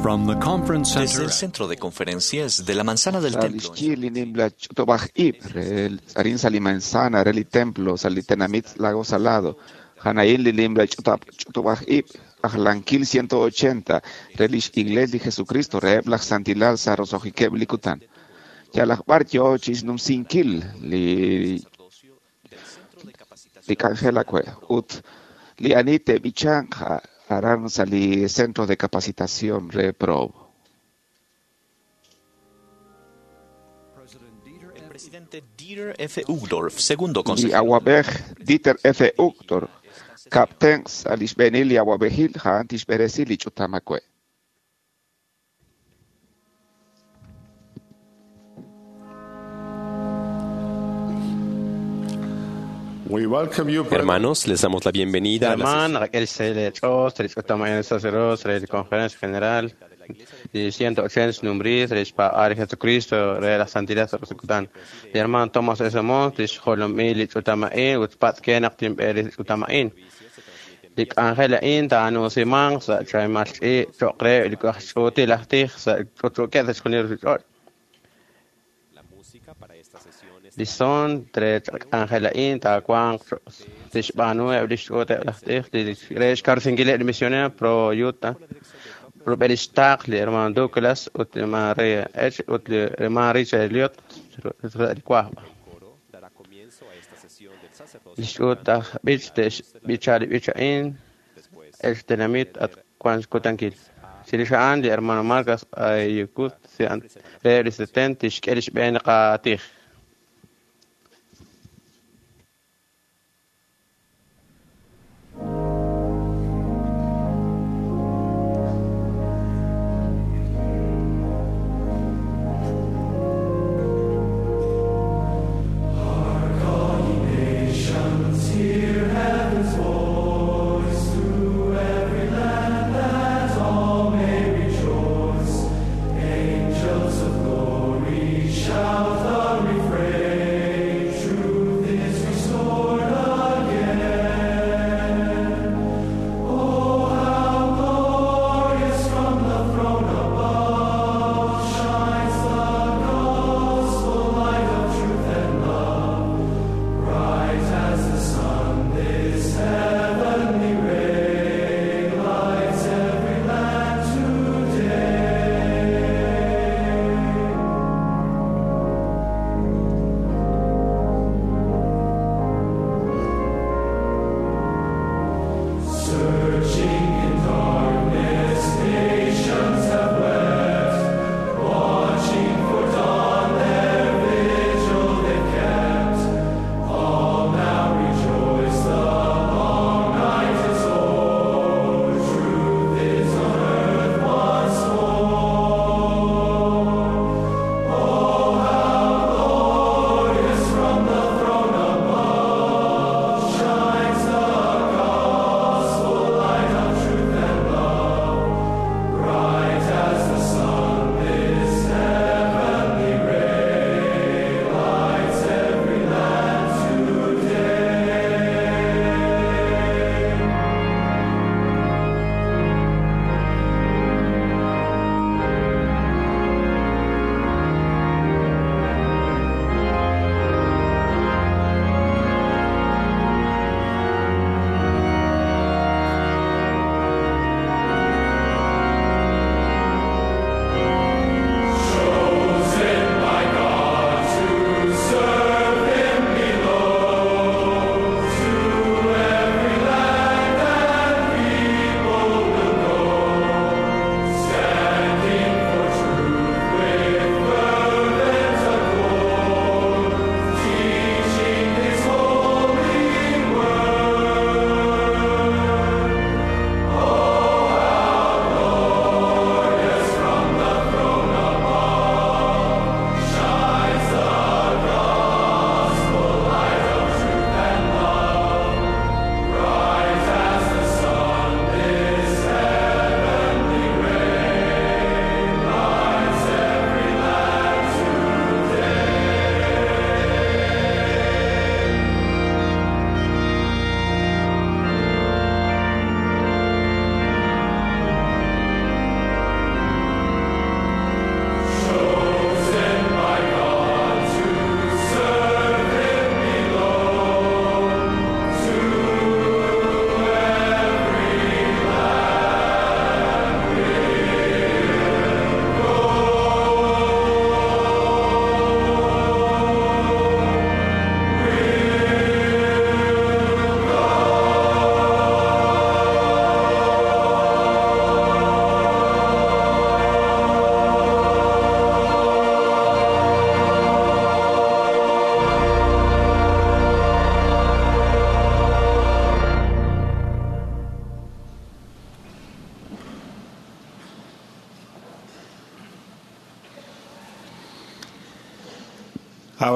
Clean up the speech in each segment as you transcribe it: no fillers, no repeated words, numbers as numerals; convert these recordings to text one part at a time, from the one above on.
From the conference Desde center el centro de conferencias de la Manzana del Sa Templo. lix yi li nimla ch'utub'aj ib' re arin sa li manzana re li templo sa li tenamit Lago Salado. Janaín li nimla ch'utub'aj ib' ajlankil 180 re lix Iglesia li Jesucristo re laj santilal sa roso'jikeb' li kutan. Yalaq b'ar yo chixnumsinkil li k'anjel awe' ut li ani te'b'ichanq aran sa li centro de capacitación re Provo. El presidente Dieter F. Uchtdorf, segundo Li consejero. awab'ej Dieter F. Uchtdorf, kapten sa lix b'eenil li awab'ejil ja'an tixb'eresi li ch'utam awe'. We welcome you, brethren. Hermanos, les damos la bienvenida a la Herman, Raquel C. Chos, el sacerdote, la conferencia general, y 180 nombres, el Padre Jesucristo, de la santidad de El hermano Thomas S. Mons, el Jolomil, Utamain, Utpat Kenak, Timberis, Utamain. Lik Ángel In, Tanu Simán, Sa Chaimal, Chocre, el Cochuti, Lactij, Sa Chuchuque, Desconir, Lison, Tre Ángel In, Tacuan, Tishbanu, Eblishote, Lactij, Resh Carsingile, el misionero pro Utah. Robertistaq, li hermano Douglas, ut Maria H, ut hermano Richard Elliot, el Cuajba. Lishut bich bichali bichain, el tenamit at Juan Kutankil. Silishaan li hermano Marcas ayukut sean resistente ishkelish ben qatij. Angels of glory, shout the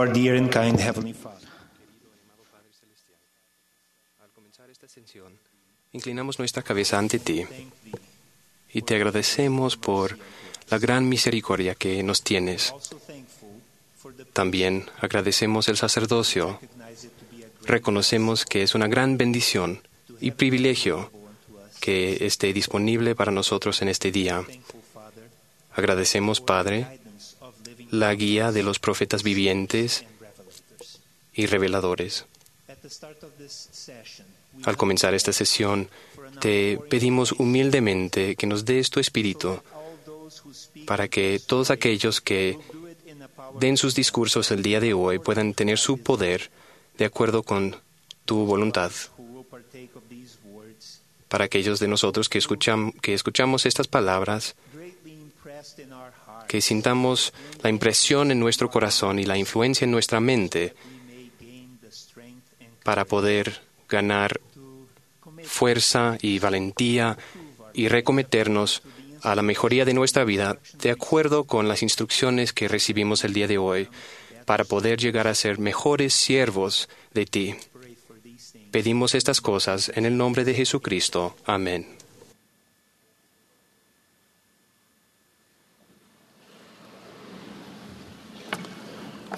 Our dear and kind Heavenly Father. Al comenzar esta sesión, inclinamos nuestra cabeza ante ti y te agradecemos por la gran misericordia que nos tienes. También agradecemos el sacerdocio. Reconocemos que es una gran bendición y privilegio que esté disponible para nosotros en este día. Agradecemos, Padre, la guía de los profetas vivientes y reveladores. Al comenzar esta sesión, te pedimos humildemente que nos des tu espíritu para que todos aquellos que den sus discursos el día de hoy puedan tener su poder de acuerdo con tu voluntad. Para aquellos de nosotros que escuchamos estas palabras, que sintamos la impresión en nuestro corazón y la influencia en nuestra mente para poder ganar fuerza y valentía y recometernos a la mejoría de nuestra vida de acuerdo con las instrucciones que recibimos el día de hoy para poder llegar a ser mejores siervos de ti. Pedimos estas cosas en el nombre de Jesucristo. Amén.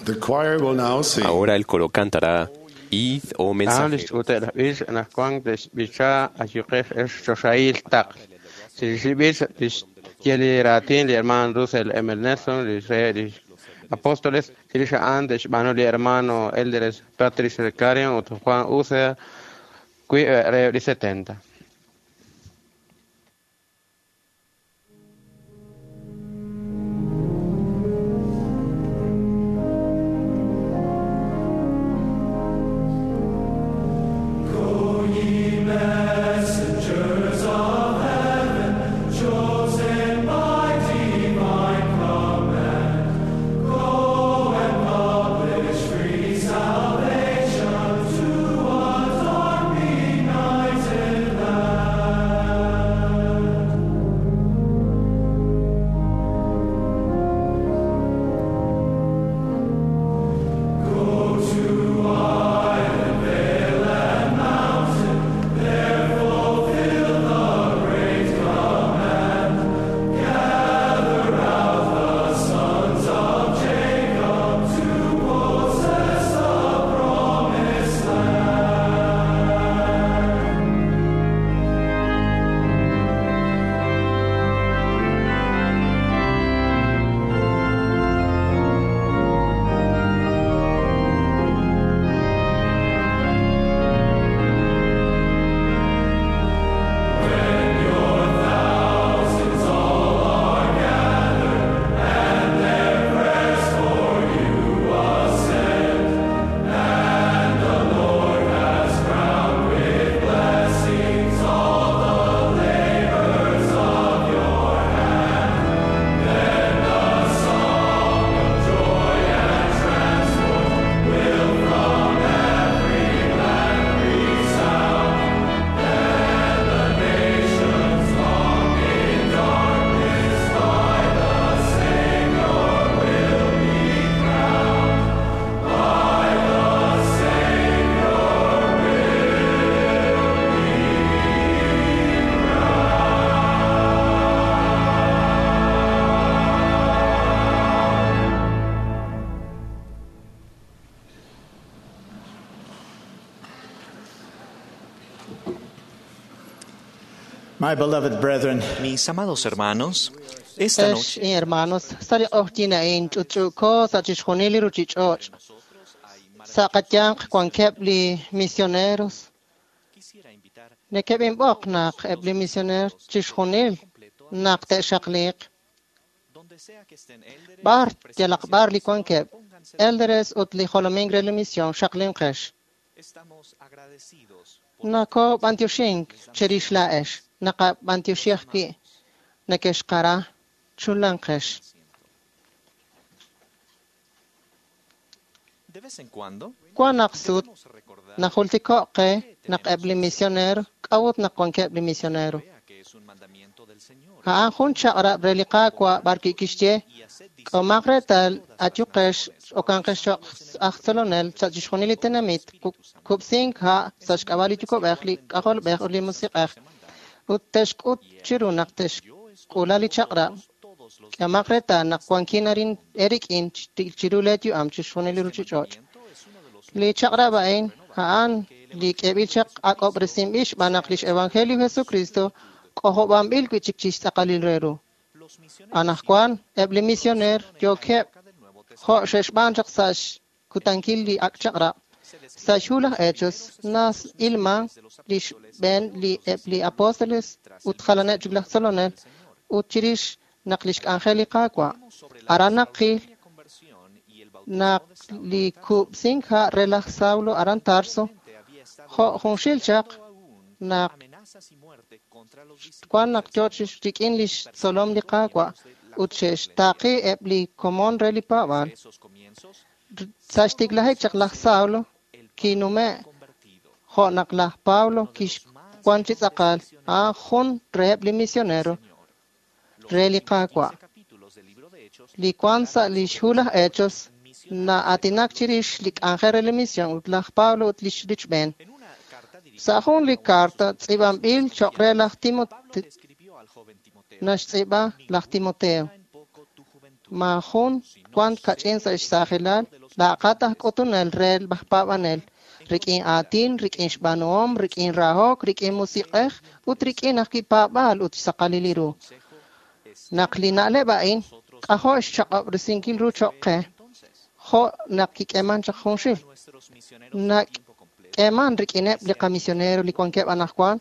The choir will now sing. Ahora el coro cantará Id, oh mensajeros. Apóstoles, Andes, Manuel hermano Elderes, Patricio Clarion, Juan Uceda, 70. My beloved brethren, Mis amados hermanos, esta Ex noche hermanos, sa li q'oqyin a'in ch'utch'u'ko sa' chixjunil li ruchich'och'. Sa' qayanq wankeb' li misioneros. Nekeb'inb'oq naq eb' li misioneros chixjunil naq te'xaqliiq. B'ar yalaq b'ar li wankeb', Elderes ut li jolomink re li mision xaqlinqex. Nakob'antioxink chirix laa'ex, naqab'antioxi ajwi' nekexqara chulanqex. de vez en cuando Wan naq sut najultiko' qe naq eb' li misionero k'a'ut naq wankeb' li misionero. A'an jun chaq'rab' re li Qaawa' b'arwi' kixye, K'ehomaq reetal, ayuqex, okanqex cho'q aj tzolonel sa' chixjunil li tenamit, kub'sink ha' sa' xk'ab'a' li Yuwa'b'ej, li K'ajolb'ej ut li Musiq'ej, ut te'xk'ut chiru naq te'xk'uula li chaq'rab'. K'ehomaq reetal naq wankin arin eerik'in chiru leeyu'am chixjunil li ruuchich'och'. Li chaq'rab' a'in a'an li k'eeb'il chaq ak'ob'resinb'il xb'aan naq lix Evangelio Jesucristo k'ojob'anb'il wi' chik chi xtz'aqalil re ru. Anaqwan eb' li misioneer yookeb' jo' xe'xb'aan chaq sa' xkutankil li ak' chaq'rab'. Sa' xhu laj Hechos na'ilman li xb'een li eb' li apóstoles ut jalaneb' chik laj tzolonel ut chirix naq li xk'anjel li Qaawa'. Aran naqil naq li kub'sink ha' re laj Saulo aran Tarso jo' junxil chaq naq wan naq yo rik'in li xtzolom li Qaawa' ut xe'xtaaqi eb' li komon re li paab'aal. Sa' xtiklajik chaq laj Saulo kinume' jo' naq laj Pablo kixwan chi tz'aqal a'an jun reheb' li misionero re li Qaawa'. Li wan sa' li xhu laj Hechos na'aatinak chirix li k'anjel re li mision ut laj Pablo ut lix richb'een. Sa' jun li karta tz'iib'anb'il cho'q re laj Timoteo, naxtz'iib'a laj Timoteo. Maajun wan kach'in sa' xsaajilal, laaqat aj k'utunel re laj paab'anel, rik'in aatin, rik'in xb'aanuhom, rik'in rahok, rik'in musiq'ej ut rik'in ajwi' paab'aal ut xsaqalil li ru. Naq li na'leb' a'in k'ajo' xchaq'ob'resinkil ru cho'q qe, jo' naq kik'eeman chaq junxil. Nak'eeman rik'ineb' li qamisionero li wankeb' anaqwan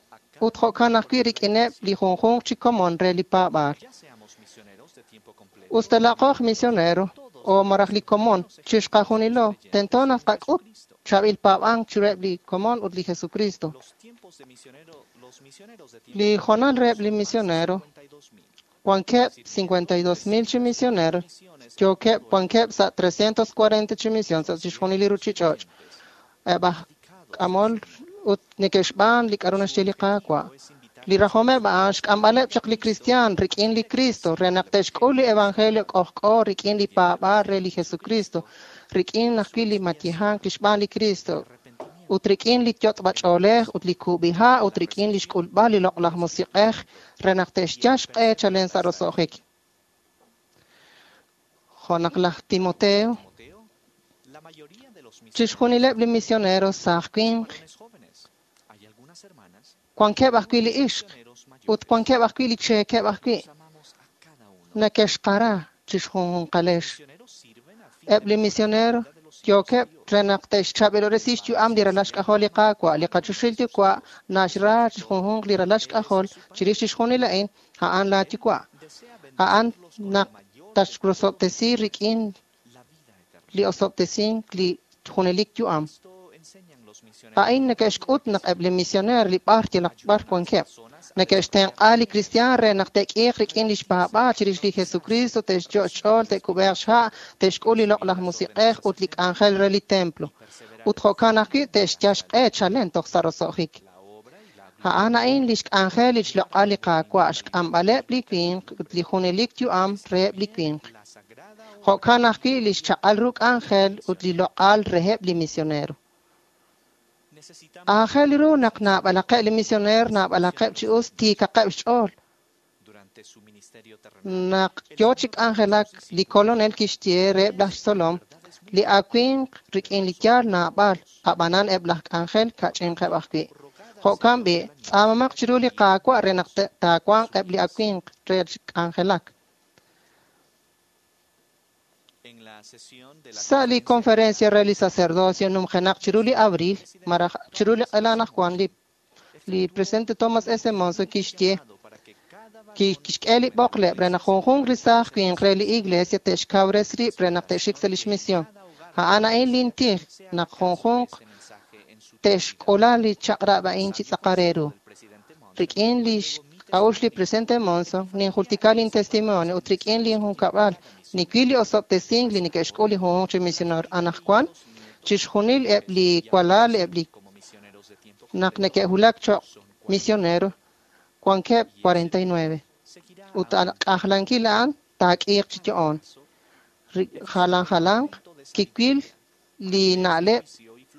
ut jo'kan ajwi' rik'ineb' li junjunq chi komon re li paab'aal. Us ta laaqo aj misionero o malaj li komon chixqajunilo, tento naq tqak'ut chaab'il paab'ank chiruheb' li komon ut li Jesucristo. Li hoonal reheb' li misionero wankeb' 52,000 chi misionero, yookeb' wankeb' sa' 340 chi mision sa' chixjunil li ruuchich'och'. Eb' aj k'amol ut neke'xb'aan li k'aru naxye li Qaawa'. Li rajomeb' a'an xk'amb'aleb' chaq li kristiaan rik'in li Cristo re naq te'xk'ul li Evangelio k'ojk'o rik'in li paab'aal re li Jesucristo, rik'in ajwi' li mayejank li xb'aan li Cristo, ut rik'in li yot'b'ach'oolej ut li kub'iha' ut rik'in li xk'ulb'al li loq'laj musiq'ej re naq te'xyal xq'e chalen sa' roso'jik. Jo' naq laj Timoteo, chixjunileb' li misioneros saaj winq, wankeb' ajwi' li ixq ut wankeb' ajwi' li cheekeb' ajwi' neke'xqara chixjunjunqalex. Eb' li misionero yookeb' re naq te'xchaab'ilob'resi xyu'am li ralal xk'ajol li Qaawa', li qachoxahil Yuwa' naxra chixjunjunq li ralal xk'ajol chirix chixjunil a'in, a'an laa Yuwa'. A'an naq tatxrosob'tesi rik'in li osob'tesink li junelik yu'am. A'in neke'xk'ut naq eb' li misioneer li b'ar yalaq b'ar wankeb'. Neke'xtenq'a li kristiaan re naq te'k'iiq rik'in li xpaab'aal chirix li Jesucristo, te'xyo' xch'ool, te'kub'eeq xha', te'xk'ul li loq'laj musiq'ej ut li k'anjel re li templo. Ut jo'kan ajwi' te'xyal xq'e chalen toj sa' roso'jik. A'an a'in li xk'anjel li xloq'al li Qaawa', xk'amb'aleb' li winq ut li junelik yu'am reheb' li winq. Jo'kan ajwi' li xchaq'al ru k'anjel ut li loq'al reheb' li misionero. Aajel ru naq naab'alaqeb' li misioneer naab'alaqeb' chi us tiikaqeb' xch'ool. Naq yo chi k'anjelak li kolonel kixye reheb' laj xtzolom, li awinq rik'in li yaal naab'al, ab'anan eb' laj k'anjel kach'inqeb' ajwi'. Jo'kan b'i', tz'aamamaq chiru li Qaawa' re naq taawanq eb' li awinq re k'anjelak. Sa' li conferencia re li sacerdocio numjenaq chiru li abril, malaj chiru li q'ela anaqwan li li presidente Thomas S. Monson kixye kixk'e li b'oqleb' re naq junjunq li saaj winq re li iglesia te'xkawres rib' re naq te'xik sa' lix misión. A'an a'in lintij naq junjunq te'xk'ula li chaq'rab' a'in chi tz'aqal re ru. Rik'in li xk'a'uxl li presidente Monson, ninjultika lin testimonio ut rik'in lin junkab'al niwil li osob'tesink li neke'xk'ul li junjunq chi misioneer anaqwan, chixjunil eb' li walal eb' li naq neke'wulak cho'q misionero. wankeb' 49. Ut k'ajlankil a'an taak'iiq chi yo'on. Jalan jalanq kiwil li na'leb'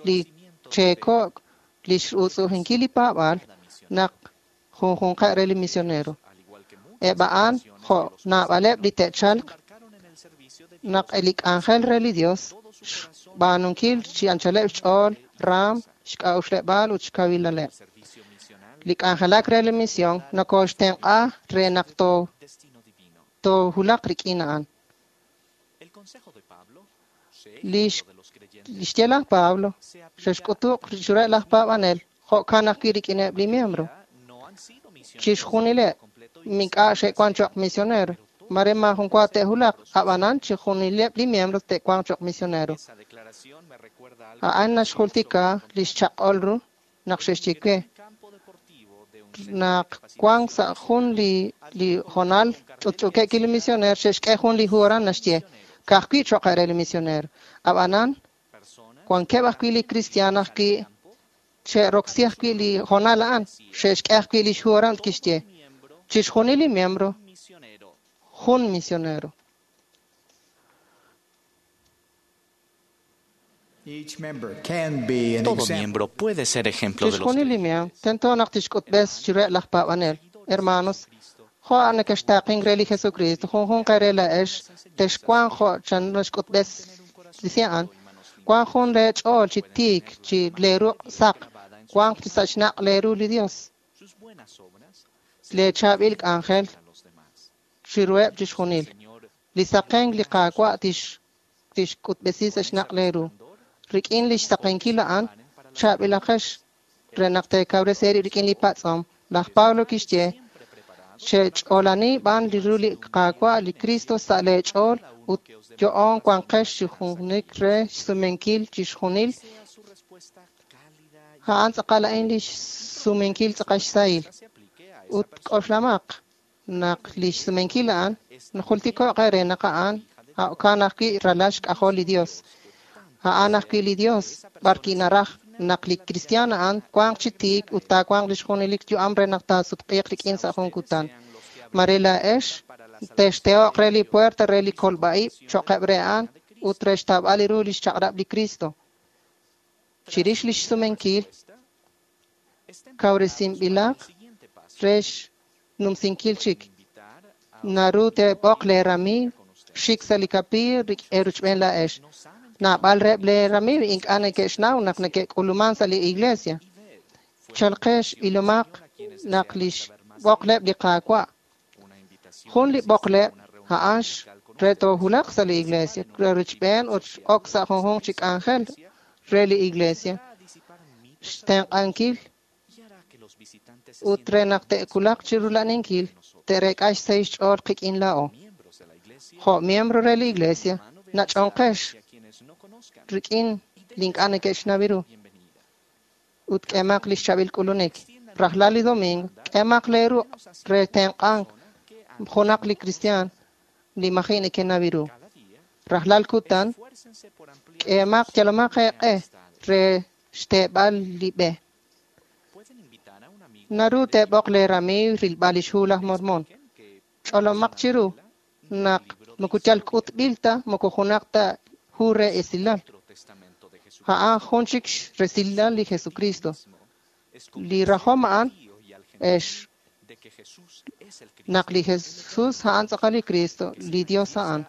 li cheeko'k li x'utz'ujinkil li paab'aal naq junjunqeb' re li misionero. Eb' a'an jo' naab'aleb' li te'chalq naq li k'anjel re li Dios xb'aanunkil chi anchaleb' xch'ool, raam, xk'a'uxleb'aal ut xkawilaleb'. Li k'anjelak re li misión nokoxtenq'a re naq toohulaq rik'in a'an. Li xye laj Pablo xe'xk'utuq chiruheb' laj paab'anel jo'kan ajwi' rik'ineb' li miembro. Chixjunileb' ink'a' xe'wan choq' misionero. Mare maajun wa te'hulaq, ab'anan chixjunileb' li miembro te'wanq choq' misionero. A'an naxjultika li xchaq'ol ru naq xe'xye we naq wank sa' jun li hoonal ch'utch'uukeb' li misioneer xe'xk'e jun li hu aran naxye ka'ajwi' cho'q re li misioneer. Ab'anan wankeb' ajwi' li kristiaan ajwi' xe'roksi ajwi' li hoonal a'an xe'xk'e ajwi' li xhu aran kixye chixjunil li miembro jun misionero. Each member can be an Todo example. miembro puede ser ejemplo de los Chixjunil li miembro tento naq tixk'utb'es chiruheb' laj paab'anel. Hermanos, jo' nakextaaqink re li Jesucristo, junjunq re laa'ex texwanq jo' chan naxk'utb'es li a'an. Wank jun lee ch'ool chi tiik chi lee ruq' saq, wank chi sa' xnaq' lee ru li Dios. Sus buenas obras Lee chaab'il k'anjel a los demás. chiruheb' chixjunil. Li saqenk li Qaawa' tixk'utb'esi sa' xnaq' lee ru. Rik'in li xsaqenkil a'an, chaab'ilaqex re naq teekawresi eerib' rik'in li patz'om. Laj Pablo kixye, xech'oolani b'an li ru li Qaawa' li Cristo sa' lee ch'ool ut yo'on wanqex chi junik re xsumenkil chixjunil. A'an tz'aqal a'in li xsumenkil tz'aqal xsahil. Ut k'oxlamaq naq li xsumenkil a'an najultiko'q eere naq a'an jo'kan ajwi' ralal xk'ajol li Dios. A'an ajwi' li Dios b'arwi' naraj naq li kristiaan a'an wanq chi tiik ut taawanq li xjunelik yu'am re naq taasutq'iiq rik'in sa' jun kutan. Mare laa'ex texteho'q re li puerta re li kolb'a'ib' cho'qeb' re a'an ut re xtawb'al ru li xchaq'rab' li Cristo. Chirix li xsumenkil kawresinb'ilaq re xnumsinkil chik. Naru teeb'oq lee ramiiw xik sa' li kapiiy eeruchb'een laa'ex. Naab'al reheb' lee ramiiw ink'a' neke'xnaw naq neke'k'uluman sa' li iglesia. Chalqex ilomaq naq li xb'oqleb' li Qaawa'. Jun li b'oqleb' a'an re toohulaq sa' li iglesia, re rochb'een ut ok sa' junjunq chi k'anjel re li iglesia. Xtenq'ankil ut re naq te'kulaq chi rula'aninkil te'reek'a xsahil xch'ool qik'in laa'o. Jo' miembro re li iglesia, nach'onqex rik'in li ink'a' neke'xnaw ru ut k'emaq li xchaab'il k'ulunik. Rajlal li domingo, k'emaq lee ruq' re tenq'ank junaq li kristiaan li maji' neke'naw ru. Rajlal kutan, k'emaq yalomaq eeq'e re xteeb'al li b'e. Naru teeb'oq lee ramiiw rilb'al li xhu laj Mormon. Ch'olomaq chiru naq moko yal k'utb'il ta moko junaq ta hu re esilal. A'an jun chik resilal li Jesucristo. Li rajom a'an ex naq li Jesús a'an tz'aqal li Cristo, li Dios a'an.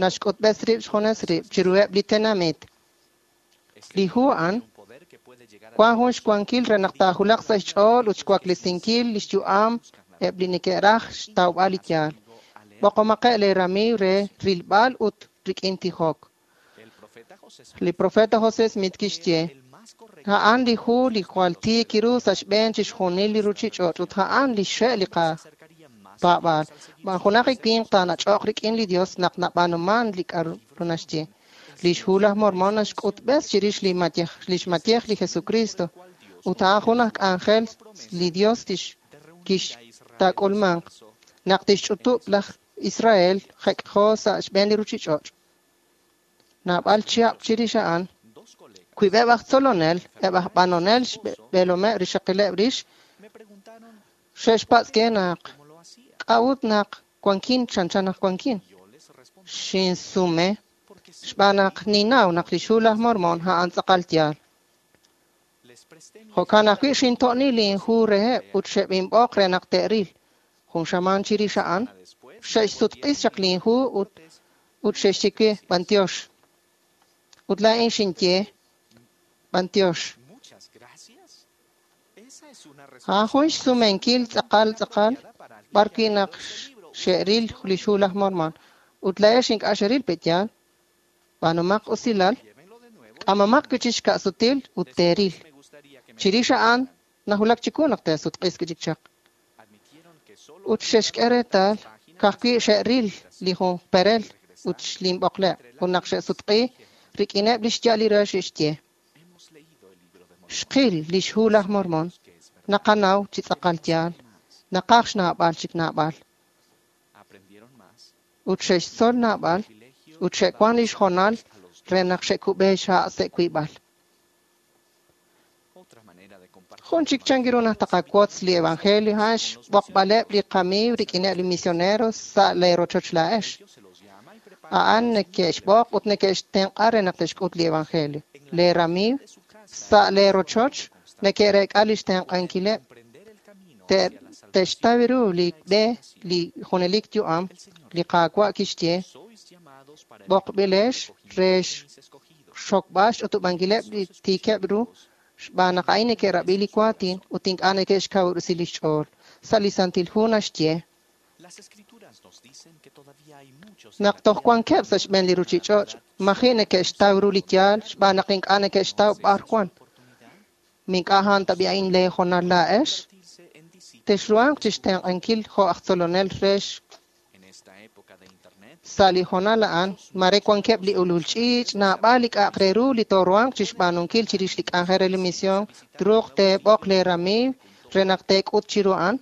Naxk'utb'es rib' xjunes rib' chiruheb' li tenamit. Li hu a'an wan jun xwankil re naq taahulaq sa' xch'ool ut xwaklesinkil li xyu'am eb' li neke'raj xtawb'al li yaal. B'oqomaqeb' lee ramiiw re rilb'al ut rik'in tijok. Li profeta José Smith kixye, a'an li hu li jwal tiik ru sa' xb'een chixjunil li ruchich'och' ut a'an li xxe' li qapaab'aal. Junaq li winq taanach'oq rik'in li Dios naq nab'aanuman li k'a'ru naxye. Li xhu laj Mormon naxk'utb'es chirix li xmayej li Jesucristo ut a'an jun aj k'anjel li Dios kixtaak'ulmanq naq tixch'utub' laj Israel jek'jo sa' xb'een li ruchich'och'. Naab'al chihab' chirix a'an, wib'eb' aj tzolonel, eb' aj b'anonel xb'eelomeb' rixaqileb' rix, Xe'xpatz' ke naq k'a'ut naq wankin chanchan naq wankin. Xinsume xb'aan naq ninnaw naq lix Hu laj Mormon a'an tz'aqal yaal. Jo'kan ajwi' xinto'ni linhu reheb' ut xeb'inb'oq re naq te'ril. Jun xamaan chirix a'an, xe'xsutq'is chaq linhu ut xe'xye we b'antiox. Ut laa'in xinye b'antiox. A'an jun xsumenkil tz'aqal tz'aqal b'ar wi' naq xe'ril lix Hu laj Mormon. Ut laa'ex ink'a' xeril pe' yaal. B'aanumaq usilal, k'amomaq wi' chik xka'sutil ut teeril. Chirix a'an nawulak chiwu naq teesutq'is wi' chik chaq. Ut xe'xk'e reetal ka'ajwi' xe'ril li jun perel ut xlinb'oqleb'. Ut naq xe'sutq'i rik'ineb' li xya'al li re xe'xye. Xqil lix Hu laj Mormon. Naqanaw chi tz'aqal yaal. Naqaj xnaab'al chik naab'al. Ut xe'xtzol naab'al ut xe'wan lix hoonal re naq xe'kub'e xha' sa' wiib'al. Jun chik chankiru naq taqawotz li evangelio a'an xb'oqb'aleb' li qamiiw rik'ineb' li misioneros sa' lee rochoch laa'ex. A'an neke'xb'oq ut neke'xtenq'a re naq te'xk'ut li evangelio. Lee ramiiw sa' lee rochoch neke'reek'a lix tenq'ankileb'. Te'xtaw ru li b'e li junelik yu'am li Qaawa' kixye b'oqb'ilex re xxokb'al xch'utub'ankileb' li tiikeb' ru xb'aan naq a'in neke'rab'i li waatin ut ink'a' neke'xkawub'resi lix ch'ool. Sa' li Santil Hu naxye naq toj wankeb' sa' xb'een li ruchich'och' maji' neke'xtaw ru li yaal xb'aan naq ink'a' neke'xtaw b'ar wan. Mink'a' a'an tab'i a'in lee hoonal laa'ex? Texruhanq chixtenq'ankil jo' aj tzolonel re sa' li hoonal a'an, mare wankeb' li ulul ch'iich', naab'al li k'a'aq re ru li tooruhanq chixb'aanunkil chirix li k'anjel re li misión, truuq teeb'oq lee ramiiw re naq teek'ut chiru a'an.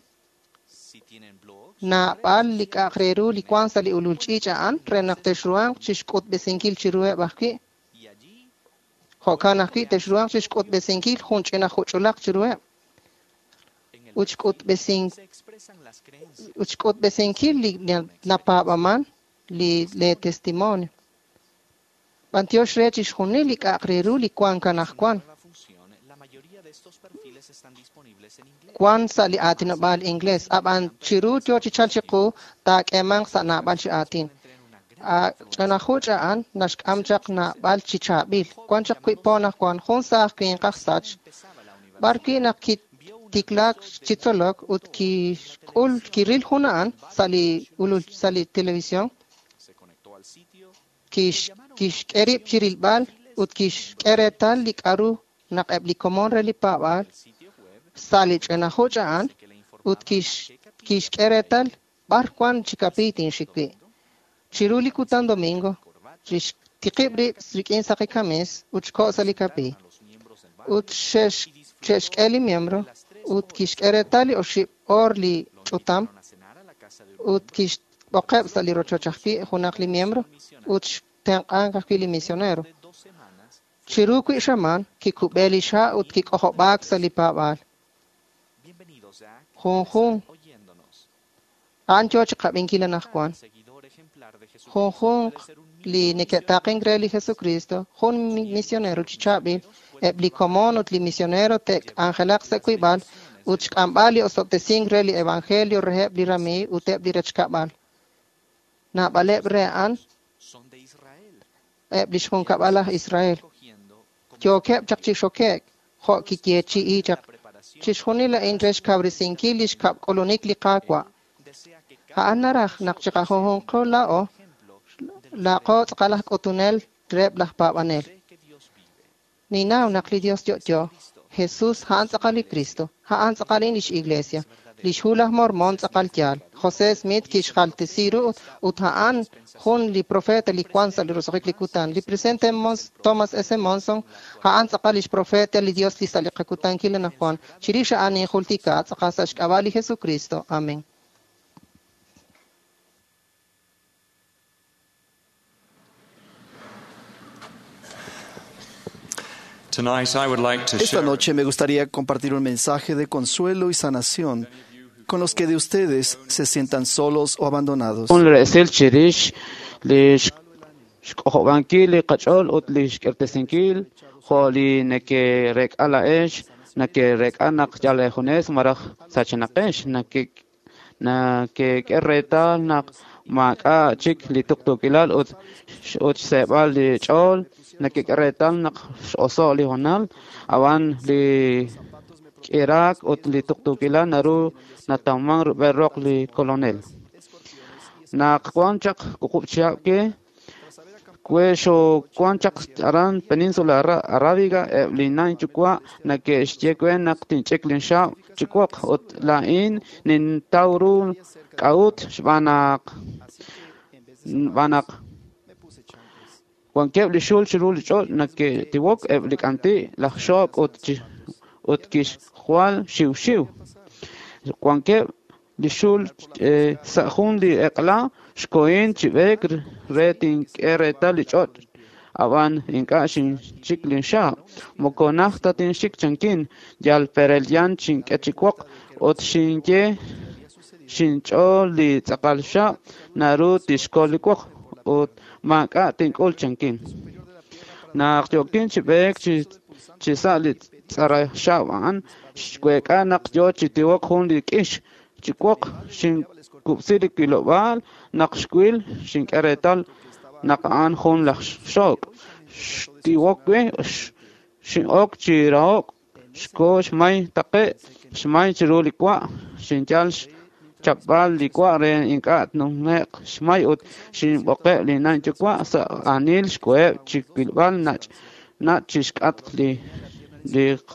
Naab'al li k'a'aq re ru li wan sa' li ulul ch'iich' a'an re naq texruhanq chixk'utb'esinkil chiruheb' ajwi'. Jo'kan ajwi' texruhanq chixk'utb'esinkil jun ch'ina juch'ulaq chiruheb'. Ut xk'utb'esinkil li napaab'aman li lee testimonio. B'antiox re chixjunil li k'a'aq re ru li wank anaqwan. Wan sa' li aatinob'aal inglés, ab'an chiru yo chi chalk chiqu taak'eemanq sa' naab'al chi aatin. Ch'ina juch' a'an naxk'am chaq naab'al chi chaab'il. Wan chaq wi' po anaqwan jun saaj winq aj sach, b'ar wi' naq kitiklaak chi tzolok ut kixk'ul kiril jun a'an sa' li ulul sa' li televisión. Kixk'e rib' chi rilb'al ut kixk'e reetal li k'a'ru naq eb' li komon re li paab'aal sa' li ch'ina juch' a'an ut kixk'e reetal b'ar wan chi kapiiy tinxik wi'. Chiru li kutan domingo, xtiqib' rib' rik'in saqi kamis ut xko' sa' li kapiiy. Ut xe'xk'e li miembro ut kixk'e reetal li oxib' oor li ch'utam ut kixb'oqeb' sa' li rochoch ajwi' junaq li miembro ut xtenq'ank ajwi' li misionero. Chiru wi' xamaan kikub'e li xha' ut kik'ojob'aak sa' li paab'aal. Junjun a'an yo chi qab'inkil anaqwan. Junjunq li neke'taaqenk re li Jesucristo, jun misionero chi chaab'il, eb' li komon ut li misionero te'k'anjelaq sa' wiib'al ut xk'amb'al li osob'tesink re li evangelio reheb' li ramiiw ut eb' li rechkab'al. Naab'aleb' re a'an eb' li xjunkab'al aj Israel. Yookeb' chaq chi xoke'k jo' kiyeechi'i chaq. Chixjunil a'in re xkawresinkil li xkab'k'ulunik li Qaawa'. A'an naraj naq chiqajunjunqo laa'o laaqo tz'aqal aj k'utunel reheb' laj paab'anel. Ninnaw naq li Dios yo'yo, Jesús a'an tz'aqal li Cristo, a'an tz'aqal lix Iglesia, lix Hu laj Mormon tz'aqal yaal. José Smith kixjaltesi ru ut a'an jun li profeta li wan sa' li roso'jik li kutan. Li presidente Thomas S. Monson a'an tz'aqal lix profeta li Dios li sa' li qakutankil anaqwan. Chirix a'an ninjultika tz'aqal sa' xk'ab'a' li Jesucristo. Amén. Esta noche me gustaría compartir un mensaje de consuelo y sanación con con los que de ustedes se sientan solos o abandonados. Jun resil chirix li xk'ojob'ankil li qach'ool ut li xk'irtesinkil jo' li neke'reek'a laa'ex neke'reek'a naq yal eejunes malaj sachenaqex neke'k'e reetal naq maak'a' chik li tuqtuukilal ut xseeb'al li ch'ool neke'k'e reetal naq x'oso' li hoonal ab'an li k'iraak ut li tuqtuukilal naru natawman rub'el roq li kolonel. Naq wan chaq wuqub' chihab' ke we xoowan chaq aran Península Arábiga eb' li na' inyuwa' neke'xye we naq tinch'ik linxaab' chi woq ut laa'in nintaw ru k'a'ut xb'aan naq wankeb' li xul chiru li ch'och' neke'tiwok eb' li k'anti' laj xook' ut kixjwal xiwxiw. Wankeb' li xul sa' jun li eq'la xkohin chi b'eek re tink'e reetal li ch'och' ab'an ink'a' xinchik linxaab'. Moko najt ta tinxik chankin yal perelyan xink'e chi woq ut xinye xinch'ool li tz'aqal xaab' naru tixkol li woq ut maak'a' tink'ul chankin. Naq yookin chi b'eek chi sa' li tz'ara xaab' a'an xweek'a naq yoo chi tiwok jun li k'ix chi woq xinkub'si li wilob'aal naq xwil xink'e reetal naq a'an jun laj xook' xtiwok we xin'ok chi raho'k xko xmay taqe' xmay chiru li wa' xinyal xchapb'al li wa' re ink'a' tnume'q xmay ut xinb'oqeb' li na' inyuwa' sa' aanil xkoheb' chi wilb'al nach' chi xk'atq li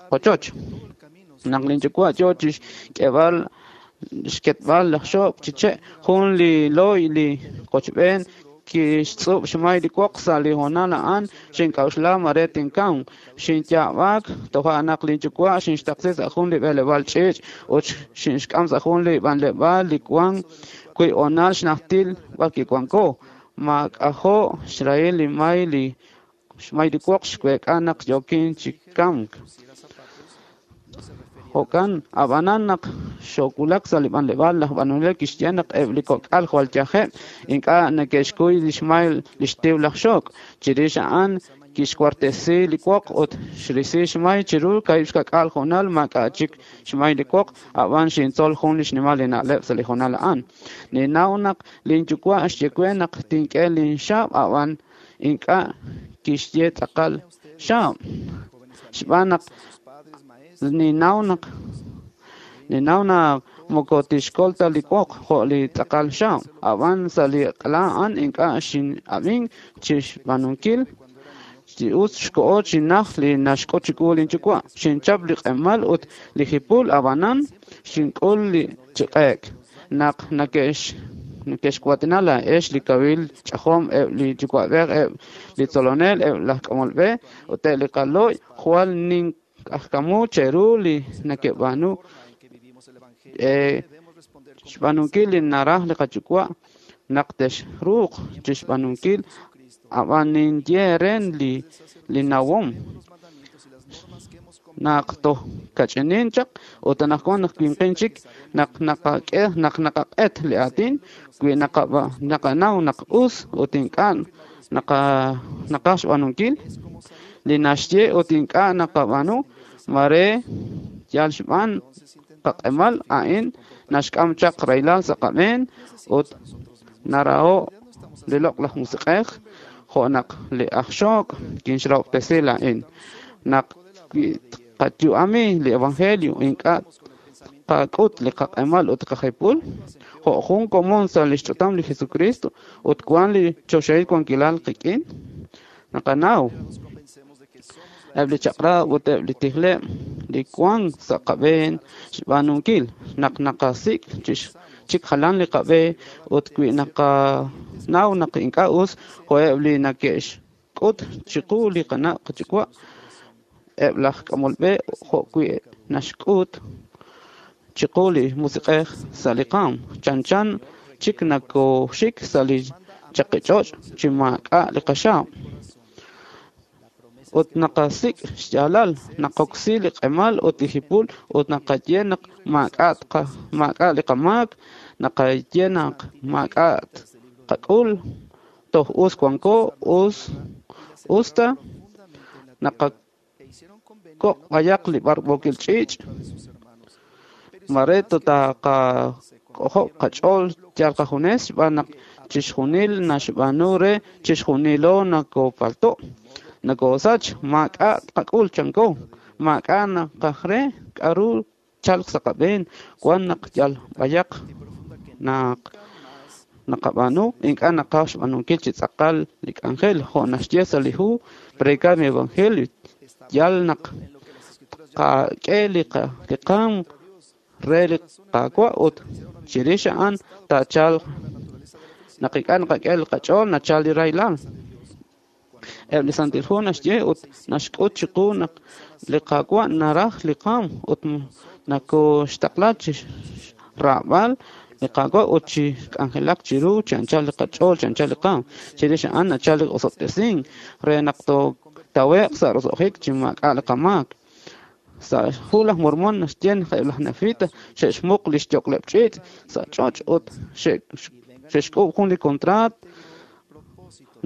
qochoch. Naq linyuwa' yoo chi xk'eb'al xketb'al laj xook' chi che' jun li looy li qochb'een kixtz'ub' xmay li woq sa' li hoonal a'an xink'a'uxla mare tinkamq xinyaab'aak toja' naq linyuwa' xinxtaqsi sa' jun li b'eleb'aal ch'iich' ut xinxk'am sa' jun li b'anleb'aal li wan wi' hoonal xnajtil b'ar kiwanko. Maak'ajo' xrahil li may li xmay li woq xweek'a naq yookin chi kamk. Jo'kan ab'anan naq xoowulak sa' li b'anleb'aal laj b'anonel kixye naq eb' li kok'al jwal yajeb' ink'a' neke'xkuy li xmay li xtiw laj xook'. Chirix a'an kixwartesi li woq ut xrisi xmay chiru 2.2 hoonal maak'a' chik xmay li woq ab'an xintzol jun li xnimal li na'leb' sa' li hoonal a'an. Ninnaw naq linyuwa' xye we naq tink'e linxaab' ab'an ink'a' kixye tz'aqal xaab' xb'aan naq ninnaw naq moko tixkol ta li woq jo' li tz'aqal xaab' ab'an sa' li q'la a'an ink'a' xin'ab'ink chi xb'aanunkil chi us xkoho chi najt li naxk'ut chiwu linyuwa'. Xinchap li q'emal ut li jipul ab'anan xink'ul li chiq'e'k. Naq neke'xwatina laa'ex li kawil ch'ajom eb' li yuwa'b'ej eb' li tzolonel eb' laj k'amol b'e ut eb' li qalooy jwal nink'ajkamu cheru li neke'b'aanu xb'aanunkil li naraj li qayuwa' naq texruuq chi xb'aanunkil ab'an ninye eere li nawom naq toj kach'inin chaq ut anaqwan naq winqin chik naq naqak'e naq naqaq'et li aatin wi naqanaw naq us ut ink'a' naqaj xb'aanunkil li naxye ut ink'a' naqab'aanu mare yal xb'aan qaq'emal a'in naxk'am chaq rahilal sa' qab'een ut naraho' li loq'laj musiq'ej jo' naq li aj xook' kinxrahob'tesi laa'in. Naq wi tqayu'ami li evangelio ink'a' tqak'ut li qaq'emal ut qajipul jo' jun komon sa' li xch'utam li Jesucristo ut wan li choxahil wankilal qik'in naqanaw eb' li chaq'rab' ut eb' li tijleb' li wan sa' qab'een xb'aanunkil naq naqasik' chik jalan li qab'e ut wi naqanaw naq ink'a' us jo'eb' li neke'xk'ut chiqu li qana' qayuwa' eb' laj k'amol b'e jo' wi' naxk'ut chiqu li musiq'ej sa' li qaam chanchan chik nakooxik sa' li chaqi ch'och' chi maak'a' li qaxaab'. ut naqasik' xyaalal, naqoksi li q'emal ut li jipul ut naqaye naq maak'a' li qamaak, naqaye naq maak'a' qak'ul, toj us wanko, usta naqakoq' b'ayaq li b'arb'ookil ch'iich', mare taqak'ojob' qach'ool yal qajunes xb'aan naq chixjunil naxb'aanu re chixjunilo nakopalto', nakosach, maak'a' tqak'ul chanko, maak'a' naqaj re k'aru chalq sa' qab'een, wan naq yal b'ayaq naq naqab'aanu, ink'a' naqaj xb'aanunkil chi tz'aqal li k'anjel jo' naxye sa' li hu Predicar mi Evangelio, yal naq tqak'e li qaam re li Qaawa' ut chirix a'an taachalq naq ink'a' naqak'e li qach'ool nachal li rahilal. Eb' li Santil Hu naxye ut naxk'ut chiqu naq li Qaawa' naraj li qaam ut nakoxtaqla chi xraab'al li Qaawa' ut chi k'anjelak chiru chi anchal li qach'ool, chi anchal li qaam. Chirix a'an nachal li osob'tesink re naq tootawe'q sa' roso'jik chi maak'a' li qamaak. Sa' hu laj Mormon naxye naq eb' laj Nefita xe'xmuq li xyok'leb' ch'iich' sa' ch'och' ut xe'xk'ub' jun li kontraat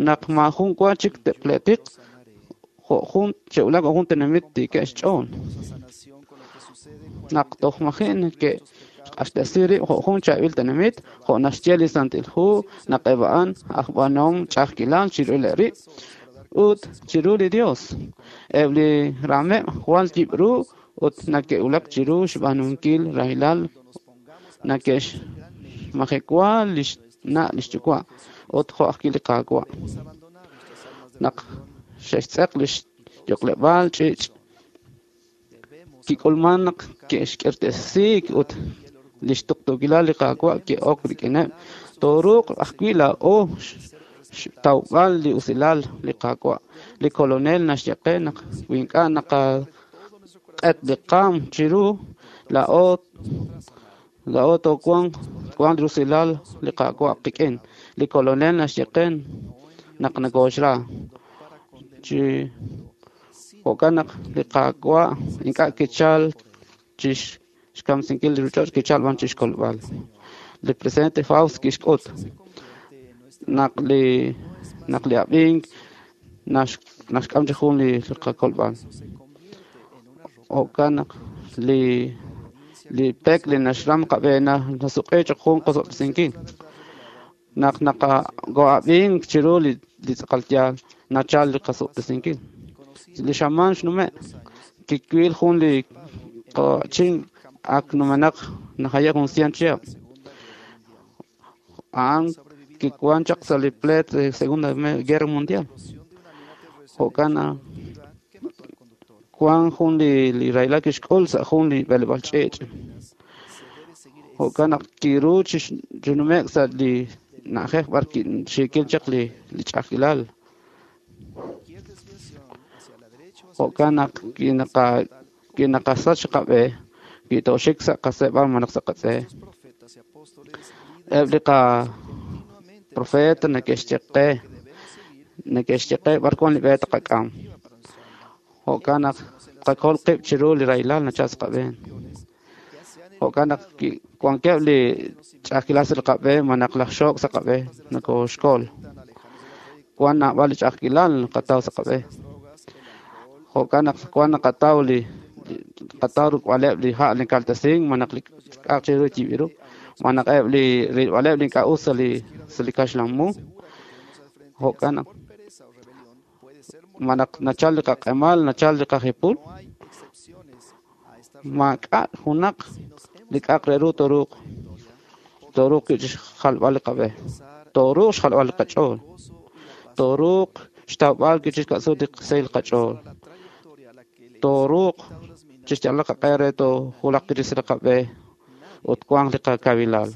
naq maajun wa chik te'pleetiq jo' jun xe'wulak jo' jun tenamit tiikeb' xch'ool. Naq toj maji' neke'xq'axtesi rib' jo' jun chaab'il tenamit, jo' naxye li Santil Hu naq eb' a'an aj b'aanahom ch'a'ajkilal chiru rib' ut chiru li Dios. Eb' li raameb' jwal yib' ru ut neke'wulak chiru xb'aanunkil rahilal, neke'xmajewa li xna' li xyuwa' ut jo' ajwi' li Qaawa'. Naq xe'xtz'eq li xyok'leb'aal ch'iich', kik'ulman naq ke'xk'irtesiik ut li xtuqtuukilal li Qaawa' ke'ok rik'ineb'. Tooruuq ajwi' laa'o xtawb'al li usilal li Qaawa'. Li Kolonel naxye qe naq wi ink'a' naqaq'et li qaam chiru, laa'o toowanq li rusilal li Qaawa' qik'in. Li Kolonel naxye qe naq nokoxra. Chi jo'kan naq li Qaawa' ink'a' kichal chi xkamsinkil li ruuchich'och', kichal b'an chi xkolb'al. Li presidente Faust kixk'ut naq li ab'ink naxk'am chi jun li qakolb'al. Jo'kan naq li pek li naxram qab'e nasuq'i cho'q jun qosob'tesinkil. Naq naqago'ab'ink chiru li tz'aqal yaal nachal li qasob'tesinkil. Li xamaan xnume' kiwil jun li qachin ak numenaq najaye' jun 100 chihab'. A'an kiwan chaq sa' li pleet de Segunda Guerra Mundial. Jo'kan wan jun li rahilal kixk'ul sa' jun li b'eleb'aal ch'iich'. Jo'kan naq kiru chi nume'k sa' li na'ajej b'ar xiikil chaq li ch'a'ajkilal. Jo'kan naq kinaqasach qab'e, kitooxik sa' qaseeb'al malaj sa' qatz'e. Eb' li qaprofeta neke'xye qe b'ar wan li b'e taqak'am. Jo'kan naq tqakol qib' chiru li rahilal nachal sa' qab'een. Jo'kan naq wankeb' li ch'a'ajkilal sa' li qab'e malaj laj xook' sa' qab'e nokoxkol. Wan naab'al li ch'a'ajkilal naqataw sa' qab'e. Jo'kan naq wan naqataw li qataw ruk'b'aleb' li ha' li kaltesink malaj li k'a'aq chiru yib'il ru, malaj eb' li rilb'aleb' li ink'a' us sa' li kaxlan-mu. Jo'kan naq malaj nachal li qaq'emal, nachal li qajipul, maak'a' junaq li k'a'aq re ru tooruuq chi xjalb'al li qab'e, tooruuq xjalb'al li qach'ool, tooruuq xtawb'al chi xka'suut li sahil qach'ool, tooruuq chi xyalb'al qaq'e re toojulaq chi li qab'e ut wanq li qakawilal.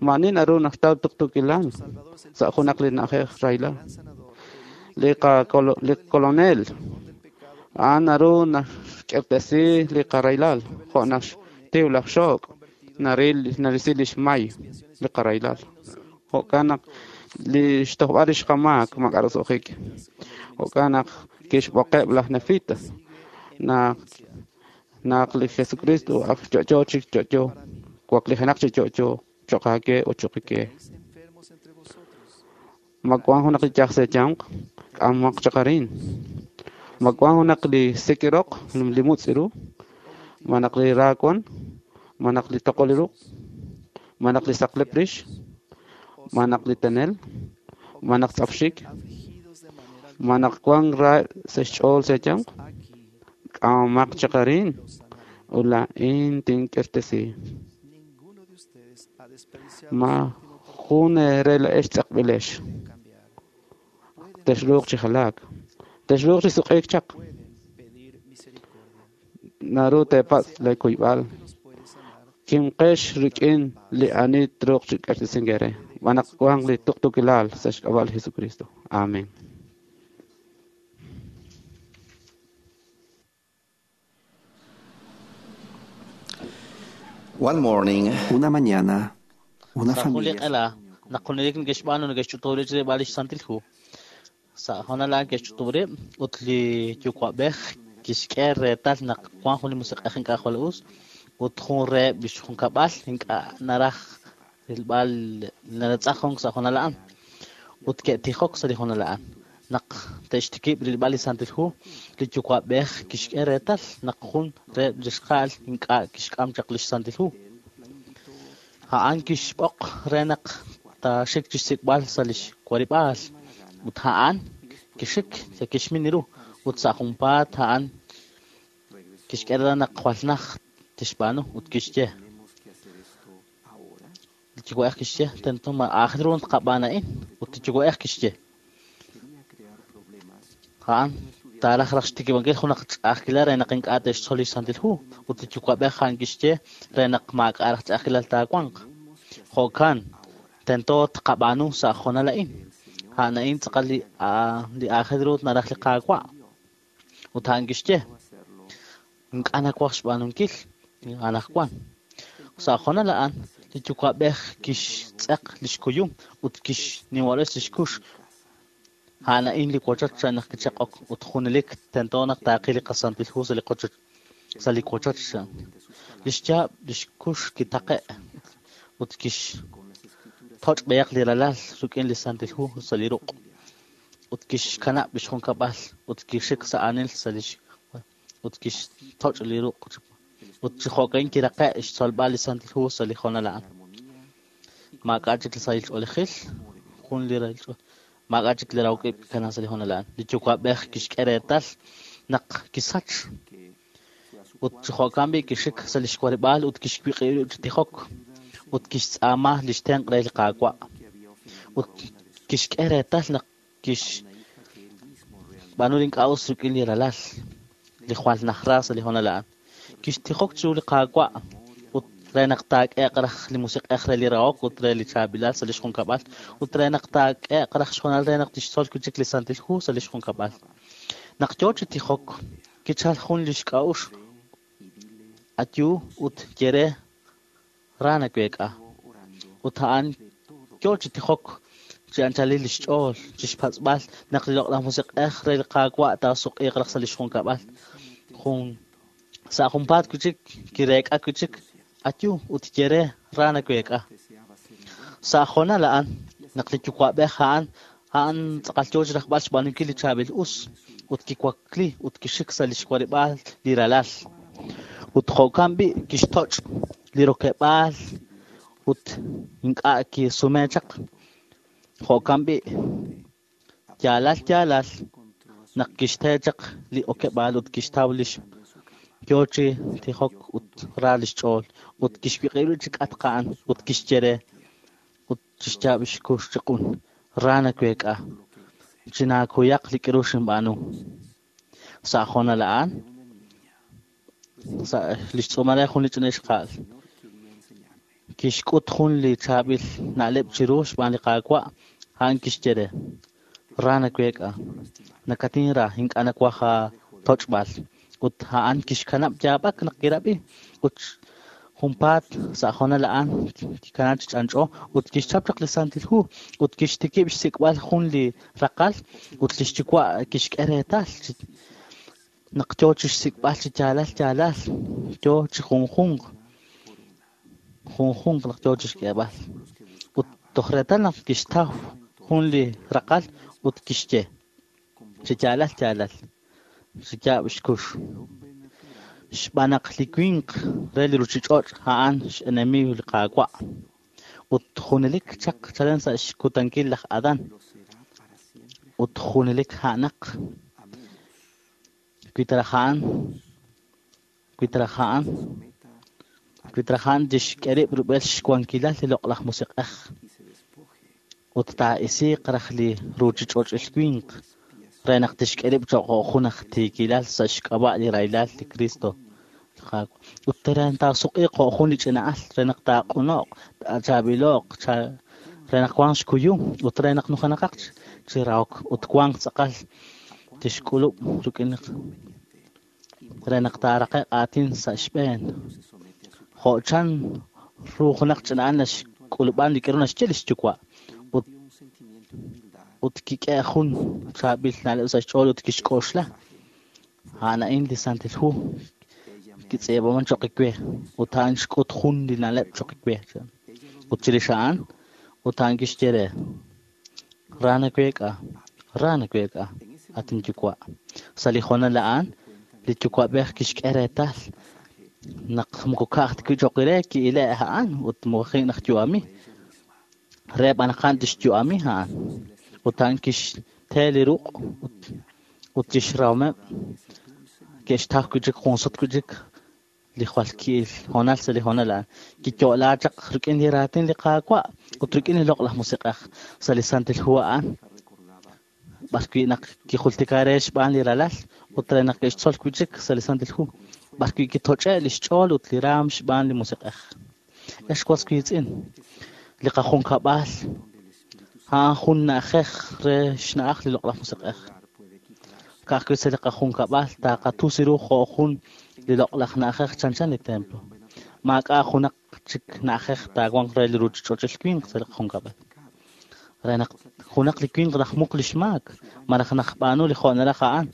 Maani naru naxtaw tuqtuukilal sa' junaq li na'ajej rahilal. Li Kolonel a'an naru naxk'irtesi li qarahilal jo' naxtiw laj xook' narisi li xmay li qarahilal. Jo'kan naq li xtojb'al rix qamaak maak'a' roso'jik. Jo'kan naq Kixb'oqeb' laj Nefita naq li Jesucristo ak yo'yo chik yo'yo, waklijenaq chi yo'yo cho'q aawe ut cho'q qe. Ma wank junaq li yaj sa' eeyanq? K'amaq chaq arin. Ma wank junaq li sik roq, li mutz' ru? Ma naq li ra wan? Ma naq li toqol li ruq'? Ma naq li saqlep rix? Ma naq li tenel? Ma naq tz'apxik? Ma naq wank ra sa' xch'ool sa' eeyanq? K'amaq chaq arin ut laa'in tink'irtesi. Ma jun eere laa'ex tz'eqb'ilex. Texruuq chi jalaak. Texruuq chi suq'iik chaq. Naru teepatz' lee kuyb'al. Kimqex rik'in li ani truuq chi k'irtesink eere. Xb'aan naq wank li tuqtuukilal sa' xk'ab'a' li Jesucristo. Amen. One morning, Una mañana, una Sa' jun li familia q'ela naq junelik neke'xb'aanu neke'xch'utub' rib' chirilb'al lix Santil Hu. Sa' hoonal a'an ke'xch'utub' rib' ut li yuwa'b'ej kixk'e reetal naq wan jun li musiq'ej ink'a' jwal us ut jun reheb' lix junkab'al ink'a' naraj rilb'al naratz'ajunk sa' hoonal a'an. Ut ke'tijok sa' li hoonal a'an. Naq te'xtikib' rilb'al li Santil Hu, li yuwa'b'ej kixk'e reetal naq jun reheb' lix xqa'al ink'a' kixk'am chaq lix Santil Hu. A'an kixb'oq re naq taaxik chixsik'b'al sa' lix warib'aal. Ut a'an kixik kixmin ru ut sa' junpaat a'an kixk'e reetal naq jwal naj tixb'aanu ut kixye. Li yuwa'ej kixye tento ma aajel ru tqab'aan a'in ut li yuwa'ej kixye. A'an taaraj raj xtikib'ankil junaq ch'a'ajkilal re naq ink'a' te'xtzol li Santil Hu ut li yuwa'b'ej a'an kixye re naq maak'a' raj ch'a'ajkilal taawanq. Jo'kan tento tqab'aanu sa' hoonal a'in. A'an a'in tz'aqal li li aajel ru naraj li Qaawa'. Ut a'an kixye ink'a' nawaj xb'aanunkil anaqwan. Sa' hoonal a'an li yuwa'b'ej kixtz'eq lix kuyum ut kixniwa'res lix kux. A'an a'in li wochoch chan naq kichaq'ok ut junelik tento naq taaqil li qaSantil Hu sa' li qochoch sa' li wochoch chan. Lix yaab' lix kux kitaqe' ut kixtoch' b'ayaq li ralal rik'in li Santil Hu sa' li ruq' ut kixkanab' lix junkab'al ut kixik sa' aanil sa' lix ut kixtoch' li ruq' ut chi jo'kan kiraqe' xtzolb'al li Santil Hu sa' li hoonal a'an. Maak'a' chik li sahil ch'oolejil, jun li rahil ch'ool maak'a' chik li rahok ib' kikana sa' li hoonal a'an. Li yuwa'b'ej kixk'e reetal naq kisach ut chi jo'kan b'i' kixik sa' lix warib'aal ut kixwiq'ib' rib' chi tijok ut kixtz'aama lix tenq' re li Qaawa'. Ut kixk'e reetal naq kixb'aanu li ink'a' us rik'in li ralal li jwal najra sa' li hoonal a'an. Kixtijok chiru li Qaawa' ut re naq taak'e'q raj li musiq'ej re li rahok ut re li chaab'ilal sa' lix junkab'al ut re naq taak'e'q raj xhoonal re naq tixtzol wi' chik li Santil Hu sa' lix junkab'al. Naq yoo chi tijok, kichal jun lix k'a'uxl ayu ut ye re ra naweek'a. Ut a'an yoo chi tijok chi anchalil lix ch'ool chixpatz'b'al naq li loq'laj musiq'ej re li Qaawa' taasuq'iiq raj sa' lix junkab'al. Jun sa' junpaat wi' chik kireek'a wi' chik ayu ut ye re ra naweek'a. Sa' hoonal a'an naq li yuwa'b'ej a'an a'an tz'aqal yoo chirajb'al xb'aanunkil li chaab'il us ut kiwakli ut kixik sa' lix warib'aal li ralal. Ut jo'kan b'i' kixtoch' li rokeb'aal ut ink'a' kisume chaq. Jo'kan b'i' yaalal yaalal naq kixte chaq li okeb'aal ut kixtaw lix yoo chi tijok ut ra lix ch'ool ut kixwiq'ib' rib' chi k'atq a'an ut kixye re ut chixyaab' xkux chi q'un ra naweek'a chinaakuyaq li k'aru xinb'aanu. Sa' hoonal a'an sa' lix tz'uumal re jun li ch'ina ixqa'al kixk'ut jun li chaab'il na'leb' chiru xb'aan li Qaawa' a'an kixye re ra naweek'a nakatinra ink'a' nawaj aatoch'b'al ut a'an kixkanab' yaab'ak naq kirab'i ut Junpaat sa' hoonal a'an kikana chi ch'anch'o ut kixchap chaq li Santil Hu ut kixtikib' xsik'b'al jun li raqal ut lix yuwa' kixk'e reetal naq yoo chi xsik'b'al chi yaalal yaalal yoo chi junjunq junjunq naq yoo chi xk'eeb'al ut toj reetal naq kixtaw jun li raqal ut kixye chi yaalal yaalal chi yaab' xkux xb'aan naq li winq re li ruuchich'och' a'an x'enemiiw li Qaawa' ut junelik chaq chalen sa' xkutankil laj Adán ut junelik a'anaq wi ta raj a'an tixk'e rib' rub'el xwankilal li loq'laj musiq'ej ut taa'isiiq raj li ruuchich'och'il winq re naq tixk'e rib' cho'q jun aj tiikilal sa' xk'ab'a' li rahilal li Cristo ut re taasuq'iiq jo' jun li ch'ina'al re naq taaq'uno'q taachaab'ilo'q re naq wanq xkuyum ut re naq nujenaqaq chi rahok ut wanq tz'aqal tixk'ulub' rik'in re naq taaraqe'q aatin sa' xb'een jo' chan ru junaq ch'ina'al naxk'ulub'an li k'aru naxye li xyuwa' ut kik'e jun chaab'il na'leb' sa' xch'ool ut kixk'oxla a'an a'in li Santil Hu kitz'iib'aman cho'q we ut a'an xk'ut jun li na'leb' cho'q we ut chirix a'an ut a'an kixye re ra naweek'a at inyuwa' sa' li hoonal a'an li yuwa'b'ej kixk'e reetal naq moko ka'aj ta wi' cho'q re ki'ile' a'an ut moji' naq yu'ami re b'an naq a'an tixyu'ami a'an ut a'an kixte li ruq' ut lix rahomeb' ke'xtaw wi' chik jun sut wi' chik li jwal ki'il hoonal sa' li hoonal a'an kiyo'la chaq rik'in li raatin li Qaawa' ut rik'in li loq'laj musiq'ej sa' li Santil Hu a'an b'ar wi' naq kijultika re xb'aan li ralal ut re naq ke'xtzol wi' chik sa' li Santil Hu b'ar wi' kitoch'e' li xch'ool ut li raam xb'aan li musiq'ej. Ex was wiitz'in li qajunkab'al a'an jun na'ajej re xna'aj li loq'laj musiq'ej ka'ajwi' sa' li qajunkab'al taaqatusi ru jo' jun li loq'laj na'ajej chanchan li templo maak'a' junaq chik na'ajej taawanq re li ruuchich'och'il winq sa' li qajunkab'al re naq junaq li winq najmuq li xmaak malaj najb'aanu li jo' naraj a'an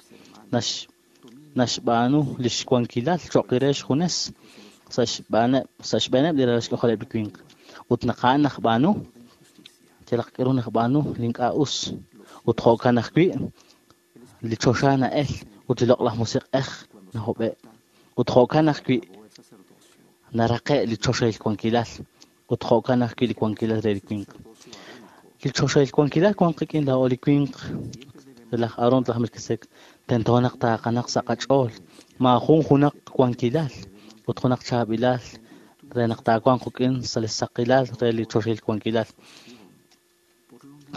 naxb'aanu li xwankilal cho'q re xjunes sa' xb'eeneb' li ralal xk'ajoleb' li winq ut naq a'an najb'aanu yalaq k'aru najb'aanu li ink'a' us ut jo'kan ajwi' li choxa na'el ut li loq'laj musiq'ej nahob'e' ut jo'kan ajwi' naraqe' li choxahil wankilal ut jo'kan ajwi' li wankilal re li winq li choxahil wankilal wanq qik'in laa'o li winq laj Aarón ut laj Melquisedec tento naq taaqanaq sa' qach'ool maajun junaq wankilal ut junaq chaab'ilal re naq taawanq qik'in sa' li saqilal re li choxahil wankilal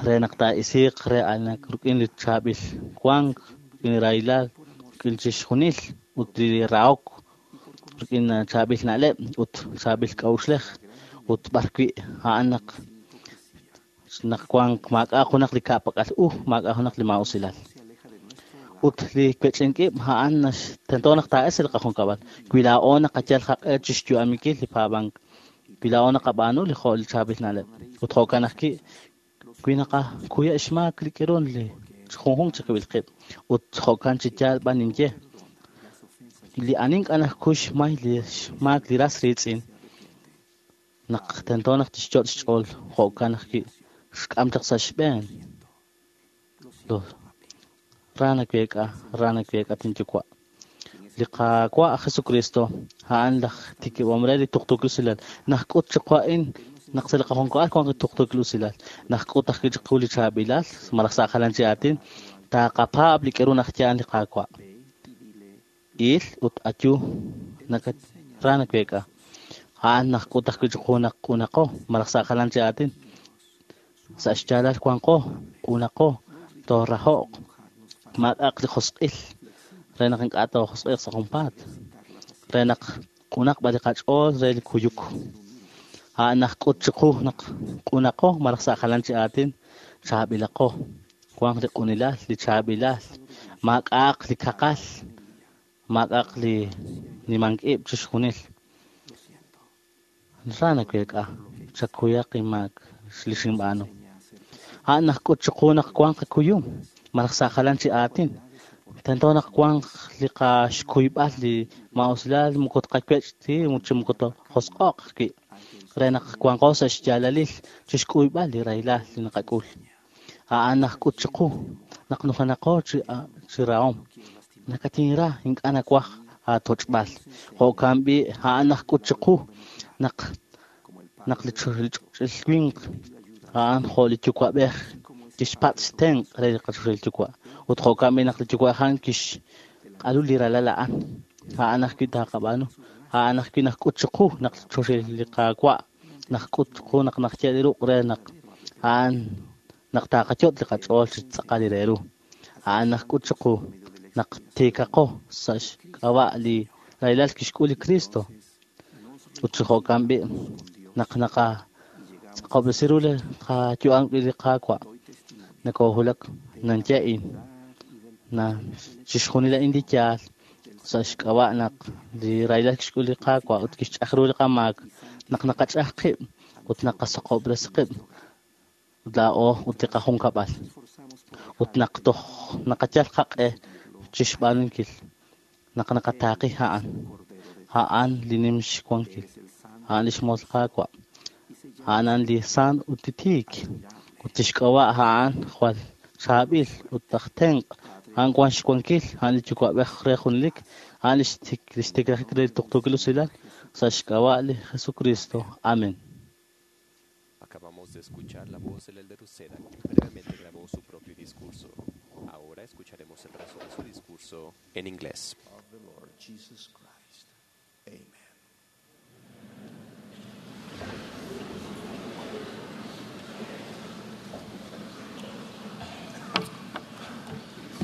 re naq taa'isiiq re anak rik'in li chaab'il wank rik'in li rahilal rik'in chixjunil ut li rahok rik'in chaab'il na'leb' ut chaab'il k'a'uxlej ut b'ar wi' a'an naq naq wanq maak'a' junaq li ka'pak'al u maak'a' junaq li maa'usilal ut li wech'ink-ib' a'an tento naq taa'es li qajunkab'al wi laa'o naqayal qaq'e chi xyu'aminkil li paab'ank wi laa'o naqab'aanu li jo' li chaab'il na'leb' ut jo'kan ajwi' wi naqakuya' xmaak li k'irun li junjunq chiqib'il qib' ut jo'kan chi yaal b'an ninye li ani ink'a' najkuy xmay li xmaak li ras riitz'in naq tento naq tixyot' xch'ool jo'kan ajwi' xk'am chaq sa' xb'een ra naweek'a tinyuwa' li Qaawa' Jesucristo a'an laj tikib'om re li tuqtuukil usilal najk'ut chiqu a'in naq sa' li qajunkab'al wanq li tuqtuukil usilal najk'ut ajwi' chiqu li chaab'ilal malaj sa' jalan chi aatin taaqapaab' li k'aru najya'an li Qaawa' il ut ayu ra naweek'a a'an najk'ut ajwi' chiqu naq q'unaqo malaj sa' jalan chi aatin sa' xyaalal wanqo q'unaqo tooraho'q maak'a'aq li josq'il re naq ink'a' toojosq'iiq sa' junpaat re naq q'unaq b'an li qach'ool re li kuyuk a'an najk'ut chiqu naq q'unaqo malaj sa' jalan chi aatin chaab'ilaqo wanq li q'unilal li chaab'ilal maak'a'aq li kaqal maak'a'aq li nimank ib' chixjunil. Ra naweek'a, chakuyaq inmaak li xinb'aanu. A'an naxk'ut chiqu naq wanq qakuyum, malaj sa' jalan chi aatin. Tento naq wanq li qaxkuyb'al li maa'usilal moko tqawech' chi moko tojosq'oq ajwi' re naq wanqo sa' xyaalalil chixk'uyb'al li rahilal li naqak'ul. A'an naxk'ut chiqu naq nujenaqo chi rahom. Nakatinra ink'a' nawaj aatoch'b'al. Jo'kan b'i' a'an naxk'ut chiqu naq li ch'och'il winq a'an jo' li yuwa'b'ej kixpatz' xtenq' re li qachoxahil yuwa'. Ut jo'kan b'i' naq li yuwa'b'ej a'an kixq'alu li ralal a'an. A'an ajwi' taqab'aanu. A'an ajwi' naxk'ut chiqu naq choxahil li Qaawa' naxk'ut chiqu naq naxye li ruq' re naq a'an naq taqayot' li qach'ool chi tz'aqal li re ru. A'an naxk'ut chiqu naq tiikaqo sa' xk'ab'a' li rahilal kixk'ul li Cristo. Ut chi jo'kan b'i' naq naqatz'aqob'resi ru li qayu'am li Qaawa' nakoohulak nanye'in na chixjunil a'in li yaal sa' xk'ab'a' naq li rahilal kixk'ul li Qaawa' ut kixch'aj ru li qamaak naq naqach'aj qib' ut naqasaqob'resi qib' laa'o ut li qajunkab'al ut naq toj naqayal qaq'e chixb'aanunkil naq naqataaqi a'an a'an li nim xwankil a'an li xmoos Qaawa' a'an a'an li sant ut li tiik ut lix k'ab'a' a'an jwal chaab'il ut aj tenq' a'an wan xwankil a'an li yuwa'b'ej re junelik a'an li xtiklajik re li tuqtuukil usilal sa' xk'ab'a' li Jesucristo. Amén. Acabamos de escuchar la voz del Elder Uceda, quien previamente grabó su propio discurso. Ahora escucharemos el resto de su discurso en inglés. Of the Lord Jesus Christ. Amen.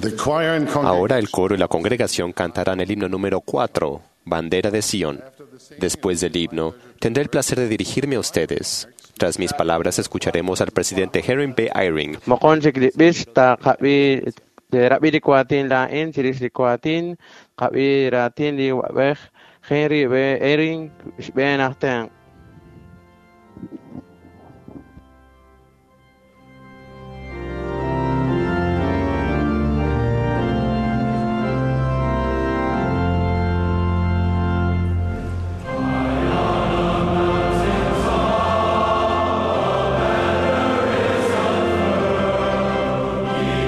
The choir and Ahora el coro y la congregación cantarán el himno número 4, Bandera de Sion. Después del himno, tendré el placer de dirigirme a ustedes. Tras mis palabras, escucharemos al presidente Henry B. Eyring. Moqon chik li b'ix taqab'i rab'i li kuatin laa'in chirix li kuatin qab'i raatin li wa'b'ej Henry B. Eyring xb'een aj tenq'.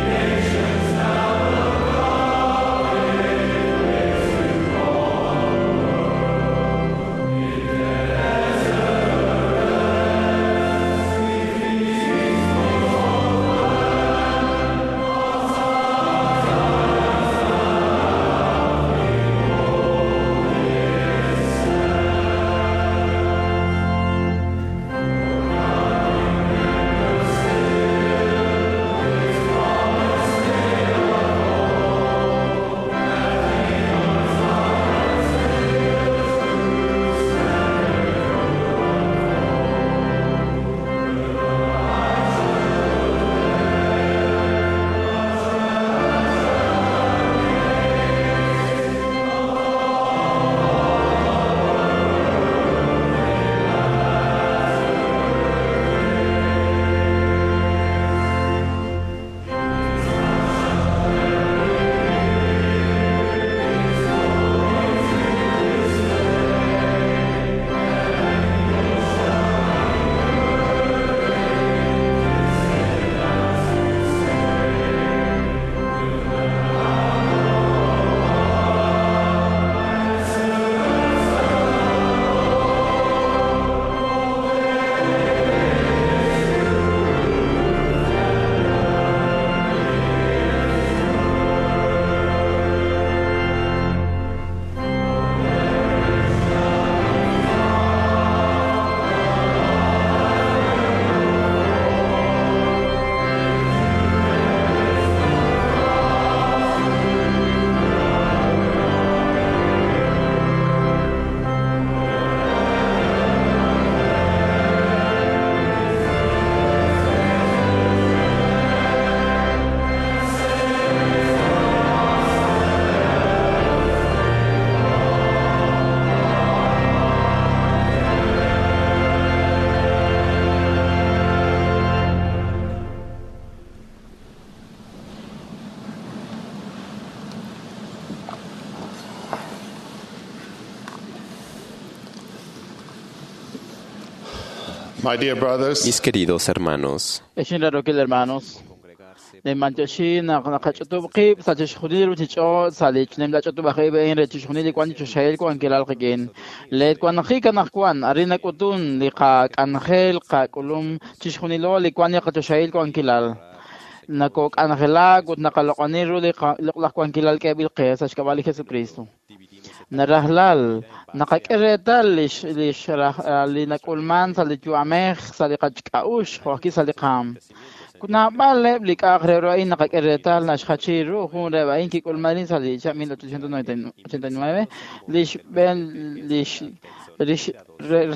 Nations now will My dear brothers, Mis queridos hermanos, Ex inrarookil hermanos, ninb'antioxi naq naqach'utub' qib' sa' chixjunil li ruchich'och' sa' li nimla ch'utub'aj ib' a'in re chixjunil li wan li choxahil wankilal qik'in. Leet wanjik anaqwan arin nak'utun li qak'anjel qak'ulum chixjunilo li wan li qachoxahil wankilal. Nakok'anjelak ut naqaloq'oni ru li loq'laj wankilal k'eeb'il qe sa' xk'ab'a' li Jesucristo. Narajlal naqak'e reetal lix lix li nak'ulman sa' li yu'amej sa' li qachk'a'ux jo' ajwi' sa' li qaam. Naab'aleb' li k'a'aq re ru a'in naqak'e reetal naxjachi ru jun reheb' a'in kik'ulman sa' li chihab' 1899 li xb'een lix lix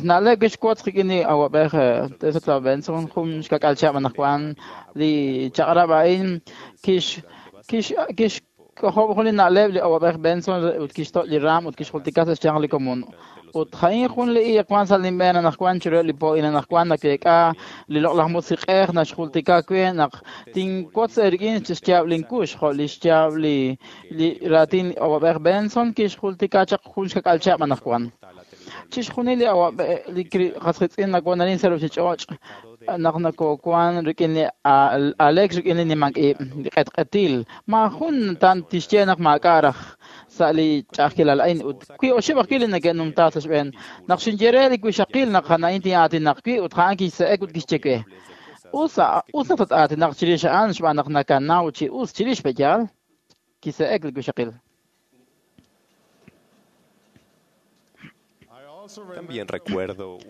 na'leb' kixwotz qik'in li awab'ej Ezra Benson jun xkak'al chihab' anaqwan li chaq'rab' a'in kix kix kix k'ojob' jun li na'leb' li awab'ej Benson ut kixto' li raam ut kixjultika sa' xyanq li komon. Ut ja'in jun li iiq wan sa' linb'een anaqwan chiruheb' li po'in anaqwan nakeek'a li loq'laj musiq'ej naxjultika we naq tinwotz eerik'in xyaab' linkux jo' li xyaab' li li raatin awab'ej Benson kixjultika chaq jun xkak'al chihab' anaqwan. Chixjunil li awab'ej li qas qiitz'in nawan arin sa' ruchich'och' naq nakowan rik'in li Alex rik'in li nimank ib' li q'etq'etil maajun tan tixye naq maak'a' raj sa' li ch'a'ajkilal a'in ut wi oxib' ajwi' li neke'numta sa' xb'een naq xinye re li wixaqil naq a'in tin'aatinaq wi' ut a'an kixse'ek ut kixye we us us naq tat-aatinaq chirix a'an xb'aan naq nakanaw chi us chirix pe'yaal kise'ek li wixaqil. También recuerdo un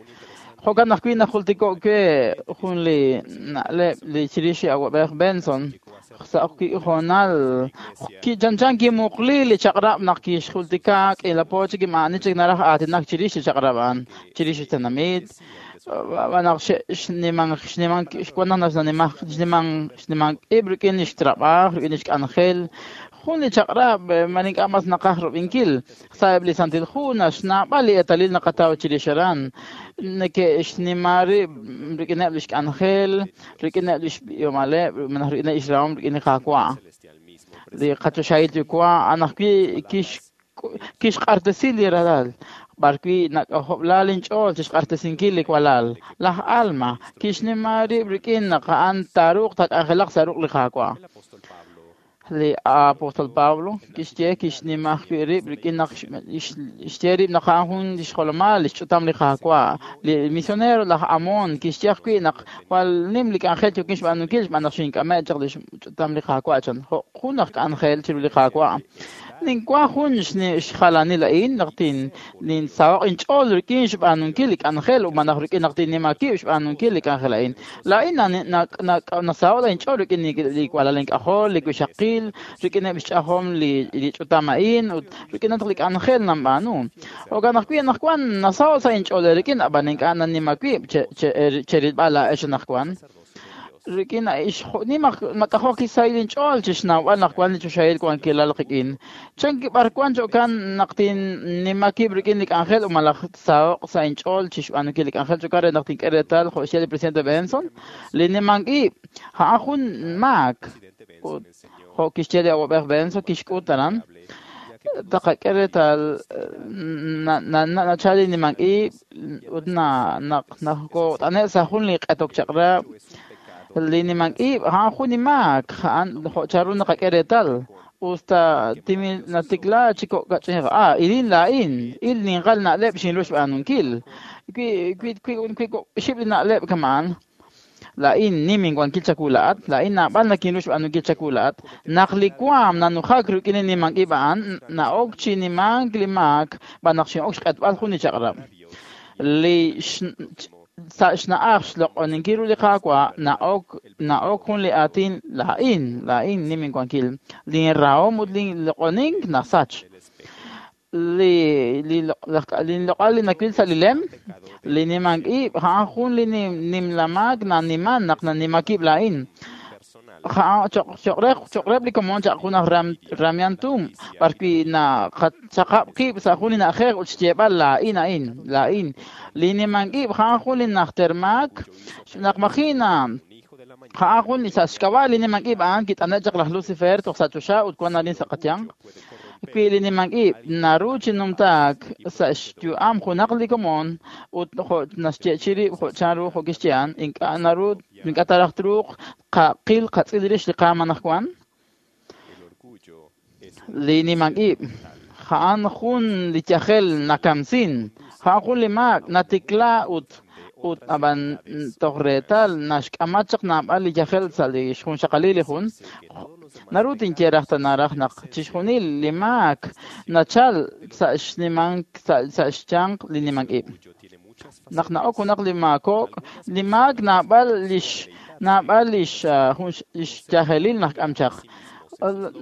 Jo'kan ajwi' najultiko' we jun li na'leb' li chirix li awab'ej Benson sa' hoonal kichanchan kimuqli li chaq'rab' naq kixjultika k'iila po chik ma'ani chik naraj aatinak chirix li chaq'rab' a'an chirix li tenamit naq xniman xniman xwan naq xniman xniman xniman ib' rik'in li xtrab'aj rik'in li xk'anjel jun li chaq'rab' man ink'a' mas naqaj rub'inkil sa'eb' li santil hu naxnaab'al li eetalil naqataw chirix aran neke'xnima rib' rik'ineb' li xk'anjel rik'ineb' li xb'ihomaleb' malaj rik'ineb' xrahom rik'in li Qaawa' li qachoxahil yuwa' a'an ajwi' kixq'artesi li ralal b'arwi' nak'ojob'la linch'ool chixq'artesinkil li walal laj Alma kixnima rib' rik'in naq a'an taaruuq taak'anjelaq sa' ruq' li Qaawa'. Li apóstol Pablo kixye kixnima ajwi' rib' rik'in naq xye rib' naq a'an jun li xjolomal li xch'utam li Qaawa'. Li misionero laj Amon kixye ajwi' naq jwal nim li k'anjel yookin xb'aanunkil xb'aan naq xink'ame' chaq li xch'utam li Qaawa' chan jo' jun aj k'anjel chiru li Qaawa'. Ninwan jun xjalanil a'in naq ninsaho'q inch'ool rik'in xb'aanunkil li k'anjel ut malaj rik'in naq tinnima wib' xb'aanunkil li k'anjel a'in. Laa'in nasaho'k inch'ool rik'in li walal ink'ajol, li wixaqil, rik'ineb' xch'ajom li ch'utam a'in ut rik'in naq li k'anjel nanb'aanu. Jo'kan ajwi' anaqwan nasaho'k sa' inch'ool rik'in ab'an ink'a' nannima wib' cherilb'al laa'ex anaqwan. Rik'in nimaq mak'ajoj kisahil inch'ool chixnawb'al naq wan li choxahil wankilal qik'in. Chan b'ar wan cho'kan naq tinnima wib' rik'in li k'anjel ut malaj saho'q sa' inch'ool chixb'aanunkil li k'anjel cho'kan re naq tink'e reetal jo' xye li presidente Benson li nimank ib' a'an jun maak ut jo' kixye li awab'ej Benson kixk'ut aran taqak'e reetal nachal li nimank ib' ut naq nakot'ane' sa' jun li q'etok chaq'rab' li nimank ib' a'an jun li maak a'an jo' chanru naqak'e reetal usta timil natikla chi kok' ilin laa'in il ninqal na'leb' xinru xb'aanunkil wi wi wi xib' li na'leb' kama'an laa'in nim inwankil chawu laa'at laa'in naab'al nakinru xb'aanunkil chawu laa'at naq li waam nanujak rik'in li nimank ib' a'an na'ok chi nimank li maak b'an naq xin'ok xq'etb'al jun li chaq'rab' li sa' xna'aj xloq'oninkil ru li Qaawa' na'ok na'ok jun li aatin laa'in laa'in nim inwankil linrahom ut linloq'onink nasach li li linloq'al li nawil sa' li lem li nimank ib' a'an jun li nimla maak naniman naq nanima wib' laa'in cho'q reheb' li komon chaq jun aj ramyantum b'arwi' naqachaqab' qib' sa' jun li na'ajej ut xyeeb'al laa'in a'in laa'in li nimank ib' a'an jun li najter maak naq maji' na a'an jun li sa' xk'ab'a' li nimank ib' a'an kit'ane' chaq laj Lucifer toj sa' choxa ut wan arin sa' qayanq. Wi li nimank ib' naru chi numtaak sa' xyu'am junaq li komon ut jo' naxyeechi'i rib' jo' chanru jo' kixye a'an, ink'a' naru ink'a' ta raj truuq qaqil qatz'il rix li qaam anaqwan? Li nimank ib' a'an jun li yajel nakamsin, a'an jun li maak natikla ut ut ab'an toj reetal naxk'ama chaq naab'al li yajel sa' li xjunxaqalil li jun. Naru tinye raj tana raj naq chixjunil li maak nachal sa' xnimank sa' xyanq li nimank ib'. Naq na'ok junaq li maako'k, li maak naab'al lix naab'al lix lix yajelil naxk'am chaq.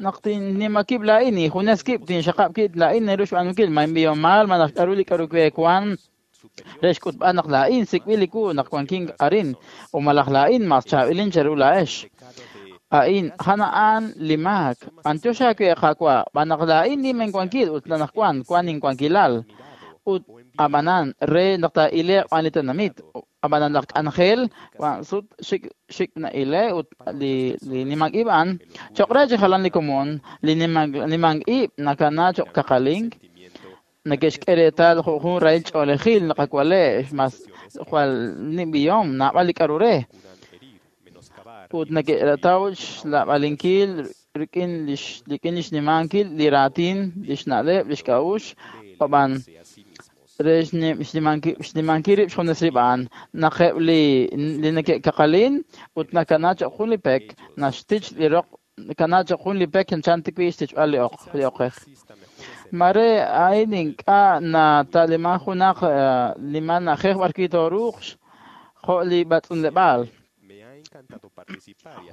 Naq tinnima kib' laa'in, junes kib' tinxaqab' kib' laa'in naru xb'aanunkil ma inb'ihomal malaj k'a'ru li k'a'ru we wan re xk'utb'al naq laa'in sik'b'il li wu naq wankin arin o malaj laa'in mas chaab'ilin cheru laa'ex. A'in, a'an a'an li maak. B'antiox aawe Qaawa', b'an naq laa'in nim inwankil ut anaqwan wan inwankilal. Ut ab'anan re naq taa'ile'q b'an li tenamit, ab'anan laj k'anjel wan sut xik xik na'ile' ut li li nimank ib' a'an cho'q re chi jalan li komon, li nimank ib' nakana cho'q kaqalink, neke'xk'e reetal jo' jun rahil ch'oolejil naqawale' mas jwal nim b'ihom naab'al li k'a'ru re. Ut neke'rataw xlab'alinkil rik'in lix rik'in lix nimankil li raatin, lix na'leb', lix k'a'uxl, ab'an re xnimankil rib' xjunes rib' a'an. Naq eb' li li neke'kaqalin ut nakana cho'q jun li pek, naxtich li roq nakana cho'q jun li pek chanchan tikwi' xtichb'al li oq li oqej. Mare a'in ink'a' nata'liman junaq nimal na'ajej b'arwi' tooruuq jo' li b'atz'unleb'aal.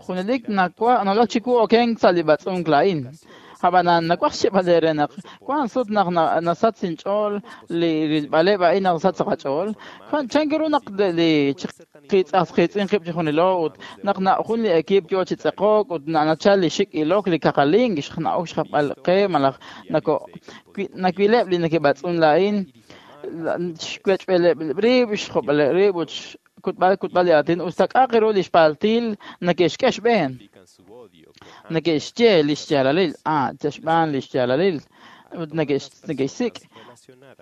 Junelik nawulak chiwu okenk sa' li b'atz'unk laa'in. Ab'anan nawaj xyeeb'al eere naq wank sut naq nasach inch'ool li rilb'aleb' a'in naq nasach sa' qach'ool. Chan ru naq li qiitz'as qiitz'in qib' chijunilo ut naq jun li equipo yo chi tz'eqok ut nachal li xik' ilok li kaqalink na'ok xjapb'al qe malaj nawileb' li neke'b'atz'un laa'in xwech'b'eleb' rib', xjob'aleb' rib' ut kutb'al kutb'al li aatin us ta k'a'aq ru li xpaltil neke'xk'e xb'een. Neke'xye li xyaalalil, xb'aan li xyaalalil ut neke'xsik'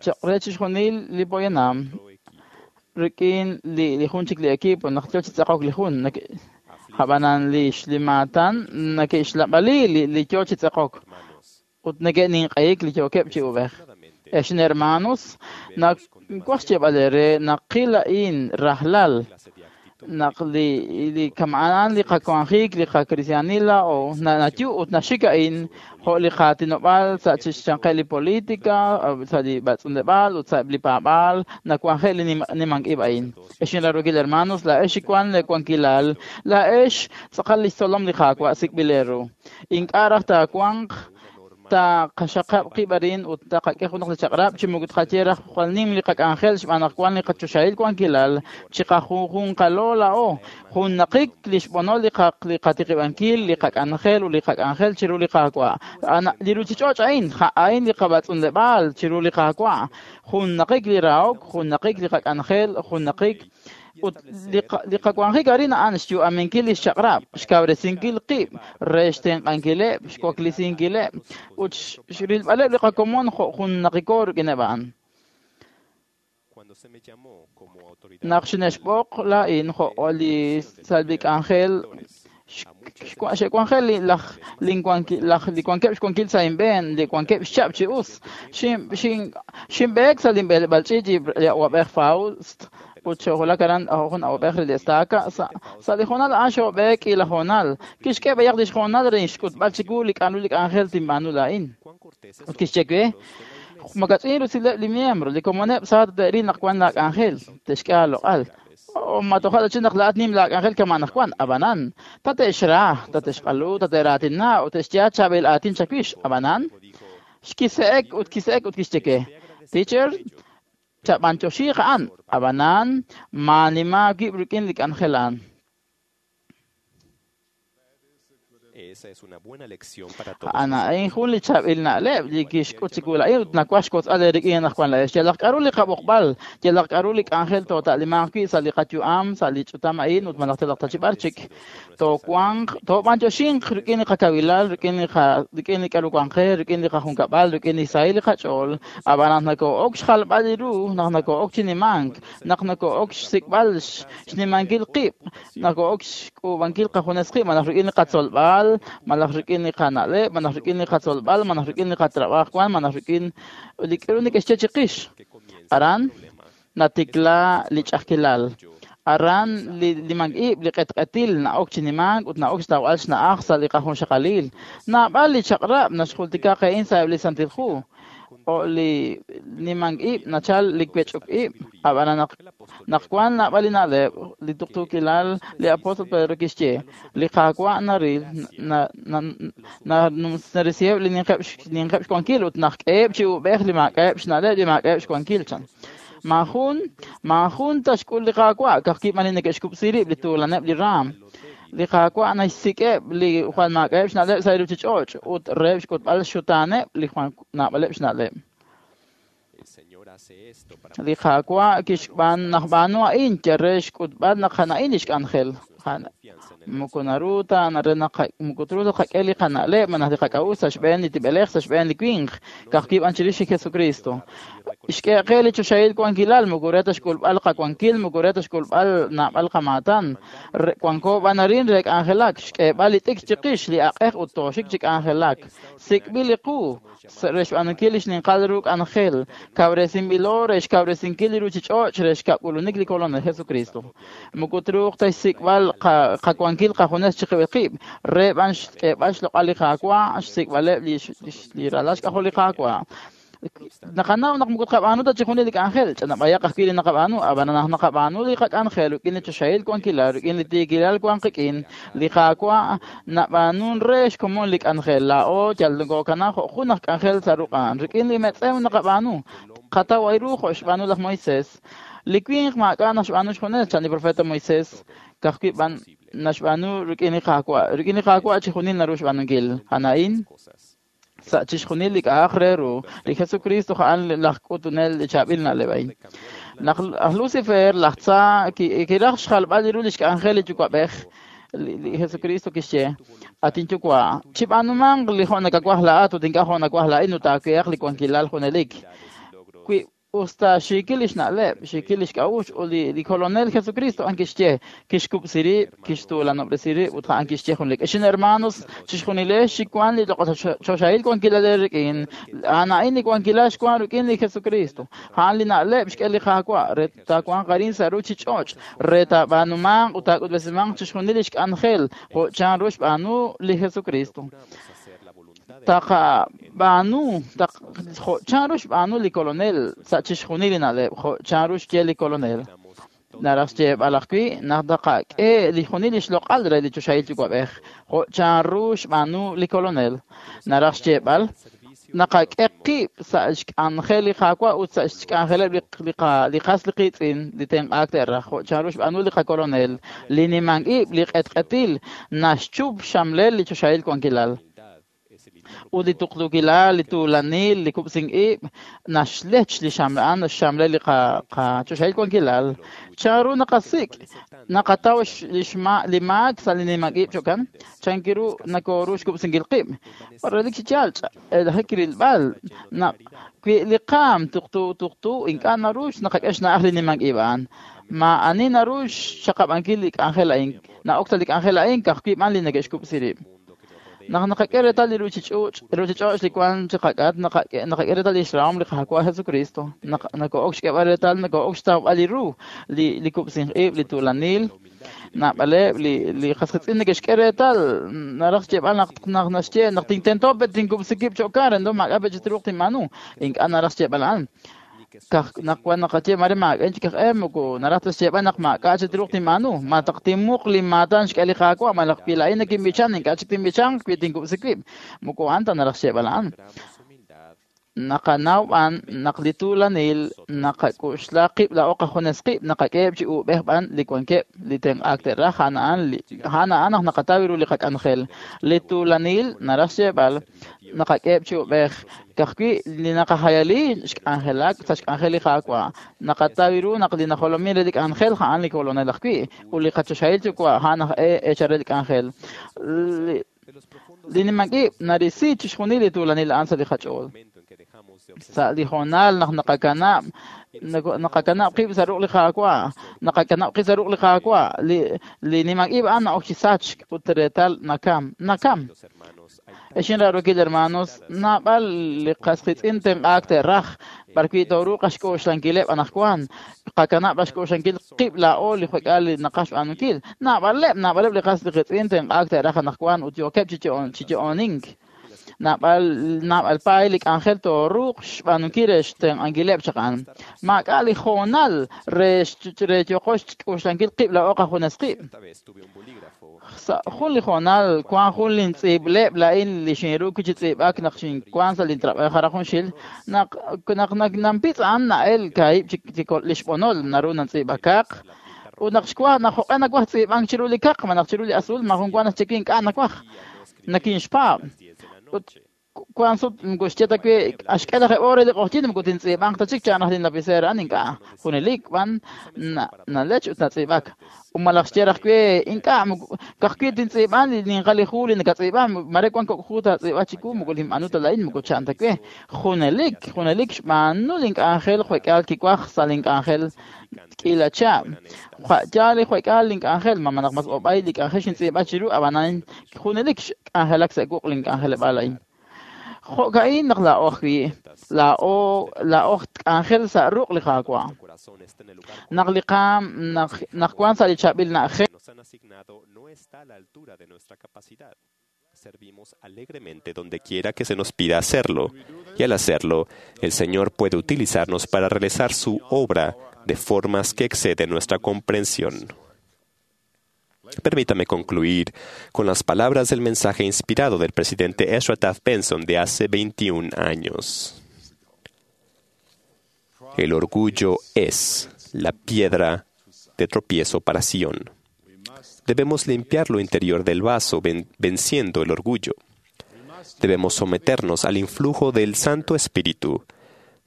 cho'q re chixjunil li poyanam rik'in li jun chik li equipo naq yo chi tz'eqok li jun. Ab'anan li xlimaatan neke'xlab'ali li yo chi tz'eqok ut neke'ninq'ehik li yookeb' chi ub'ej. Ex hermanos, nawaj xyeeb'al eere naqil a'in rajlal naq li kama'an li qawanjik li qakristianil laa'o nayu ut naxik a'in jo' li qaatinob'aal sa' chixyanqeb' li politika, sa' li b'atz'unleb'aal ut sa' li paab'aal nawanje' li nimank ib' a'in. Ex inrarokil hermanos, laa'ex wan leewankilal, laa'ex tz'aqal li xtzolom li Qaawa' sik'b'il eeru. Ink'a' raj taawanq taqaxaqab' qib' arin ut taqak'e junaq li chaq'rab' chi moko tqaye raj jwal nim li qak'anjel xb'aan naq wan li qachoxahil wankilal chiqajunjunqalo laa'o junnaqik li xb'onol li qatiqib'ankil li qak'anjel ut li qak'anjel chiru li Qaawa'. Li ruchich'och' a'in, a'in li qab'atz'unleb'aal chiru li Qaawa'. Junnaqik li rahok, junnaqik li qak'anjel, junnaqik ut li qawanjik arin a'an xyu'aminkil li xchaq'rab', xkawresinkil qib' re xtenq'ankileb', xwaklisinkileb' ut xrilb'aleb' li qakomon jo' junnaqiko rik'ineb' a'an. Naq xine'xb'oq laa'in jo' li salbi k'anjel xe'wanjel li wankeb' xwankil sa' inb'een, li wankeb' xchab' chi us. Xinb'eek sa' linb'eleb'aal ch'iich' li awab'ej Faust ut xo'wulak aran jun awab'ej re li estaca sa' li hoonal a'an xo'b'eek k'iila hoonal. Kixk'e b'ayaq lix hoonal re xk'utb'al chiwu li k'a'ru li k'anjel tinb'aanu laa'in. Ut kixye we, makach'in rusileb' li miembro, li komoneb' sa te'ril naq wan laak'anjel, te'xk'e aaloq'al. Ma toja' ta naq laa'at nim laak'anjel kama' naq wan, ab'anan, tate'xra, tate'xq'alu, tate'raatina ut te'xye chaab'il aatin chawix, ab'anan. Xkise'ek ut kise'ek ut kixye we, teacher, chab'antioxiiq a'an, ab'anan, maanima wib' rik'in li k'anjel a'an. A'an a'in jun li chaab'il na'leb' li kixk'ut chiwu laa'in ut nawaj xwotzb'al eerik'in anaqwan laa'ex. Yalaq k'a'ru li qab'oqb'al, yalaq k'a'ru li k'anjel toota'limanq wi' sa' li qayu'am, sa' li ch'utam a'in ut malaj yalaq ta chi b'ar chik, toowanq, toob'antioxinq rik'in li qakawilal, rik'in li qa, rik'in li k'a'ru wan qe, rik'in li qajunkab'al, rik'in li sahil li qach'ool. Ab'an naq nokoo'ok xjalb'al li ru, naq nokoo'ok chi nimank, naq nokoo'ok xsik'b'al xnimankil qib', nokoo'ok xk'uub'ankil qajunes qib' malaj rik'in li qatzolb'al, malaj rik'in li qana'leb', malaj rik'in li qatzolb'al, malaj rik'in li qatrab'aaj wan, malaj rik'in li k'a'ru neke'xye chiqix. Aran natikla li ch'a'ajkilal. Aran li nimank-ib', li q'etq'etil na'ok chi nimank ut na'ok xtawb'al xna'aj sa' li qajunxaqalil. Naab'al li chaq'rab' naxjultika qe a'in sa'eb' li Santil Hu. Jo' li nimank-ib' nachal li wech'ok-ib', ab'anan naq naq wan naab'al li na'leb', li tuqtuukilal, li apóstol Pedro kixye, li Qaawa' naril, narisiheb' li ninqeb' ninqeb' xwankil ut naxk'eheb' chi uub'ej li maak'a'eb' xna'leb' li maak'a'eb' xwankil, chan. Maajun, maajun ta xk'ul li Qaawa', ka'ajwi' b'an li neke'xkub'si rib' li tuulaneb' li raam. Li Qaawa' naxsik'eb' li jwal maak'a'eb' xna'leb' sa' li ruuchich'och' ut reheb' xk'utb'al xxutaaneb' li jwal naab'aleb' xna'leb'. Li Qaawa' kixb'aan naqb'aanu a'in yal re xk'utb'al naq a'an a'in lix k'anjel. Moko naru ta re naq moko truuq ta tqak'e li qana'leb' malaj li qak'a'uxl sa' xb'een li tib'elej, sa' xb'een li winq, ka'ajwi' b'an chirix li Jesukristo. Xk'e qe li choxahil wankilal, moko re ta xk'ulb'al qawankil, moko re ta xk'ulb'al naab'al qamaatan. Wanko b'an arin re k'anjelak, xk'eeb'al li t'ikr chiqix, li aq'ej ut tooxik chi k'anjelak. Sik'b'il li qu re xb'aanunkil li xninqal ru k'anjel, kawresinb'ilo re xkawresinkil li ruuchich'och' re xkab'k'ulunik li Kolonel Jesukristo. Moko truuq ta xsik'b'al qawankil qajunes chiqib'il qib', re b'an xk'eeb'al xloq'al li Qaawa', xsik'b'aleb' li ralal xk'ajol li Qaawa'. Naqanaw naq moko tqab'aanu ta chixjunil li k'anjel, ch'anab'ayaq ajwi' li naqab'aanu, ab'an naq naqab'aanu li qak'anjel rik'in li choxahil wankilal, rik'in li tiikilal wank qik'in, li Qaawa' nab'aanun re xkomon li k'anjel. Laa'o yal nokookanaa jo' jun aj k'anjel sa' ruq'an. Rik'in li metz'ew naqab'aanu, qataw ru jo' xb'aanu laj Moisés. Li winq maak'a' naxb'aanu xjunes, chan li profeta Moisés, ka'ajwi' b'an naxb'aanu rik'in li Qaawa'. Rik'in li Qaawa' chixjunil naru xb'aanunkil. A'an a'in sa' chixjunil li k'a'aq re ru, li Jesukristo a'an laj k'utunel li chaab'il na'leb' a'in. Naq laj Lucifer, laj tza, kiraj xjalb'al ru lix k'anjel li Yuwa'b'ej, li Jesukristo kixye, At inyuwa', chib'aanumanq li jo' nakawaj laa'at ut ink'a' jo' nawaj laa'in ut aawehaq li wankilal junelik. Wi usta xiikil lix na'leb', xiikil lix k'a'uxl ut li Kolonel Jesucristo a'an kixye, kixkub'si rib', kixtuulanob'resi rib' ut a'an kixye junelik. Ex hermanos, chixjunilex chi wan li choxahil wankilal eerik'in, a'an a'in li wankilal xwan rik'in li Jesucristo. A'an li na'leb' xk'e li Qaawa' re taawanq arin sa' ruuchich'och', re taab'aanumanq ut taak'utb'esimanq chixjunil lix k'anjel jo' chanru xb'aanu li Jesucristo. Taqab'aanu jo' chanru xb'aanu li Kolonel sa' chixjunil li na'leb', jo' chanru xye li Kolonel. Naraj xyeeb'al ajwi' naq taqak'e li junil li xloq'al re li choxahil Yuwa'b'ej, jo' chanru xb'aanu li Kolonel. Naraj xyeeb'al naqak'e qib' sa' xk'anjel li Qaawa' ut sa' xk'anjeleb' li qas li qiitz'in li tenq'aak te'raj, jo' chanru xb'aanu li qaKolonel. Li nimank-ib', li q'etq'etil naxchup xxamlel li choxahil wankilal. Ut li tuqtuukilal, li tuulanil, li kub'sink-ib' naxlech li xamla'an, naxxamle li qachoxahil wankilal. Chanru naqasik', naqataw li maak sa' li nimank-ib' cho'kan? Chankiru nokoru xkub'sinkil qib'? Relik chi yaal, lajik rilb'al naq wi li qaam tuqtu tuqtu ink'a' naru naqak'e xna'aj li nimank-ib' a'an. Maa'ani naru xxaqab'ankil li k'anjel a'in. Na'ok sa' li k'anjel a'in ka'ajwi' b'an li neke'xkub'si rib'. Naq naqak'e reetal li ruuchich'och' li wank chiqak'atq, naqak'e reetal lix rahom li Qaawa' Jesucristo. Naq noko'ok xk'eeb'al reetal, noko'ok xtawb'al li ru, li kub'sink ib', li tuulanil. Naab'aleb' li qas qiitz'in neke'xk'e reetal, naraj xyeeb'al naq naxye naq tintento pe tinkub'si wib' cho'q re, ndo maak'a' pe chi truuq tinb'aanu. Ink'a' naraj xyeeb'al a'an. Naq wan naqaye mare maak'a' chik aj e, moko naraj ta xyeeb'al naq maak'a' chi truuq tinb'aanu. Ma taq tinmuq li maatan xk'e li Qaawa', malaj wi laa'in nakinb'ichan, ink'a' chik tinb'ichanq wi tinkub'si wib'. Moko a'an ta naraj xyeeb'al a'an. Naqanaw b'an naq li tuulanil naqak'oxla qib' laa'o qajunes qib' naqak'eheb' chi uub'ej b'an li wankeb' li tenq'aak te'raj a'an a'an naq naqataw ru li qak'anjel. Li tuulanil naraj xyeeb'al naqak'eheb' chi uub'ej ka'ajwi' li naqajayali xk'anjelak sa' xk'anjel li Qaawa'. Naqataw ru naq li najolomin re li k'anjel a'an li kolonel ajwi' ut li qachoxahil yuwa' a'an aj eechal re li k'anjel. Li nimank-ib' narisi chixjunil li tuulanil a'an sa' li qach'ool. Sa' li hoonal naq naqakanab' qib' sa' ruq' li Qaawa', naqakanab' qib' sa' ruq' li Qaawa', li nimank-ib' a'an na'ok chi sachk ut reetal nakam, nakam. Ex inraarokil hermanos, naab'al li qas qiitz'in tenq'aak te'raj, b'arwi' tooruuq xk'oxlankileb' anaqwan, qakanab' xk'oxlankil qib' laa'o li jwek'al li naqaj xb'aanunkil. Naab'aleb' li qas qiitz'in tenq'aak te'raj anaqwan ut yookeb' chi yo'onink. Naab'al paay li k'anjel tooruuq xb'aanunkil re xtenq'ankileb' chaq a'an. Maak'a' li hoonal re yooqo xk'oxlankil qib' laa'o qajunes qib'. Sa' jun li hoonal wank jun lintz'iib'leb' laa'in li xinru chi tz'iib'ak naq xinwank sa' lintrab'aaj hara junxil naq nampitz' a'an na'el kaahib' chi li xb'onol naru nantz'iib'akaq ut naq xwaj naq jo'q'e nawaj tz'iib'ank chiru li kaq malaj chiru li azul maajun wa naxye ink'a' nawaj nakinxpaab' ut wank sut moko xye ta wi axk'e lajeb' hora li q'oqyink moko tintz'iib'anq ta chik chan raj linlapicera a'an ink'a' junelik b'an nalech ut natz'iib'ak. Ut malaj xye raj wi ink'a' ka'ajwi' tintz'iib'an li ninqal li hu li nakatz'iib'a mare wank kok' hu taatz'iib'a chiwu moko linb'aanu ta laa'in moko chan ta we. Junelik junelik xb'aanu link'anjel jwek'aal kiwaj sa' link'anjel k'iila chihab'. Yaal li jwek'aal link'anjel ma naq mas ob'ay li k'anjel xintz'iib'a chiru ab'anan junelik xk'anjelak sa' wuq' link'anjeleb'aal a'in. Jo'ka'in naq laa'o ajwi' laa'o k'anjel sa' ruq' li Qaawa'. Naq li qaam naq wank sa' li chaab'il na'ajej. Servimos alegremente donde quiera que se nos pida hacerlo, y al hacerlo, el Señor puede utilizarnos para realizar su obra de formas que exceden nuestra comprensión. Permítame concluir con las palabras del mensaje inspirado del presidente Ezra Taft Benson de hace 21 años. El orgullo es la piedra de tropiezo para Sion. Debemos limpiar lo interior del vaso venciendo el orgullo. Debemos someternos al influjo del Santo Espíritu,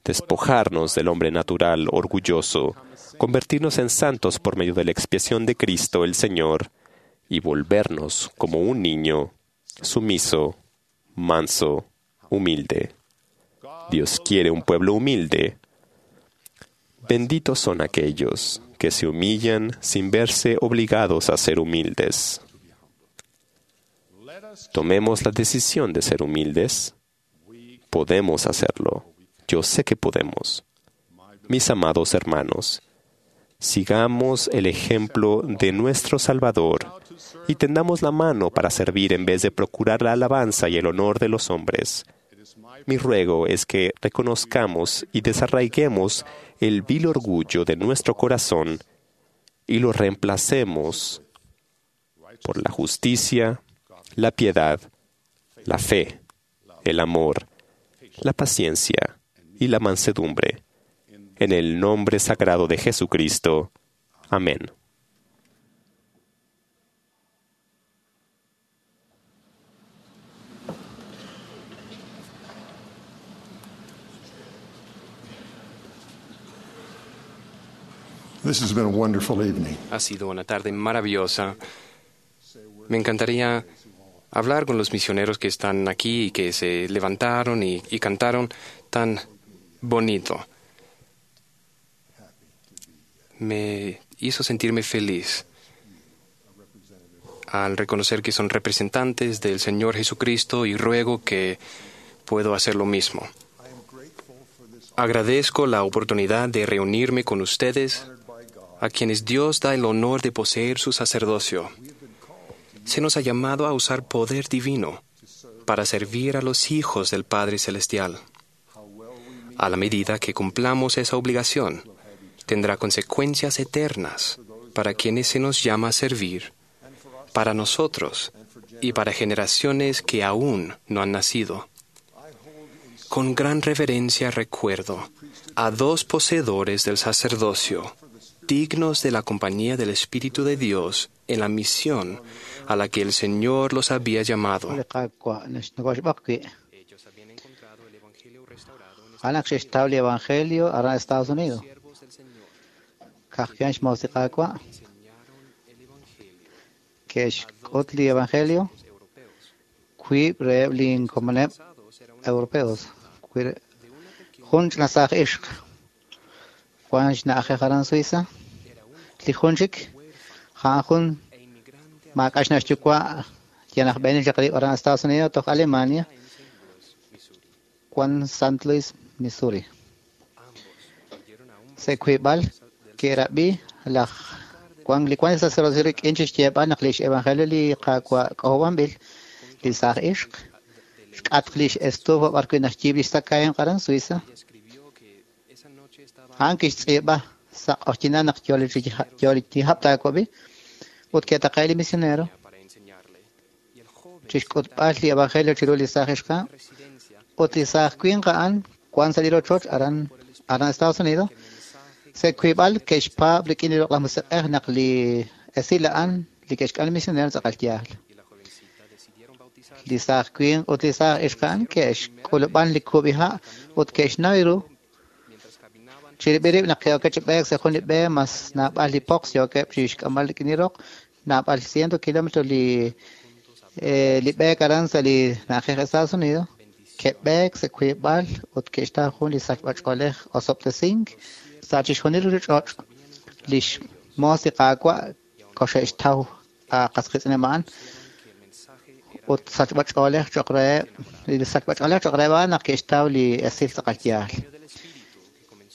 despojarnos del hombre natural orgulloso, convertirnos en santos por medio de la expiación de Cristo el Señor y volvernos como un niño sumiso, manso, humilde. Dios quiere un pueblo humilde. Benditos son aquellos que se humillan sin verse obligados a ser humildes. Tomemos la decisión de ser humildes. Podemos hacerlo. Yo sé que podemos. Mis amados hermanos, sigamos el ejemplo de nuestro Salvador y tendamos la mano para servir en vez de procurar la alabanza y el honor de los hombres. Mi ruego es que reconozcamos y desarraiguemos el vil orgullo de nuestro corazón y lo reemplacemos por la justicia, la piedad, la fe, el amor, la paciencia y la mansedumbre. En el nombre sagrado de Jesucristo. Amén. This has been a wonderful evening. Ha sido una tarde maravillosa. Me encantaría hablar con los misioneros que están aquí y que se levantaron y cantaron tan bonito. Me hizo sentirme feliz al reconocer que son representantes del Señor Jesucristo y ruego que puedo hacer lo mismo. Agradezco la oportunidad de reunirme con ustedes, a quienes Dios da el honor de poseer su sacerdocio. Se nos ha llamado a usar poder divino para servir a los hijos del Padre Celestial. A la medida que cumplamos esa obligación, tendrá consecuencias eternas para quienes se nos llama a servir, para nosotros y para generaciones que aún no han nacido. Con gran reverencia recuerdo a dos poseedores del sacerdocio, dignos de la compañía del Espíritu de Dios en la misión a la que el Señor los había llamado. Li Qaawa' nokoxb'oq wi'. A'an naq xe'xtaw li evangelio aran Estados Unidos. Ka'ajwi' xmoos li Qaawa' ke'xk'ut li evangelio wiib' reheb' li inkomoneb' europeos. Jun ch'ina saaj ixq wan xna'ajej aran Suiza. Li jun chik a'an jun maak'a' xna' xyuwa' yal aj b'eenil chaq rib' aran Estados Unidos toj Alemania wan St. Louis, Missouri. Sa' wiib'al ke'rab'i laj wan li wan sacerdocio rik'in chixyeeb'al naq lix evangelio li Qaawa' k'ojob'anb'il li saaj ixq xk'atq lix estufa b'ar wi' naxyiib' lix tzakahemq aran Suiza. A'an kixtz'iib'a sa' q'oqyinal naq yoo li hab' taawab'i ut ke'taqe'k li misionero chixk'utb'al li evangelio chiru li saaj ixq ut li saaj winq a'an wan sa' li rochoch aran Estados Unidos. Sa' wiib'al ke'xpaab' rik'in li Loq'laj Musiq'ej naq li esil a'an li ke'xk'am li misionero tz'aqal yaal. Li saaj winq ut li saaj ixq a'an ke'xk'ulub'an li kub'iha' ut ke'xnaw ru chirib'il rib' naq ke'okeb' chi b'eek sa' jun li b'e mas naab'al li poqs yookeb' chixk'amb'al rik'in li roq naab'al ciento kilómetro li b'eek aran sa' li na'ajej Estados Unidos. Ke'b'eek sa' wiib'al ut ke'xtaw jun li sachb'ach'oolej osob'tesink sa' chixjunil ruchich'och' lix moos li Qaawa' koxe'xtaw qas qiitz'ineb' a'an ut sachb'ach'oolej cho'q reheb' li sachb'ach'oolej cho'q reheb' a'an naq ke'xtaw li esil tz'aqal yaal.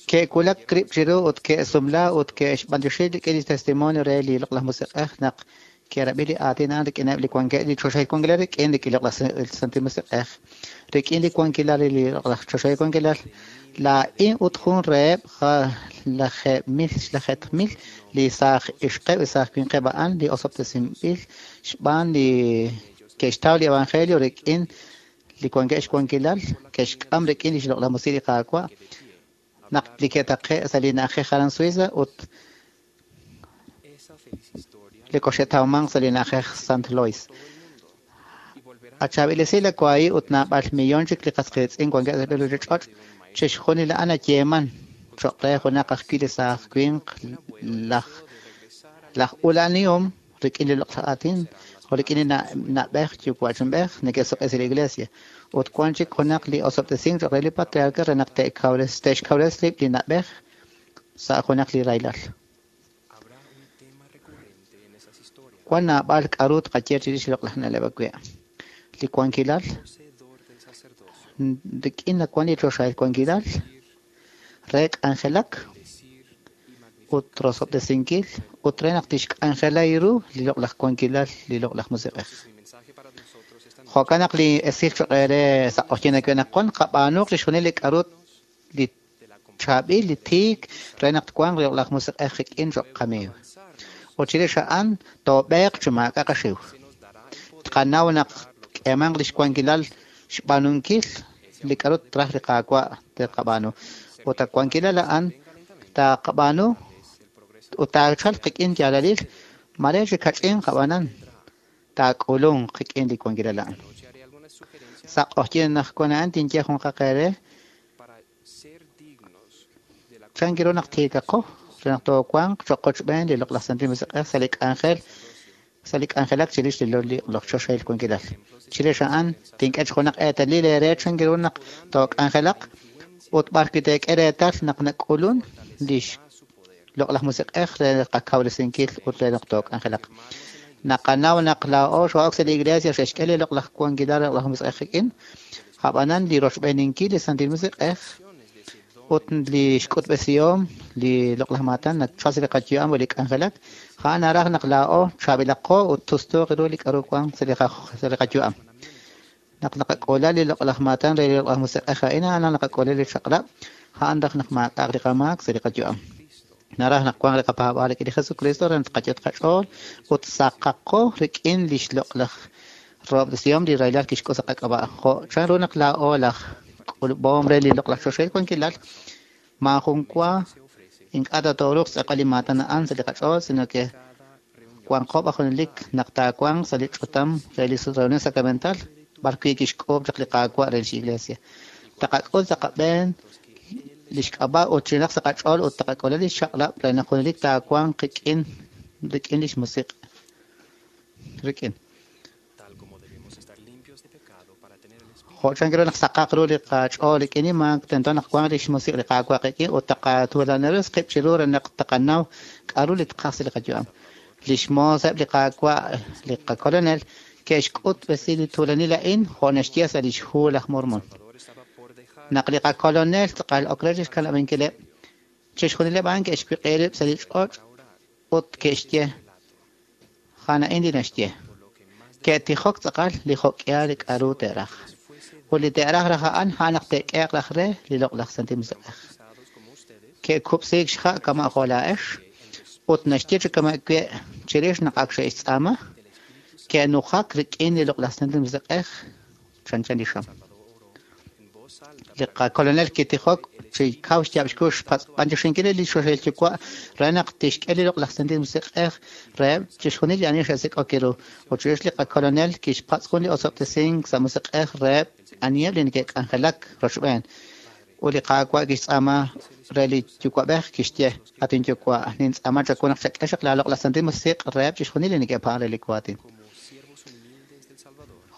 Ke'wulak rib' chiru ut ke'sumla ut ke'xb'antioxi rik'in li testimonio re li Loq'laj Musiq'ej naq ke'rab'i li aatin a'an rik'ineb' li wankeb' li choxahil wankilal rik'in li Loq'laj Santil Musiq'ej rik'in li wankilal li Loq'laj choxahil wankilal laa'in ut jun reheb' 10,000 li saaj ixqeb' li saaj winqeb' a'an li osob'tesinb'il xb'aan li ke'xtaw li evangelio rik'in li wankeb' xwankilal ke'xk'am rik'in li Loq'laj Musiq' li Qaawa' naq li ke'taqe' sa' li na'ajej aran Suiza ut li koxe'tawmanq sa' li na'ajej St. Louis. Achaab'il esil akwahi ut naab'al millón chik li qas qiitz'in wankeb' sa' ruchich'och' chixjunil a'an ayeeman cho'q re junaq ajwi' li saaj winq laj ula'anihom rik'in li loq'laj aatin jo' rik'in li na'b'ej yuwa'chinb'ej neke'suq'e sa' li iglesia ut wan chik junaq li osob'tesink cho'q re li patriarca re naq te'xkawres rib' li na'b'ej sa' junaq li rahilal. Wan naab'al k'a'ru tqaye chirix li loq'laj na'leb' awe'. Li wankilal rik'in naq wan li choxahil wankilal re k'anjelak ut rosob'tesinkil ut re naq tixk'anjela ru li loq'laj wankilal li loq'laj musiq'ej. Jo'kan naq li esil cho'q re sa' q'oqyink awe' naq wan qab'aanuq chixjunil li k'a'ru li chaab'il li tiik re naq twanq li loq'laj musiq'ej qik'in cho'q qamiiw. Ut chirix a'an toob'eeq chi maak'a' qaxiw. Tqanaw naq k'eemanq lix wankilal xb'aanunkil li k'a'ru traj li Qaawa' te'qab'aanu. Ut a wankilal a'an taaqab'aanu ut taachalq qik'in yaalalil mare chi kach'in qab'aanan taak'ulunq qik'in li wankilal a'an. Sa' q'oqyink naq wan a'an tinye jun qaqeere chan ru naq tiikaqo re naq toowanq cho'q qochb'een li Loq'laj Santil Musiq'ej sa' li k'anjel sa' li k'anjelak chirix li loq'laj choxahil wankilal. Chirix a'an tink'e junaq eetalil eere chan ru naq took'anjelaq ut b'ar wi' teek'e reetal naq nak'ulun lix Loq'laj Musiq'ej re qakawresinkil ut re naq took'anjelaq. Naqanaw naq laa'o xoo'ok sa' li iglesia xe'xk'e li loq'laj wankilal Loq'laj Musiq'ej qik'in, ab'anan li rochb'eeninkil li Santil Musiq'ej ut li xk'utb'esihom li loq'laj maatan nachal sa' li qayu'am ut li k'anjelak, a'an naraj naq laa'o chaab'ilaqo ut tustuuq ru li k'a'ru wan sa' li qayu'am. Naq naqak'ula li loq'laj maatan re li Loq'laj Musiq'ej a'in, a'an naqak'ula li chaq'rab', a'an raj naq maak'a'aq li qamaak sa' li qayu'am. Naraj naq wanq li qapaab'aal rik'in li Jesucristo re naq tqayot qach'ool ut saqaqo rik'in lix loq'laj roob'tesihom li rahilal kixk'ut sa' qak'ab'a'. Jo' chanru naq laa'o laj k'ulub'om re li loq'laj choxahil wankilal, maajun wa ink'a' tatooruuq xtz'eqb'al li maatan a'an sa' li qach'ool, sino que wanqo b'an junelik naq taawanq sa' li ch'utam re li reunión sacramental b'ar wi' kixk'uub' chaq li Qaawa' re lix Iglesia. Taqak'ul sa' qab'een lix k'ab'a' ut chinaq sa' qach'ool ut taqak'ule lix chaq'rab' re naq junelik taawanq qik'in rik'in lix musiq' rik'in. Jo' chan ru naq saqaq ru li qach'ool rik'in li maak, tento naq wanq lix musiq' li Qaawa' qik'in ut taqatuulanirisi qib' chiru re naq taqanaw k'a'ru li tqaj sa' li qayu'am. Lix mooseb' li Qaawa' li qakolonel ke'xk'utb'esi li tuulanil a'in jo' naxye sa' lix hu laj Mormon. Naq li qakolonel tz'aqal ok re chixkanab'ankileb', chixjunileb' a'an ke'xwiq'i rib' sa' li ch'och' ut ke'xye, A'an a'in li naxye. Ke'tijok tz'aqal li jo'k'ihal li k'a'ru te'raj. Ut li te'raj raj a'an, a'an naq te'k'ehe'q raj re li loq'laj Santil Musiq'ej. Ke'kub'siik xha' kama' jo' laa'ex, ut naxye chi kama' we' chirix naq ak xe'xtz'aama, ke'nujak rik'in li loq'laj Santil Musiq'ej chanchan li xam. Li qakolonel kitijok chi kaw xyaab' xkux xpatz'b'anyoxinkil li Choxahil Yuwa' re naq tixk'e li loq'laj Santil Musiq'ej reheb' chixjunil li ani xe'sik'ok ru. Ut chirix li qakolonel kixpatz' jun li osob'tesink sa' musiq'ej reheb' aniheb' li neke'k'anjelak rochb'een. Ut li Qaawa' kixtz'aama re li Yuwa'b'ej, kixye, At inYuwa', nintz'aama chawu naq chak'e xaq laaloq'laj Santil Musiq' reheb' chixjunil li neke'paab'ank re li waatin.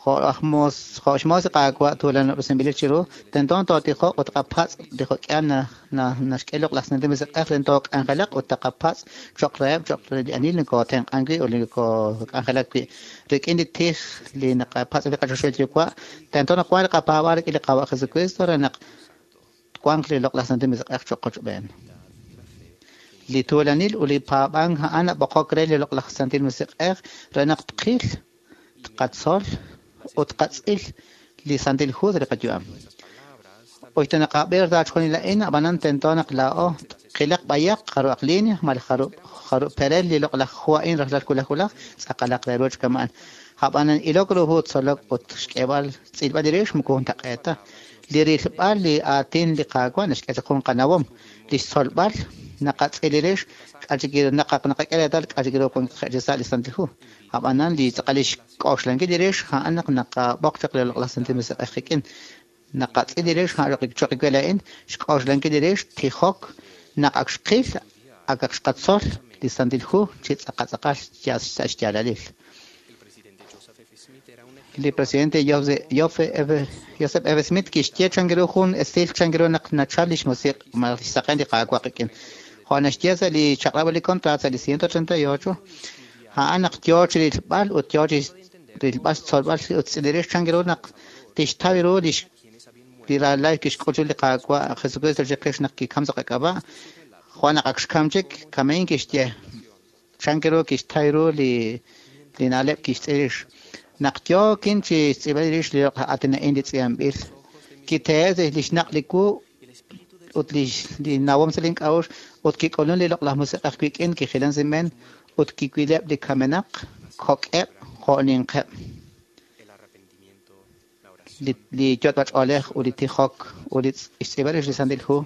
Jo' aj moos, jo' xmoos li Qaawa' tuulanob'resinb'ilil chiru, tento tootijoq ut tqapatz' li jo'k'ihal naxk'e li Loq'laj Santil Musiq'ej re took'anjelaq ut taqapatz' cho'q reheb' cho'q re li ani nokootenq'ank wi' ut li nokook'anjelak wi'. Rik'in li tij li naqapatz' li qaChoxahil Yuwa', tento naq wanq li qapaab'aal rik'in li Qaawa' Jesukristo re naq twanq li Loq'laj Santil Musiq'ej cho'q qochb'een. Li tuulanil ut li paab'ank a'an nab'oqok re li Loq'laj Santil Musiq'ej re naq tqil, tqatzol ut tqatz'il li Santil Hu sa' li qayu'am. Usta naqab'i sa' chixjunil a'in, ab'anan tento naq laa'o tqilaq b'ayaq jarub'aq línea malaj jarub' perel li loq'laj hu a'in rajlal wulaj wulaj, tz'aqalaq re ru chi kama'an. Ab'anan ilok ru hu, tzolok ut xk'eeb'al xtz'ilb'al li rix moko juntaq'eet ta. Li rilb'al li aatin li Qaawa' naxk'e chaq jun qanawom. Li xtzolb'al naqatz'il li rix, k'a' chik naq naqak'e reetal k'a' chik ru wank chi sa' li Santil Hu. Ab'anan li tz'aqal li xk'oxlankil li rix a'an naq naqab'oq chaq li Loq'laj Santil Musiq'ej qik'in. Naqatz'il li rix a'an cho'q we laa'in, xk'oxlankil li rix, tijok, naq ak xqil, akaq xqatzol li Santil Hu chi tz'aqal tz'aqal sa' xyaalalil. Li presidente Joseph F. Smith kixye chan ru jun esil chan ru naq nachal lix musiq' malaj lix saqen li Qaawa' qik'in. Jo' naxye sa' li chaq'rab' li contrato sa' li 138, a'an naq yoo chi rilb'al ut yoo chi rilb'al xtzolb'al ut xtz'il rix chan ru naq tixtaw ru lix li ralal kixk'ul li Qaawa' Jesucristo chiqix naq kikam sa' qak'ab'a'. Jo' naq ak xkam chik, kama'in kixye chan ru kixtaw ru li na'leb' kixtz'il rix. Naq yookin chi xtz'ilb'al rix li loq'laj aatin a'in li tz'iib'anb'il, kitehe' li xnaq' li wu ut li nawom sa' link'a'uxl ut kik'ulun li loq'laj musiq'ej wik'in kijilan sa' inb'een ut kiwileb' li kamenaq kok'eb' jo' ninqeb'. Li yot'b'ach'oolej ut li tijok ut li xtz'iib'al rix li Santil Hu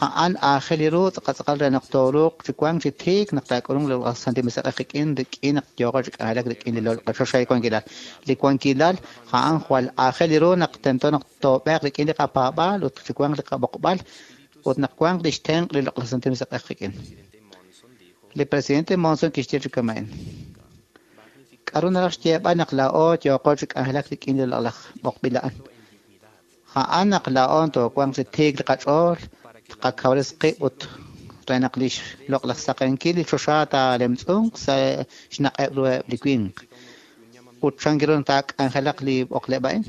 a'an aajel ru tz'aqal tz'aqal re naq tooruuq chi wank chi tiik naq taak'ulunq li Loq'laj Santil Musiq'ej qik'in rik'in naq yooqo chi k'anjelak rik'in li choxahil wankilal. Li wankilal a'an jwal aajel ru naq tento naq toob'eeq rik'in li qapaab'aal ut chi wanq li qab'oqb'al ut naq wanq lix tenq' li Loq'laj Santil Musiq'ej qik'in. Li presidente Monson kixye chi kama'in. K'a'ru naraj xyeeb'al naq laa'o yooqo chi k'anjelak rik'in li loq'laj b'oqb'il a'an? A'an naq laa'o toowanq chi tiik li qach'ool, tqakawresi qib' ut re naq lix loq'laj saqenkil li choxa taalemtz'unq sa' xnaq'eb' ruheb' li winq. Ut chan ru taak'anjelaq li b'oqleb' a'in?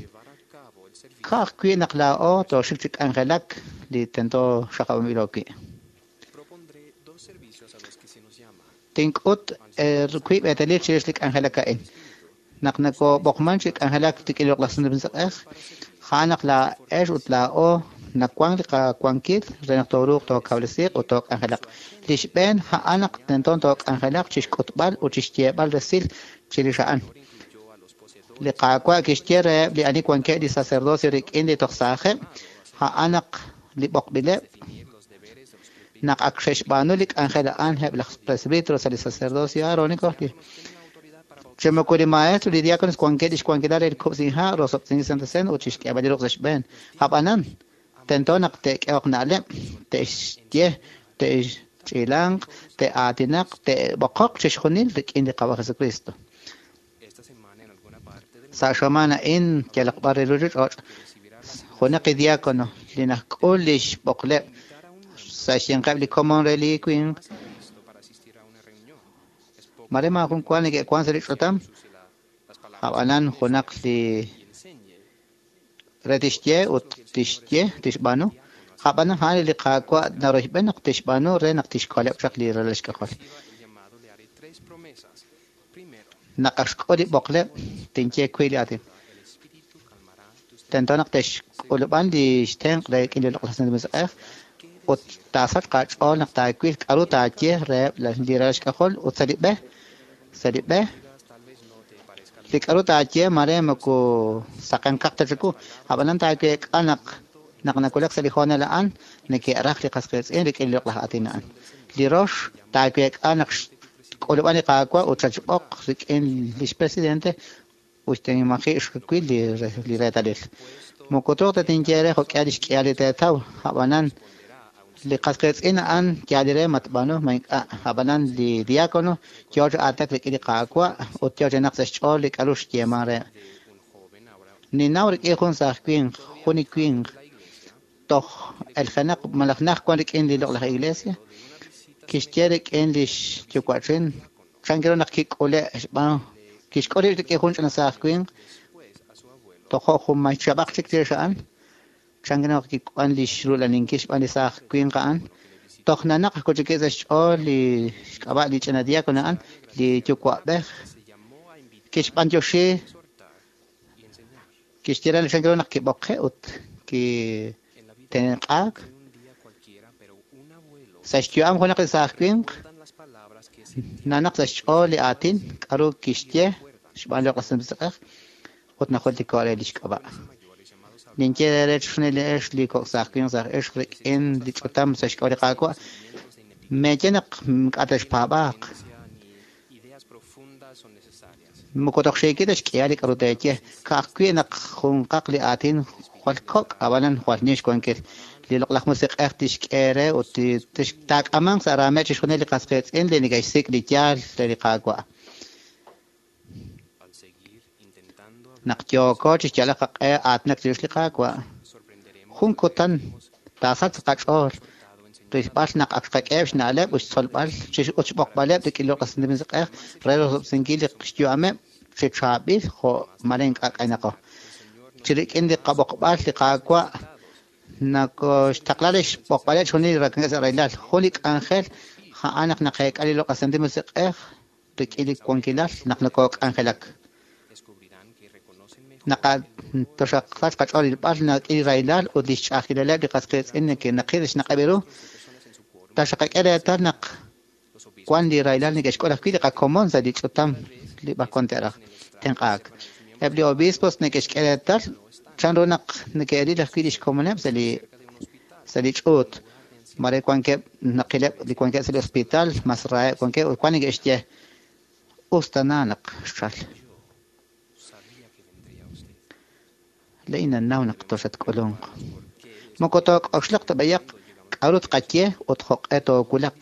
Ka'ajwi' naq laa'o tooxik chi k'anjelak li tento xaqab'anb'ilo wi'. Tink'ut wiib' eetalil chirix li k'anjelak a'in. Naq nakob'oqman chi k'anjelak rik'in li Loq'laj Santil Musiq'ej, a'an naq laa'ex ut laa'o nawank li qawankil re naq tooruuq tookawresiiq ut took'anjelaq. Li xb'een a'an naq tento took'anjelaq chixk'utb'al ut chixyeeb'al resil chirix a'an. Li Qaawa' kixye reheb' li ani wankeb' li sacerdocio rik'in li toj saajeb', a'an naq li b'oqb'ileb', naq ak xe'xb'aanu li k'anjel a'an eb' laj presbítero sa' li sacerdocio aarónico, li chi moko li maestro li diáconos wankeb' lix wankilal re li kub'sink ha', rosob'tesinkil Santa Cena ut chixk'eeb'al li ruq' sa' xb'een. Ab'anan, tento naq te'k'ehoq na'leb', te'xye, te'ch'iilanq, te'aatinaq, te'b'oqoq chixjunil rik'in li Qaawa' Jesucristo. Sa' xamaan a'in yalaq b'ar re ruuchich'och', junaq li diácono li naxk'ul lix b'oqleb' sa' xyanqeb' li komon re li winq, mare maajun wa neke'wan sa' li ch'utam, ab'anan junaq li re tixye ut tixye tixb'aanu, ab'anan a'an li Qaawa' naroyb'en naq tixb'aanu re naq tixkoleb' chaq li ralal xk'ajol. Naq ak xk'ul li b'oqleb', tinye wi li aatin. Tento naq te'xk'ulub'an li xtenq' re rik'in li Loq'laj Santil Musiq'ej ut taasachq aach'ool naq taawil k'a'ru taaye reheb' li ralal xk'ajol ut sa' li b'e, sa' li b'e, li k'a'ru taaye mare moko saqenkaq ta chiwu, ab'anan taaweek'a naq naq nawulak sa' li hoonal a'an neke'raj li qas qiitz'in rik'in li loq'laj aatin a'an. Li rox taaweek'a naq xk'ulub'an li Qaawa' ut xatxb'oq rik'in lix presidente ut tinmaji' xwil li reetalil. Moko truuq ta tinye re jo'k'ihal lix k'ihal li teetaw, ab'anan li qas qiitz'in a'an yaal re ma tb'aanu ma ink'a'. Ab'anan li diácono yoo chi aatinak rik'in li Qaawa' ut yoo chi naq sa' xch'ool li k'a'ru xyeeman re. Ninnaw rik'in jun saaj winq, jun li winq toj eljenaq malaj naj wan rik'in li loq'laj iglesia, kixye rik'in lix yuwa'chin chan ru naq kik'ule' xb'aan kixk'ul rib' rik'in jun ch'ina saaj winq tojo' jun may chab'aq chik chirix a'an, chan ru naq kik'uan lix rulaninkil xb'aan li saaj winq a'an, toj nanaq ajwi' chik sa' xch'ool li xk'ab'a' li ch'ina diácono a'an, li yuwa'b'ej, kixb'antioxi, kixye re chan ru naq kib'oqe' ut kitenq'aak. Sa' xyu'am junaq li saaj winq, nanaq sa' xch'ool li aatin k'a'ru kixye xb'aan li Loq'laj Santil Musiq'ej ut najultiko' re lix k'ab'a'. Ninye re chixjunil li ex li kok' saaj winq saaj ixq rik'in li ch'utam sa' xk'ab'a' li Qaawa', meeye naq ink'a' texpaab'aaq. Moko toj xiikil ta xk'ihal li k'a'ru teeye, ka'ajwi' naq junqaq li aatin jwal kok' ab'anan jwal nim xwankil. Li Loq'laj Musiq'ej tixk'e re ut taak'amanq sa' raameb' chixjunil li qas qiitz'in li neke'xsik' li yaal re li Qaawa'. Naq yooko chixyalaq qaq'e aatinak chirix li Qaawa', jun kutan taasachq qach'ool rilb'al naq ak xqak'eheb' xna'leb' ut xtzolb'al ut xb'oqb'aleb' rik'in li Loq'laj Santil Musiq'ej re rosob'tesinkil li xyu'ameb' chi chaab'il jo' mare ink'a' k'aynaqo. Chi rik'in li qab'oqb'al li Qaawa' nakoxtaqla li xb'oqb'aleb' chixjunil li rak'ankeb' sa' rahilal. Jun li k'anjel a'an naq naqeek'a li Loq'laj Santil Musiq'ej rik'in li wankilal naq nokok'anjelak. Naq toxaqsach qach'ool rilb'al nak'il li rahilal ut lix ch'a'ajkilaleb' li qas qiitz'in neke'naqil xnaq'eb' ru, taxaqak'e reetal naq wan li rahilal neke'xk'ul ajwi' li qakomon sa' li ch'utam li b'ar wan te'raj tenq'aak. Eb' li obispos neke'xk'e reetal chan ru naq neke'ril ajwi' lix komoneb' sa' li ch'uut. Mare wankeb' naqileb' li wankeb' sa' li hospital, mas raheb' wankeb' ut wan neke'xye us tana naq xchal. Laa'in nannaw naq toxatk'ulunq. Moko took'oxlaq ta b'ayaq k'a'ru tqaye ut jo'q'e toowulaq.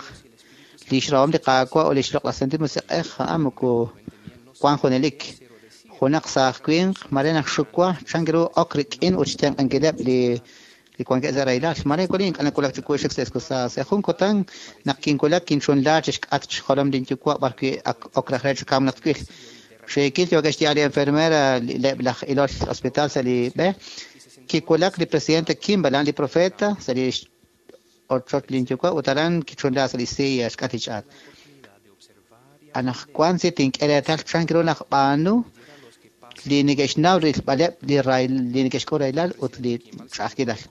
Lix rahom li Qaawa' ut lix Loq'laj Santil Musiq'ej a'an moko wan junelik. Junaq saaj winq mare naxxuwa chan ru ok rik'in ut xtenq'ankileb' li wankeb' sa' rahilal. Mare wali ink'a' nawulak chiwu xik sa' escusado. Sa' jun kutan naq kinwulak kinchunla chi xk'atq xjolom linyuwa' b'ar wi' ak ok raj re chi kam naq twil. Xiikil yookeb' xye'al li enfermera leb' laj ilol hospital sa' li b'e. Kiwulak li presidente Kimball, a'an li profeta sa' li ochoch linyuwa' ut aran kichunla sa' li silla xk'atq li ch'aat. Anaqwan si tink'e reetal chan ru naq b'aanu li neke'xnaw rilb'aleb' li neke'xk'ul rahilal ut li ch'a'ajkilal.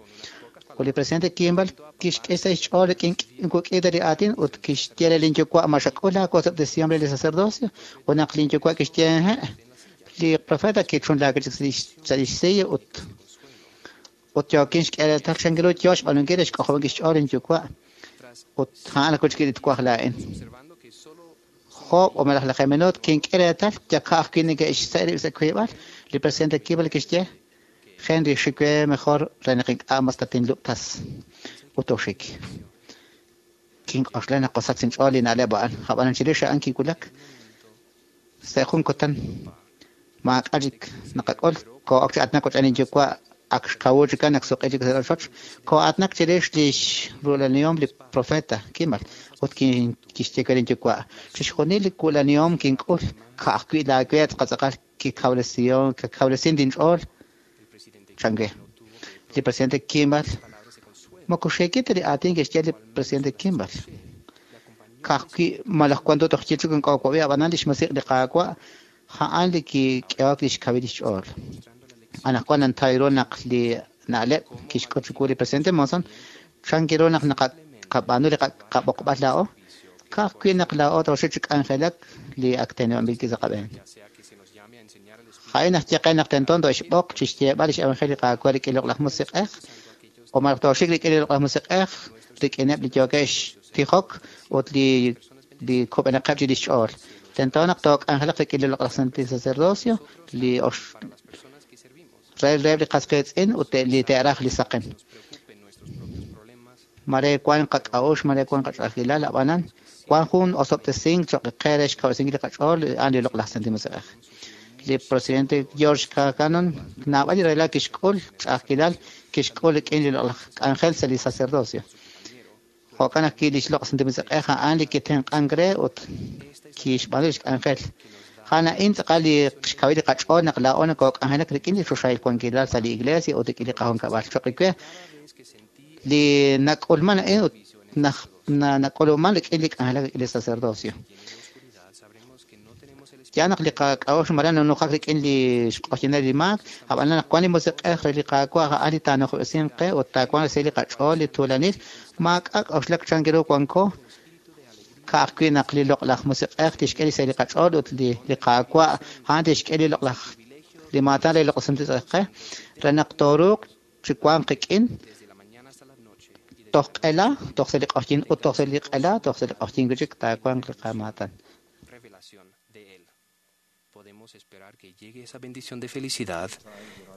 Ut li presidente Kimball kixk'e sa' xch'ool rik'in kuk'ita li aatin ut kixye re linyuwa' ma xak'ul laawosob'tesihom re li sacerdocio ut naq linyuwa' kixye he' Li profeta kichunlaak chik sa' lix silla ut ut yookin xk'e reetal chan ru yoo xb'aanunkil re xk'ojob'ankil xch'ool inyuwa' ut a'an ajwi' chik li twaj laa'in. Job' o malaj lajeeb' minuut kink'e reetal yaka' ajwi' neke'xse' rib' sa' wiib'al. Li presidente Kimball kixye, Henry, xik we mejor re naq ink'a' mas tatinlub'tas ut oxik. Kink'oxla naq osach inch'ool li na'leb' a'an, ab'anan chirix a'an kiwulak sa' jun kutan maak'a' chik naqak'ul, koo'ok chi aatinak rochb'een inyuwa' ak xkawu chikan naq suq'i chik sa' rochoch, koo'aatinak chirix lix ru'ulanihom li profeta Kimball ut kixye we linyuwa', chixjunil li wu'lanihom kink'ul ka'ajwi' laawe tz'aqal kikawresin linch'ool chan we. Li presidente Kimball moko xiikil ta li aatin kixye li presidente Kimball. Ka'ajwi' malaj wan toj yil chik ink'o'wab'i ab'anan lix musiq' li Qaawa' a'an li kik'ehok lix kawil lix ch'ool. Anaqwan nantaw ru naq li na'leb' kixk'ut chiwu li presidente Monson chan ru naq naqab'aanu li qab'oqb'al laa'o, ka'ajwi' naq laa'o tooxik chi k'anjelak li ak teneb'anb'il sa' qab'een. A'in naxye qe naq tento tooxb'oq chi xyeeb'al lix evangelio li Qaawa' rik'in loq'laj musiq'ej o malaj tooxik rik'in li loq'laj musiq'ej rik'ineb' li yookeb' xtijok ut li kub'enaqeb' chi lix ch'ool. Tento naq took'anjelaq rik'in li loq'laj santil sacerdocio li re reheb' li qas qiitz'in ut li te'raj li saqen. Mare wan qak'a'uxl, mare wan qach'a'ajkilal, ab'anan wan jun osob'tesink cho'q qe re xkawresinkil li qach'ool a'an li loq'laj santil musiq'ej. Li presidente George K. Cannon naab'al li rahilal kixk'ul ch'a'ajkilal kixk'ul rik'in li loq'laj k'anjel sa' li sacerdocio. Jo'kan ajwi' li xloq' santil musiq'ej a'an li kitenq'ank re ut kixb'aanu lix k'anjel. A'an a'in tz'aqal li xkawil li qach'ool naq laa'o nokok'anjelak rik'in li choxahil wankilal sa' li iglesia ut rik'in li qajunkab'al. Cho'q we li nak'ulman a'in ut nak'uluman rik'in li k'anjelak rik'in li sacerdocio. Ya naq li qak'a'uxl mare nanujak rik'in li xq'oxyinel li maak, ab'anan naq wan li musiq'ej re li Qaawa' a'an li taanujob'resinq qe ut taawanq resil li qach'ool li tuulanil, maak'a' k'a'uxlak chan ru wanko, ka'ajwi' naq li loq'laj musiq'ej tixk'e li sa' li qach'ool ut li Qaawa' a'an tixk'e li loq'laj li maatan re loq'laj santil musiq'ej qe re naq tooruuq chi wanq qik'in toj q'ela, toj sa' li q'oxyin ut toj sa' li q'ela, toj sa' li q'oxyin wi' chik taawanq li qamaatan. Podemos esperar que llegue esa bendición de felicidad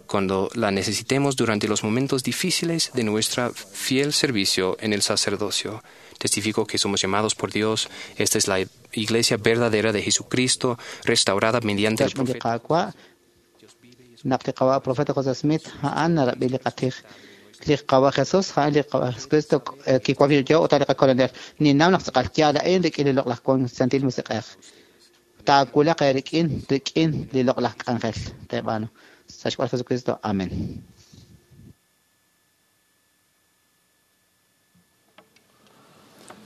cuando la necesitemos durante los momentos difíciles de nuestro fiel servicio en el sacerdocio. Testifico que somos llamados por Dios. Esta es la iglesia verdadera de Jesucristo, restaurada mediante el profeta. Naq li qawa' profeta José Smith a'an narab'i li qatij li qawa' Jesus a'an li qawa' Jesucristo kiwan yo ut li qakolonel. Ninnaw naq tz'aqal yaal a'in rik'in li loq'laj santil musiq'ej. Taawulaq eerik'in rik'in li loq'laj k'anjel teeb'aanu. Sa' xk'ab'a' Jesucristo. Amén.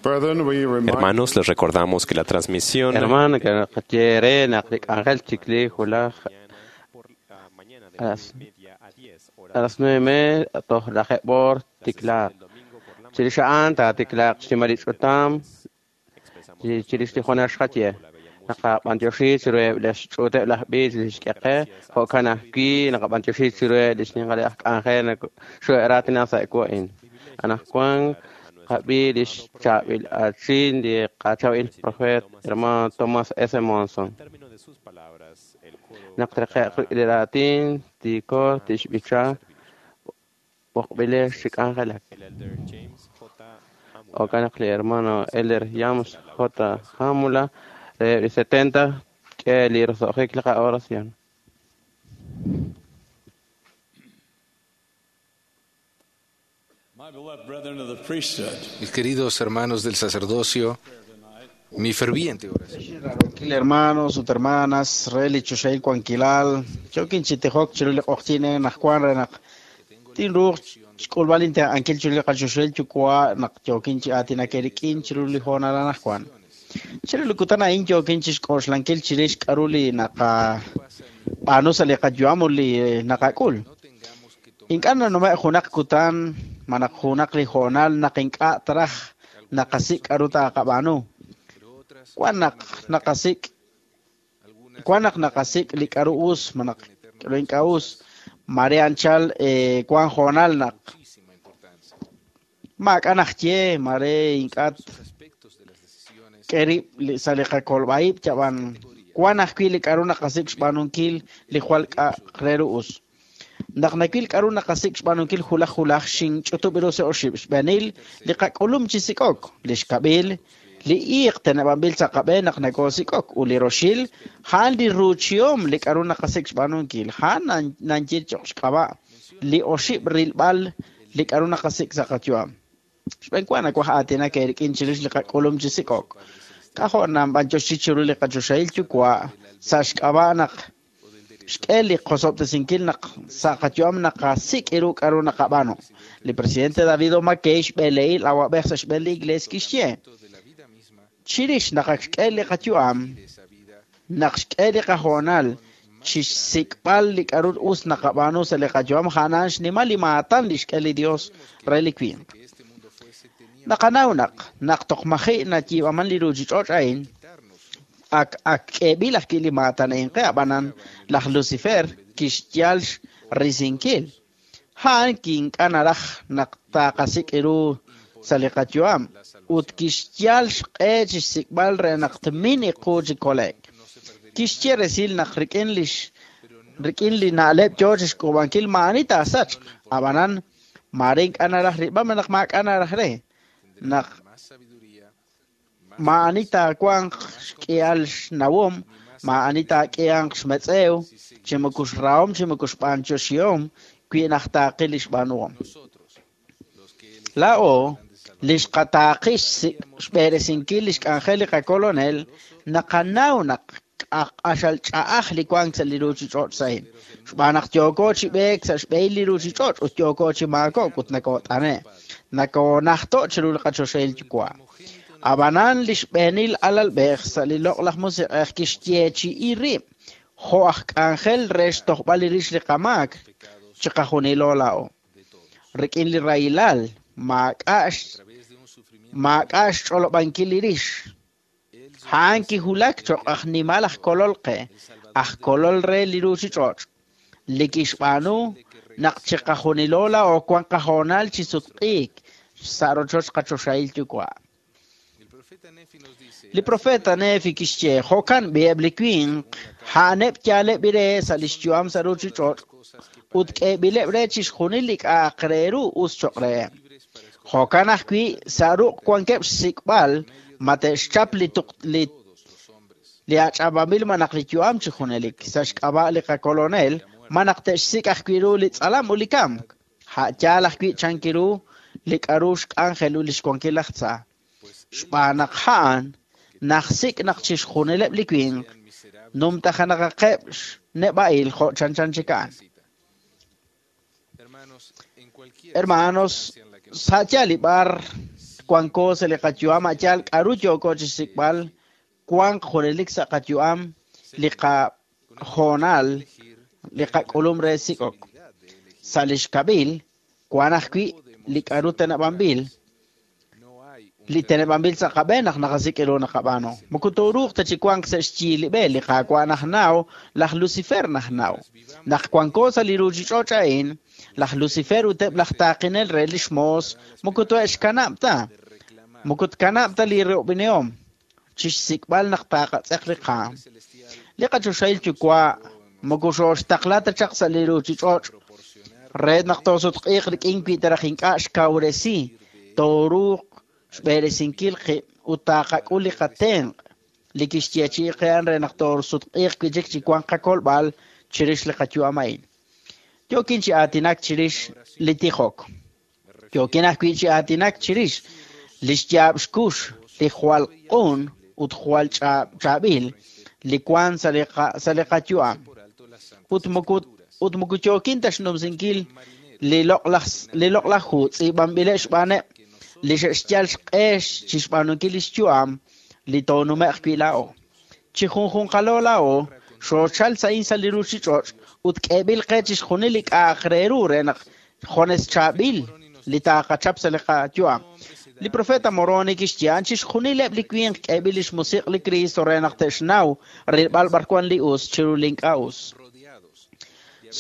Hermanos, les recordamos que la transmisión Hermano, que naqaye naq li k'anjel chik li wulaj a las 9:30 toj lajeeb' oor tiklaaq. Chirix a'an taatiklaaq xnimal li ch'utam chirix li junaj xqaye. Naqab'antioxi chiruheb' li xch'uuteb' laj b'iich li xk'e qe, jo'kan ajwi' naqab'antioxi chiruheb' li xninqal aj k'anjel xu'eraatina sa' wa'in. Anaqwan qab'i li xchaab'il aatin li qachaab'il profeet hermano Thomas S. Monson. Naq treqe'q li raatin tiiko tixb'icha b'oqb'ilex chi k'anjelak. Jo'kan naq li hermano Elder James J. Hamula reheb' li 70 k'e li roso'jik li qa'oración. Mis queridos hermanos del sacerdocio, mi ferviente oración. Hermanos ut hermanas, re li choxahil wankilal, yokin chi tijok chiru li q'oqyink anaqwan re naq tinruuq xk'ulb'al inte'ankil chiru li qachoxahil yuwa' naq yokin chi aatinak eerik'in chiru li hoonal anaqwan. Chiru li kutan a'in yokin chi xk'oxlankil chirix k'a'ru li naqab'aanu sa' li qayu'am ut li naqak'ul. Ink'a' nanume' junaq kutan malaj junaq li hoonal naq ink'a' taraj naqasik' k'a'ru taqab'aanu. Wan naq naqasik' wan naq naqasik' li k'a'ru us malaj k'a'ru ink'a' us. Mare anchal wan hoonal naq maak'a' naxye, mare ink'a' k'e rib' sa' li qakolb'a-ib', yab'an wan ajwi' li k'a'ru naqasik' xb'aanunkil li jwal k'a'aq re ru us. Naq nawil k'a'ru naqasik' xb'aanunkil wulaj wulaj, xinch'utub' ru sa' oxib'. Xb'eenil, li qak'ulum chi sik'ok. Li xkab'il, li iiq teneb'anb'il sa' qab'een naq nokoosik'ok. Ut li roxil, a'an li ruuchihom li k'a'ru naqasik' xb'aanunkil. A'an nanye cho'q xk'ab'a' li oxib' rilb'al li k'a'ru naqasik' sa' qayu'am. Xb'eenwa nawaj aatinak eerik'in chirix li qak'ulum chi sik'ok. K'ajo' nanb'anyoxi chiru li qachoxahil Yuwa' sa' xk'ab'a' naq xk'e li qosob'tesinkil naq sa' qayu'am naqasik' ru k'a'ru naqab'aanu. Li presidente David O. McKay xb'eleil awab'ej sa' xb'een li Iglees kixye, chirix naq ak xk'e li qayu'am, naq xk'e li qahoonal chixsik'b'al li k'a'ru us naqab'aanu sa' li qayu'am, a'an xnimal li maatan li xk'e li Dios re li winq. Naqanaw naq naq toj maji' nayiib'aman li ruuchich'och' a'in, ak ak k'eeb'il ajwi' li maatan a'in qe, ab'anan laj Lucifer kixyal xrisinkil. A'an ink'a' naraj naq taqasik' ru sa' li qayu'am ut kixyal xq'e chixsik'b'al re naq tmin iqu chi kole'k. Kixye resil naq rik'in lix rik'in li na'leb' yoo chixk'uub'ankil maa'ani taasachq, ab'anan mare ink'a' naraj rilb'al malaj maak'a' naraj re naq maa'ani taawanq xk'ihal xnawom, maa'ani taak'ihanq xmetz'ew, chi moko xrahom chi moko xb'anyoxihom wi naj taaqil li xb'aanuhom. Laa'o li xqataaqi xb'eresinkil li xk'anjel li qakolonel naqanaw naq q'axal ch'a'aj li wank sa' li ruuchich'och' sa'in. Xb'aan naq yooko chi b'eek sa' xb'ehil li ruuchich'och' ut yooko chi maakok ut nokoot'ane'. Nokoonajto' chiru li qachoxahil Yuwa'. Ab'anan li xb'eenil alalb'ej sa' li loq'laj musiq'ej kixyeechi'i rib' jo' aj k'anjel re xtojb'al li rix li qamaak chiqajunilo laa'o. Rik'in li rahilal maak'a' maak'a' xch'olob'ankil li rix. A'an kiwulak cho'q aj nimal aj kolol qe, aj kolol re li ruuchich'och', li kixb'aanu naq chiqajunilo laa'o wan qahoonal chi sutq'iik sa' rochoch qachoxahil Yuwa'. Li profeta Nefi kixye, jo'kan b'i eb' li winq, a'aneb' yaaleb' re sa' li xyu'am sa' ruuchich'och' ut k'eeb'ileb' re chixjunil li k'a'aq re ru us cho'q reheb'. Jo'kan ajwi' sa' ruq' wankeb' xsik'b'al ma te'xchap li tuq li li ach'ab'anb'il malaj li yu'am chi junelik sa' xk'ab'a' li qakolonel malaj te'xsik' ajwi' ru li tz'alam ut li kamk. A' yaal ajwi' chanki ru li k'a'ru xk'anjel ut li xwankil laj tza. Xb'aan naq a'an najsik' naq chixjunileb' li winq numtajenaqaqeb' xneb'a'il jo' chanchan chik a'an. Hermanos, sa' yaal li b'ar wanko sa' li qayu'am, a' yaal k'a'ru yooko chixsik'b'al, wanq junelik sa' qayu'am li qahoonal li qak'ulum re sik'ok. Sa' li xkab'il, wan ajwi' li k'a'ru teneb'anb'il, li teneb'anb'il sa' qab'een naq naqasik' ru naqab'aanu. Moko tooruuq ta chi wanq sa' xyi li b'e, li Qaawa' najnaw, laj Lucifer najnaw. Naq wanko sa' li ruuchich'och' a'in, laj Lucifer ut eb' laj taaqinel re lix moos moko tohe'xkanab' ta. Moko tkanab' ta li ro'b'inihom chixsik'b'al naq taqatz'eq li qaam. Li qachoxahil Yuwa' moko xooxtaqla ta chaq sa' li ruuchich'och' re naq toosutq'iiq rik'in wi ta raj ink'a' xkawresi tooruuq xb'eresinkil qib' ut taqak'ul li qatenq' li kixyeechi'i qe a'an re naq toosutq'iiq wi' chik chi wanq qakolb'al chirix li qayu'am a'in. Yookin chi aatinak chirix li tijok. Yookin ajwi' chi aatinak chirix li xyaab' xkux li jwal q'un ut jwal chaab'il li wank sa' li sa' li qayu'am. Ut moko ut moko yookin ta xnumsinkil li loq'laj li loq'laj hu tz'iib'anb'ileb' xb'aaneb' li xe'xyal xq'e chixb'aanunkil li xyu'am li toonume'q wi' laa'o. Chi junjunqalo laa'o xoochal sa'in sa' li ruuchich'och' ut k'eeb'il qe chixjunil li k'a'aq re ru re naq jones chaab'il li taqachap sa' li qayu'am. Li profeta Moroni kixye a'an chixjunileb' li winq k'eeb'il lix musiq' li Kristo re naq te'xnaw rilb'al b'ar wan li us chiru li ink'a' us.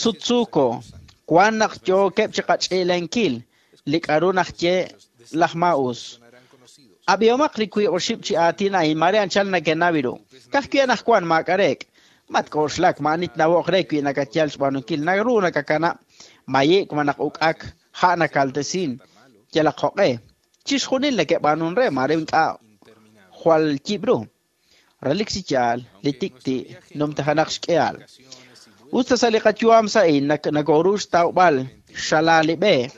Sutsuuko, wan naq yookeb' chiqach'ilenkil li k'a'ru naxye laj maa'us. Ab'ihomaq li 2-oxib' chi aatin a'in mare anchal nakenaw ru. Ka'ajwi' anaqwan maak'a' reek'. Matk'oxlak, maa'ani tnawoq re wi nakatyal xb'aanunkil. Naru nakakanab' mayi'k malaj uk'ak ha' nakaltesin yalaq jo'q'e. Chixjunil neke'b'aanun re mare ink'a' jwal yib' ru. Relik chi yaal, li tik'ti' numtajenaq xk'ihal. Us ta sa' li qayu'am sa'in nakoru xtawb'al xala li b'e,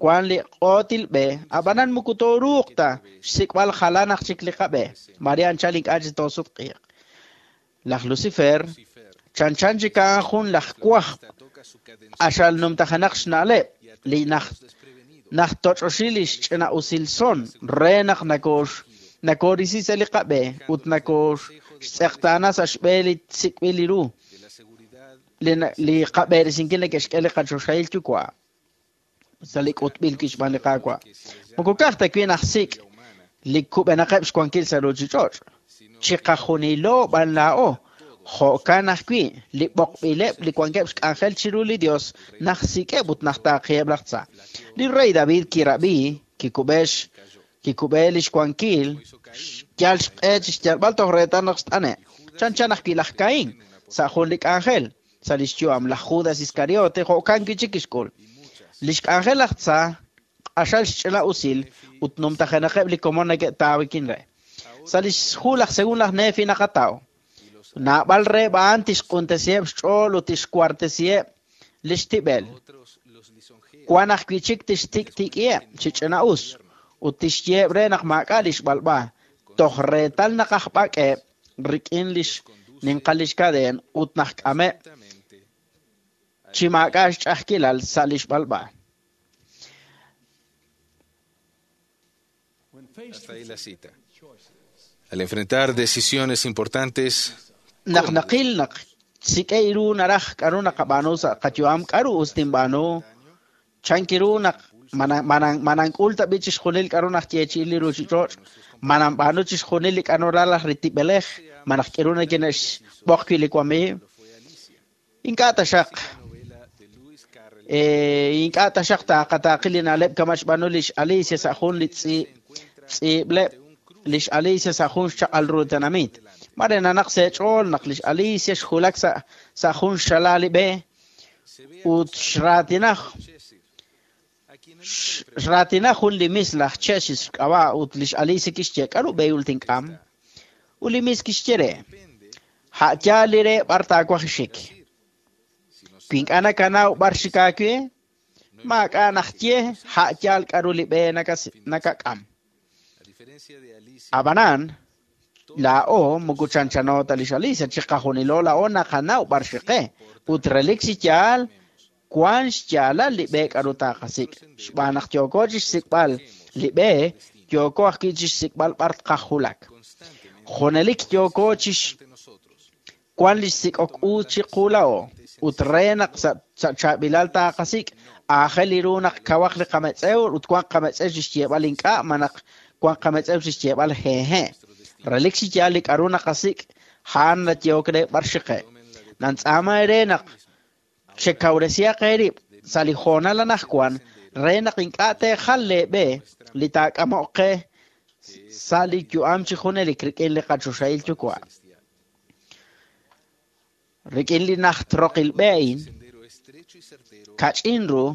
wan li q'ootil b'e, ab'anan moko tooruuq ta xsik'b'al jalan aj chik li qab'e. Mare anchal ink'a' chi toosutq'iiq. Laj Lucifer, chanchan chik a'an jun laj wajb' q'axal numtajenaq xna'leb' li najtoch'oxi li xch'ina'usil son re naq nakoorisi sa' li qab'e ut nakooxtz'eqtaana sa' xb'e li sik'b'il li ru li qab'eresinkil neke'xk'e li qachoxahil yuwa' sa' li k'utb'il kixb'aan li Qaawa'. Moko ka'aj ta wi' najsik' li kub'enaqeb' xwankil sa' ruuchich'och', chiqajunilo b'an laa'o, jo'kan ajwi' li b'oqb'ileb' li wankeb' xk'anjel chiru li Dios najsik'eb' ut najtaaqiheb' laj tza. Li rey David kirab'i, kikub'e lix wankil, xyal xq'e chi xyalb'al toj reetal naq xt'ane'. Chanchan ajwi' laj Caín sa' jun li k'anjel sa' lix yu'am laj Judas Iscariote jo'kan wi' chik kixk'ul. Lix k'anjel laj tza q'axal xch'ina'usil ut numtajenaqeb' li komon neke'taawikin re. Sa' lix hu laj según laj Nefi naqataw. Naab'al reheb' a'an tixq'untesiheb' xch'ool ut tixwartesiheb' lix tib'el. Wan ajwi' chik tixtik'tik'iheb' chi ch'ina'us ut tixyeheb' re naq maak'a' lix b'alb'a, toj reetal naq ajb'ak'eb' rik'in lix ninqal lix kadeen ut najk'ameb' chi maak'a' xch'a'ajkilal sa' lix b'alb'a. Hasta ahí la cita. Al enfrentar decisiones importantes, Naq naqil naq sik'e ru naraj k'a'ru naqab'aanu sa' qayu'am, k'a'ru us tinb'aanu, chankiru naq manank'ul ta b'i chixjunil k'a'ru najyeechi'i li ruuchich'och', mananb'aanu chixjunil li k'a'ru ralaj li tib'elej, manaq k'iru nekine'xb'oq wi' li wamiiw. Ink'a' taxaq ink'a' taxaq taaqataaqi li na'leb' kama' xb'aanu lix Alicia sa' jun li tz'iib'leb' lix Alicia sa' jun xchaq'al ru tenamit. Mare nanaq seech'ool naq lix Alicia xjulak sa' jun xala li b'e ut xraatinaj jun li mis laj Cheshire xk'ab'a' ut lix Alicia kixye k'a'ru b'ehul tink'am. Ut li mis kixye re ha' yaal li re b'ar taawaj xik. Wi ink'a' nakanaw b'ar xik aawe, maak'a' najye ha' yaal k'a'ru li b'e nakak'am. Ab'anan, laa'o moko chanchano ta lix Alicia, chiqajunilo laa'o naqanaw b'ar xiqe ut relik chi yaal wan xyaalal li b'e k'a'ru taaqasik'. Xb'aan naq yooko chixsik'b'al li b'e, yooko ajwi' chixsik'b'al b'ar tqajulak. Junelik yooko chix wan li xsik'ok u chiqu laa'o ut re naq sa' chaab'ilal taaqasik' aajel li ru naq kawaq li qametz'ew ut wan qametz'ew chixyeeb'al ink'a' malaj wan qametz'ew chixyeeb'al hehe'. Relik chi yaal li k'a'ru naqasik' a'an nayehok re b'ar xiqe'. Nantz'aama re naq chekawresihaq eerib' sa' li hoonal anaqwan re naq ink'a' teejal leeb'e li taak'amoq qe sa' li yu'am chi junelik rik'in li qachoxahil yuwa'. Rik'in li najtroqil b'e a'in, kach'in ru,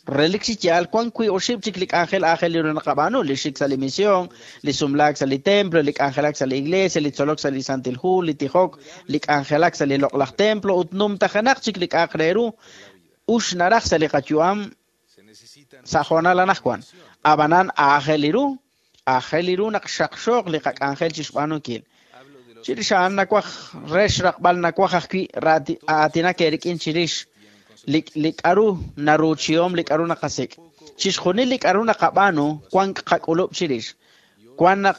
relik chi yaal wan 2-oxib' chik li k'anjel aajel li ru naqab'aanu, li xik sa' li misión, li sumlaak sa' li templo, li k'anjelak sa' li iglesia, li tzolok sa' li Santil Hu, li tijok, li k'anjelak sa' li loq'laj templo ut numtajenaq chik li k'a'aq re ru ux naraj sa' li qayu'am sa' hoonal anaqwan. Ab'anan aajel li ru naq xaqxooq li qak'anjel chixb'aanunkil. Chirix a'an nawaj re xraqb'al nawaj ajwi' aatinak eerik'in chirix li k'a'ru naruuchihom li k'a'ru naqasik'. Chixjunil li k'a'ru naqab'aanu wan qak'ulub' chirix. Wan naq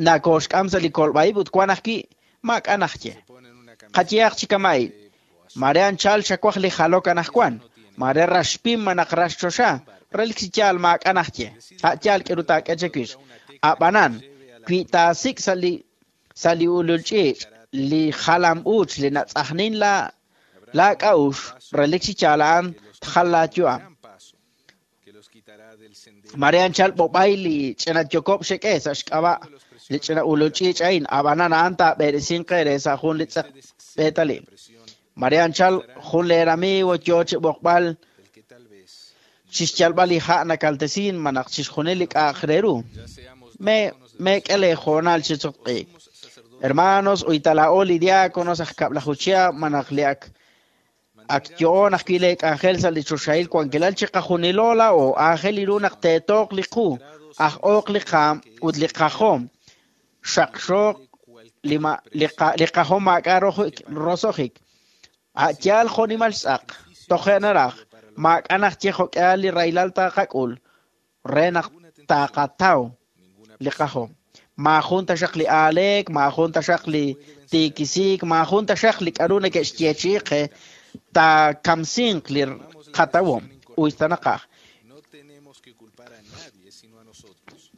nakooxk'am sa' li kolb'a'ib' ut wan ajwi' maak'a' najye. Qayehaq chi kama'in, mare anchal xawaj li jalok anaqwan, mare raxpim malaj raxchoxa, Relik chi yaal maak'a' naxye. A' yaal k'aru taak'e chiwix. Ab'anan, wi taasik' sa' li ulul ch'iich' li jalam-uuch li natz'ajnin laak'a'uxl, relik chi yaal a'an tjal laayu'am. Mare anchal b'ob'ay li ch'ina yokob' xek'e sa' xk'ab'a' li ch'ina ulul ch'iich' a'in, ab'anan a'an taab'eresinq eere sa' jun li tz'eq b'eetalil. Mare anchal jun leer amigo yo chi b'oqb'al chixyalb'al li ha' nakaltesin malaj chixjunil li k'a'aq re ru. Meek'e leehoonal chi sutq'iik. Hermanos, uyta laa'o li diáconos aj kab'laju chihab' malaj li ak ak yo'on ajwi' leek'anjel sa' li choxahil wankilal chiqajunilo laa'o aajel ru naq teetooq li qu, aj'ooq li qaam ut li qajom, xaqxooq li qajom maak'a' roso'jik. A' yaal jo'nimal xtz'aq, toje' naraj, maak'a' naxye jo'k'ihal li rahilal taqak'ul re naq taqataw li qajom. Maajun taxaq li aaleek, maajun taxaq li tiikisiik, maajun taxaq li k'aru neke'xyeechi'i qe taakamsinq li qatawom uyta naqaj.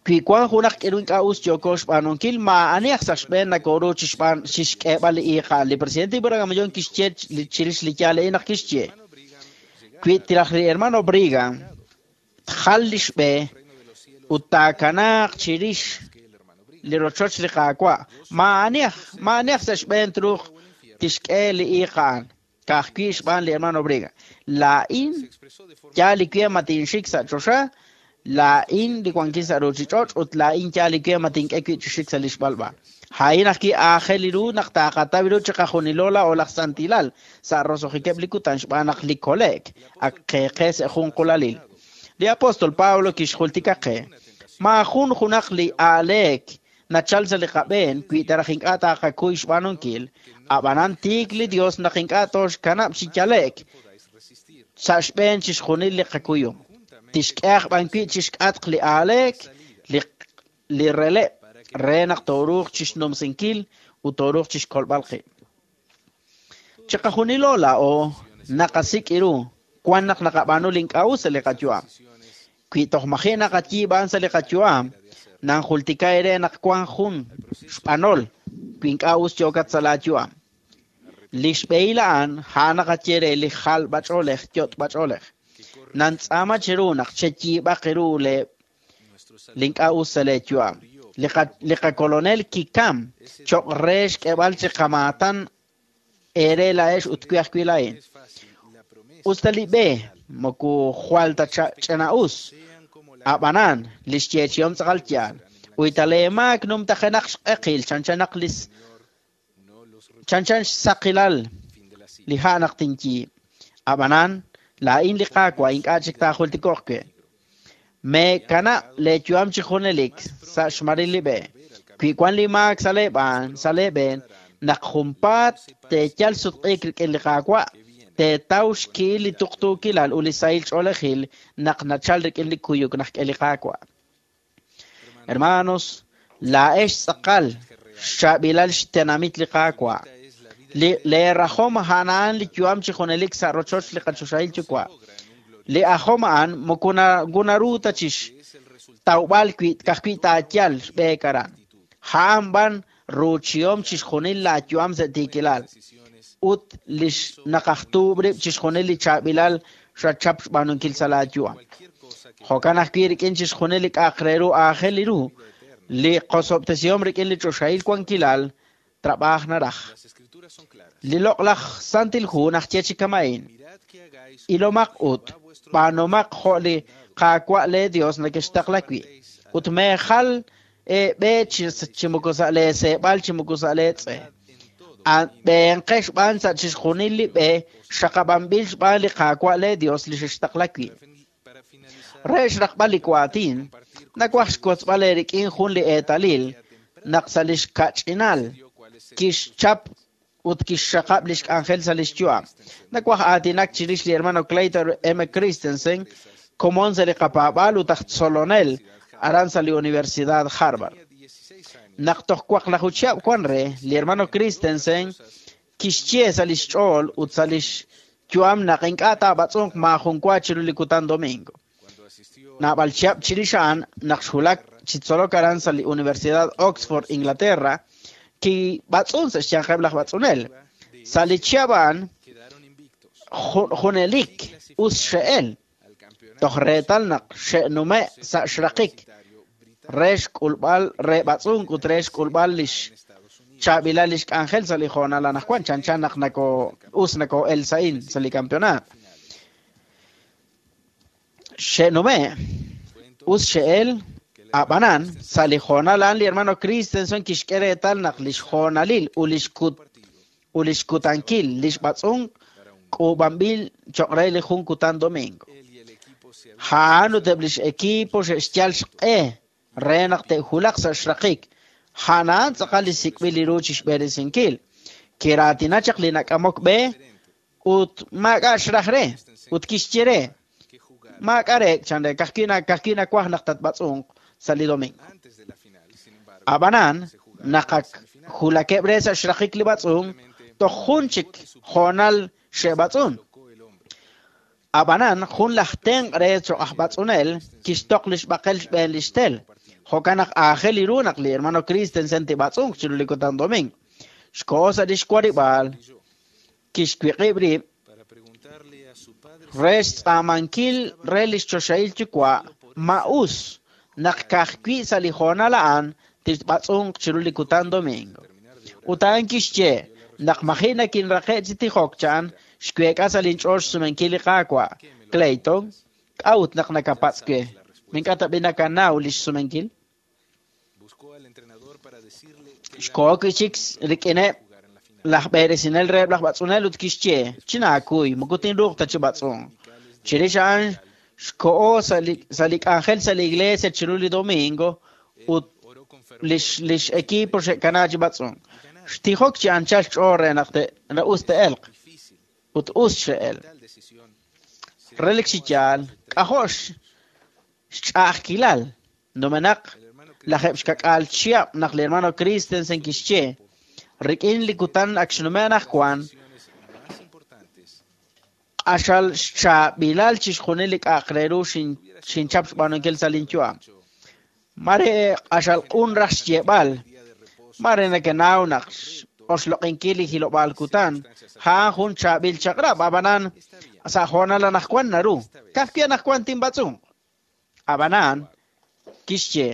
Wi wank junaq k'aru ink'a' us yooko xb'aanunkil, maa'ani aj sa' xb'een nakoru chixk'eeb'al li iiq a'an. Li presidente Brigham Young kixye chirix li yaal a'in naq kixye: Wi tiraj li hermano Brigham tjal li xb'e ut taakanaaq chirix li rochoch li Qaawa', maa'ani aj sa' xb'een truuq tixk'e li iiq a'an. Ka'ajwi' xb'aan li hermano Brigham. Laa'in yaal li we ma tinxik sa' choxa, laa'in li wankin sa' ruuchich'och' ut laa'in yaal li we ma tink'e wi' chi xik sa' li xb'alb'a. A'in ajwi' aajel ru naq taqataw ru chiqajunilo laa'o laj santilal sa' roso'jikeb' li kutan xb'aan naq li kole'k ak qeeqe sa' jun qulalil. Li apóstol Pablo kixjultika qe: maajun junaq li aaleek nachal sa' li qab'een wi taraj ink'a' taqakuy xb'aanunkil. Ab'anan tiik li Dios naq ink'a' tooxkanab' chi yale'k sa' xb'een chixjunil li qakuyum. Tixk'e aj b'an wi' chixk'atq li aaleek li releb' re naq tooruuq chixnumsinkil ut tooruuq chixkolb'al qib'. Chiqajunilo laa'o naqasik' ru wan naq naqab'aanu li ink'a' us sa' li qayu'am. Wi toj maji' naqayiib'an sa' li qayu'am, nanjultika eere naq wank jun xb'anol wi ink'a' us yookat sa' laayu'am. Li xb'ehil a'an a'an naqaye re li jalb'ach'oolej yot'b'ach'oolej. Nantz'aama cheru naq cheyiib'aq ru li ink'a' us sa' leeyu'am. Li qakolonel kikam cho'q re xk'eeb'al chi qamaatan eere laa'ex ut wi ajwi' laa'in. Us ta li b'e moko jwal ta ch'ina'us, ab'anan li xyeechihom tz'aqal yaal. Uyta leemaak numtajenaq xq'eqil chanchan xsaqilal li ha' naq tinyiib'. Ab'anan laa'in li Qaawa' ink'a' chik taajultiko'q we. Meekanab' leeyu'am chi junelik sa' xmaril li b'e. Wi wank li maak sa' leeb'een, naq junpaat teeyal sutq'iik rik'in li Qaawa', teetaw xki'il li tuqtuukilal ut li sahil ch'oolejil naq nachal rik'in li kuyuk naxk'e li Qaawa'. Hermanos, laa'ex tz'aqal xchaab'ilal xtenamit li Qaawa'. Leerajom a'an li yu'am chi junelik sa' rochoch li qachoxahil Yuwa'. Li ajom a'an moko naru ta chixtawb'al wi' ka'ajwi' taayal xb'eek aran. A'an b'an ruuchihom chixjunil laayu'am sa' tiikilal ut li naqajtuub' rib' chixjunil li chaab'ilal xachap xb'aanunkil sa' laayu'am. Jo'kan ajwi' rik'in chixjunil li k'a'aq re ru aajel ru, li qosob'tesihom rik'in li choxahil wankilal trab'aaj naraj. Li loq'laj Santil Hu naxye chi kama'in: Ilomaq ut b'aanumaq jo' li Qaawa' lee Dios nekextaqla wi', ut meejal eeb'e chi moko sa' leeseeb'al chi moko sa' leetz'e. B'eenqex b'an sa' chixjunil li b'e xaqab'anb'il xb'aan li Qaawa' lee Dios li xextaqla wi'. Re xraqb'al li waatin, nawaj xwotzb'al eerik'in jun li eetalil naq sa' li xkach'inal kixchap ut kixxaqab' li xk'anjel sa' li xyu'am. Nawaj aatinak chirix li hermano Clayton M. Christensen, komon sa' li qapaab'aal ut aj tzolonel aran sa' li Universidad Harvard. Naq toj waqlaju chihab' wan re, li hermano Christensen kixye sa' li xch'ool ut sa' li xyu'am naq ink'a' taab'atz'unq maajun wa chiru li kutan domingo. Naab'al chihab' chirix a'an naq xwulak chi tzolok aran sa' li Universidad Oxford, Inglaterra, kib'atz'un sa' xyanqeb' laj b'atz'unel. Sa' li chihab' a'an junelik us xe'el toj reetal naq xe'nume' sa' xraqik re xk'ulb'al re b'atz'unk ut re xk'ulb'al lix chaab'ilal lix k'anjel sa' li hoonal anaqwan chanchan naq nako us nakoo'el sa'in sa' li campeonato. Xe'nume' us xe'el ab'anan sa' li hoonal a'an li hermano Christensen kixk'e reetal naq lix hoonalil ut lix kut ut lix kutankil lix b'atz'unk k'uub'anb'il cho'q re li jun kutan domingo. A'an ut eb' lix equipo xe'xyal xq'e re naq te'wulaq sa' xraqik. A'an tz'aqal li sik'b'il li ru chixb'eresinkil. Kiraatina chaq li nak'amok b'e ut maak'a' xraj re ut kixye re maak'a' re chan re kajwi' nawaj naq tatb'atz'unq sa' li domingo. Ab'anan naq ak julakeb' re sa' xraqik li b'atz'unk toj jun chik hoonal xe'b'atz'un. Ab'anan jun laj tenq' re cho'q aj b'atz'unel kixtoq lix b'aqel xb'een lix tel. Jo'kan naq aajel li ru naq li hermano Christensen tib'atz'unq chiru li kutan domingo. Xkoho sa' lix warib'aal kixwiq'ib' rib' re xtz'aamankil re lix choxahil yuwa' ma us naq ka'ajwi' sa' li hoonal a'an tixb'atz'unq chiru li kutan domingo. Ut a'an kixye naq maji' nakinraqe' chi tijok chan xweek'a sa' linch'ool xsumenkil li Qaawa'. Clayton, k'a'ut naq nakapatz' we? Ink'a' tab'i nakanaw lix sumenkil? Xkoho wi' chik rik'ineb' laj b'eresinel reheb' laj b'atz'unel ut kixye chinaakuy moko tinruuq ta chi b'atz'unk. Chirix a'an xkoho sa' li k'anjel sa' li iglesia chiru li domingo ut lix equipo xe'kana chi b'atz'unk. Xtijok chi anchal xch'ool re naq us te'elq ut us xe'el. Relik chi yaal k'ajo' xch'a'ajkilal numenaq lajeb' xkak'aal chihab' naq li hermano Christensen kixye rik'in li kutan ak xnume' anaqwan q'axal xchaab'ilal chixjunil li k'a'aq re ru xinchap xb'aanunkil sa' linyu'am. Mare q'axal q'un raj xyeeb'al mare nakenaw naq oxloq'inkil li hilob'aal kutan a'an jun chaab'il chaq'rab' ab'anan sa' hoonal anaqwan naru ka'ajwi' anaqwan tinb'atz'unq. Ab'anan kixye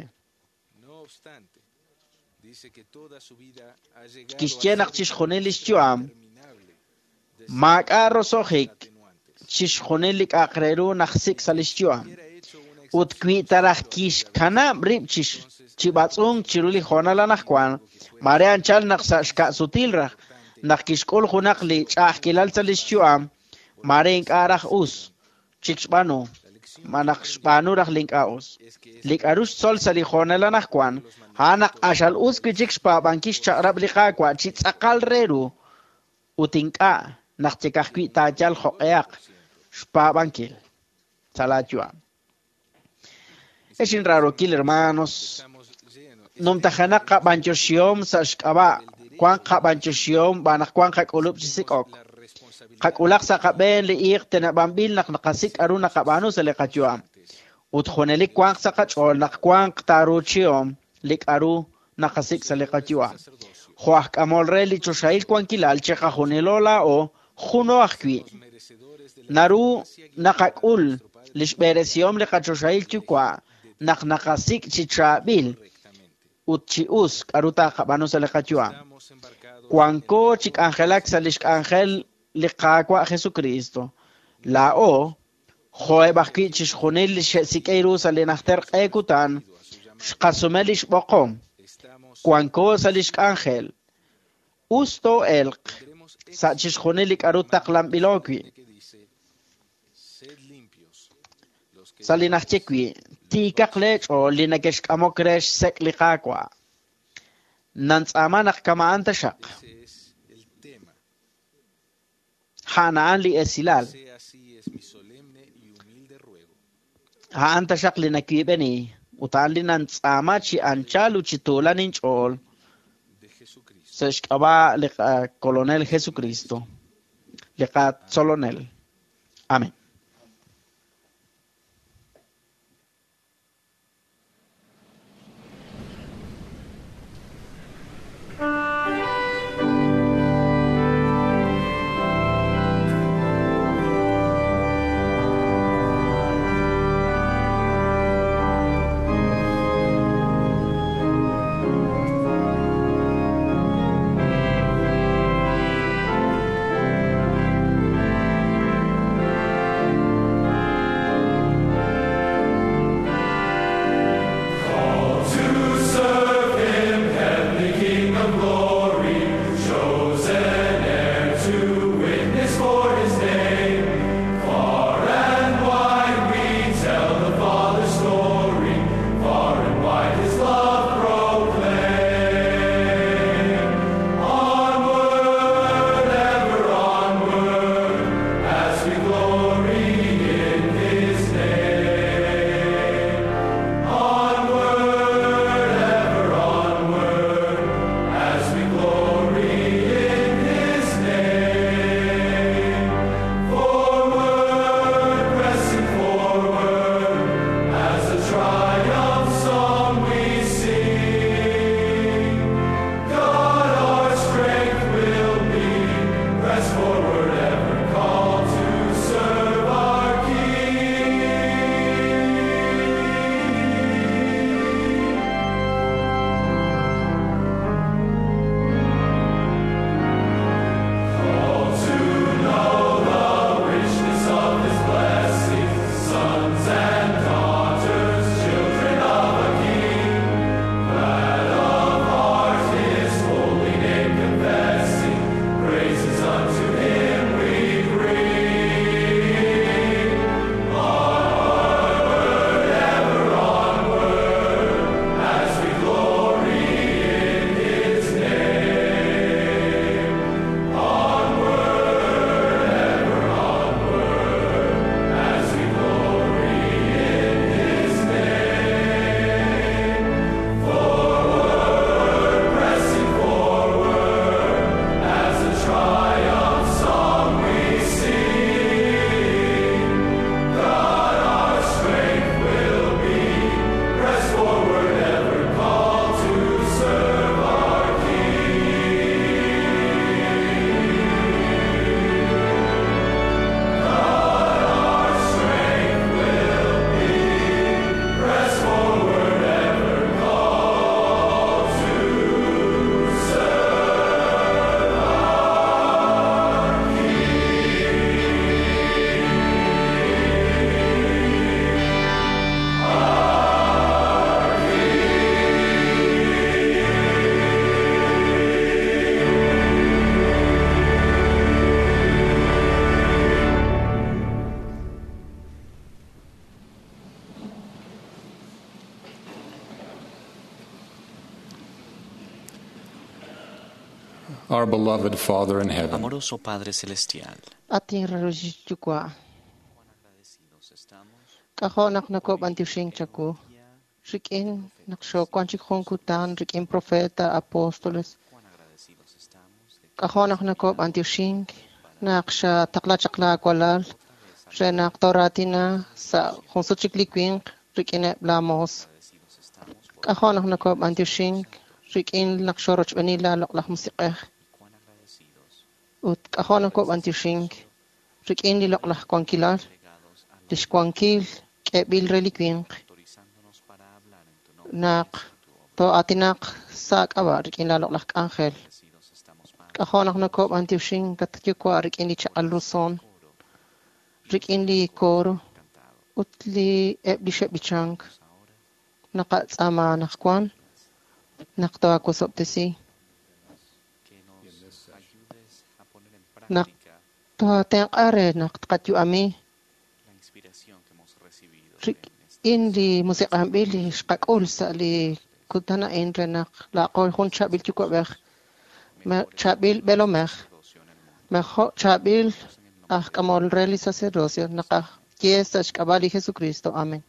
kixye naq chixjunil lix yu'am maak'a' roso'jik chixjunil li k'a'aq re ru najsik' sa' lix yu'am. Ut wi ta raj kixkanab' rib' chi b'atz'unk chiru li hoonal anaqwan mare anchal naq sa' xka'sutil raj naq kixk'ul junaq li ch'a'ajkilal sa' lix yu'am mare ink'a' raj us chik xb'aanu ma naq xb'aanu raj li ink'a' us. Li k'a'ru xtzol sa' li hoonal anaqwan a'an naq q'axal us wi' chik xpaab'ankil xchaq'rab' li Qaawa' chi tz'aqal re ru ut ink'a' naq chik ajwi' taayal jo'q'ehaq xpaab'ankil sa' laayu'am. Ex inraarokil hermanos, numtajenaq qab'anyoxihom sa' xk'ab'a' wanq qab'anyoxihom b'aan naq wanq qak'ulub' chi sik'ok. Qak'ulaq sa' qab'een li iiq teneb'anb'il naq naqasik' k'a'ru naqab'aanu sa' li qayu'am. Ut junelik wanq sa' qach'ool naq wanq taaruuchihom li k'a'ru naqasik' sa' li qayu'am. Jo' aj k'amol re li choxahil wankilal chiqajunilo laa'o juno ajwi'. Naru naqak'ul lix b'eresihom li qachoxahil yuwa' naq naqasik' chi chaab'il ut chi us k'a'ru taqab'aanu sa' li qayu'am. Wanko chi k'anjelak sa' lix k'anjel li Qaawa' Jesucristo. Laa'o jo'eb' ajwi' chixjunil li xe'sik'e ru sa' li najter q'e kutan xqasume lix b'oqom. Wanko sa' lix k'anjel. Us too'elq sa' chixjunil li k'a'ru taqlanb'ilo wi'. Sa' li najye wi' tiikaq leech'ool li nakexk'amok re xsek' li Qaawa'. Nantz'aama naq kama'an taxaq. A'an a'an li esilal. A'an taxaq li nawiib'eni ut a'an li nantz'aama chi anchal ut chi tuulan inch'ool sa' xk'ab'a' li qakolonel Jesucristo, li qatzolonel. Amén. Our beloved Father in heaven, Amoroso Padre Celestial, At inrarul yuwa'. K'ajo' naq nakob'antioxink chawu. Rik'in naq xowank chik jun kutan rik'in profeta, apóstoles. K'ajo' naq nakob'antioxink naq xataqla chaq laawalal re naq tooraatina sa' jun sut chik li winq rik'ineb' laamoos. K'ajo' naq nakob'antioxink rik'in naq xorochb'eeni laaloq'laj musiq'ej. Ut k'ajo' nakob'antioxink rik'in li loq'laj wankilal, lix wankil k'eeb'il re li winq naq too'aatinaq sa' k'ab'a' rik'in laaloq'laj k'anjel. K'ajo' naq nakob'antioxink at yuwa' rik'in li chaq'al ru son, rik'in li coro ut li eb' li xe'b'ichank. Naqatz'aama anaqwan naq toawosob'tesi. Naq toatenq'a re naq tqayu'ami rik'in li musiq'anb'il li xqak'ul sa' li kutan a'in re naq laaqo jun chaab'il yuwa'b'ej, chaab'il b'eelomej, mejo' chaab'il aj k'amol re li sacerdocio naqaye sa' xk'ab'a' li Jesucristo. Amen.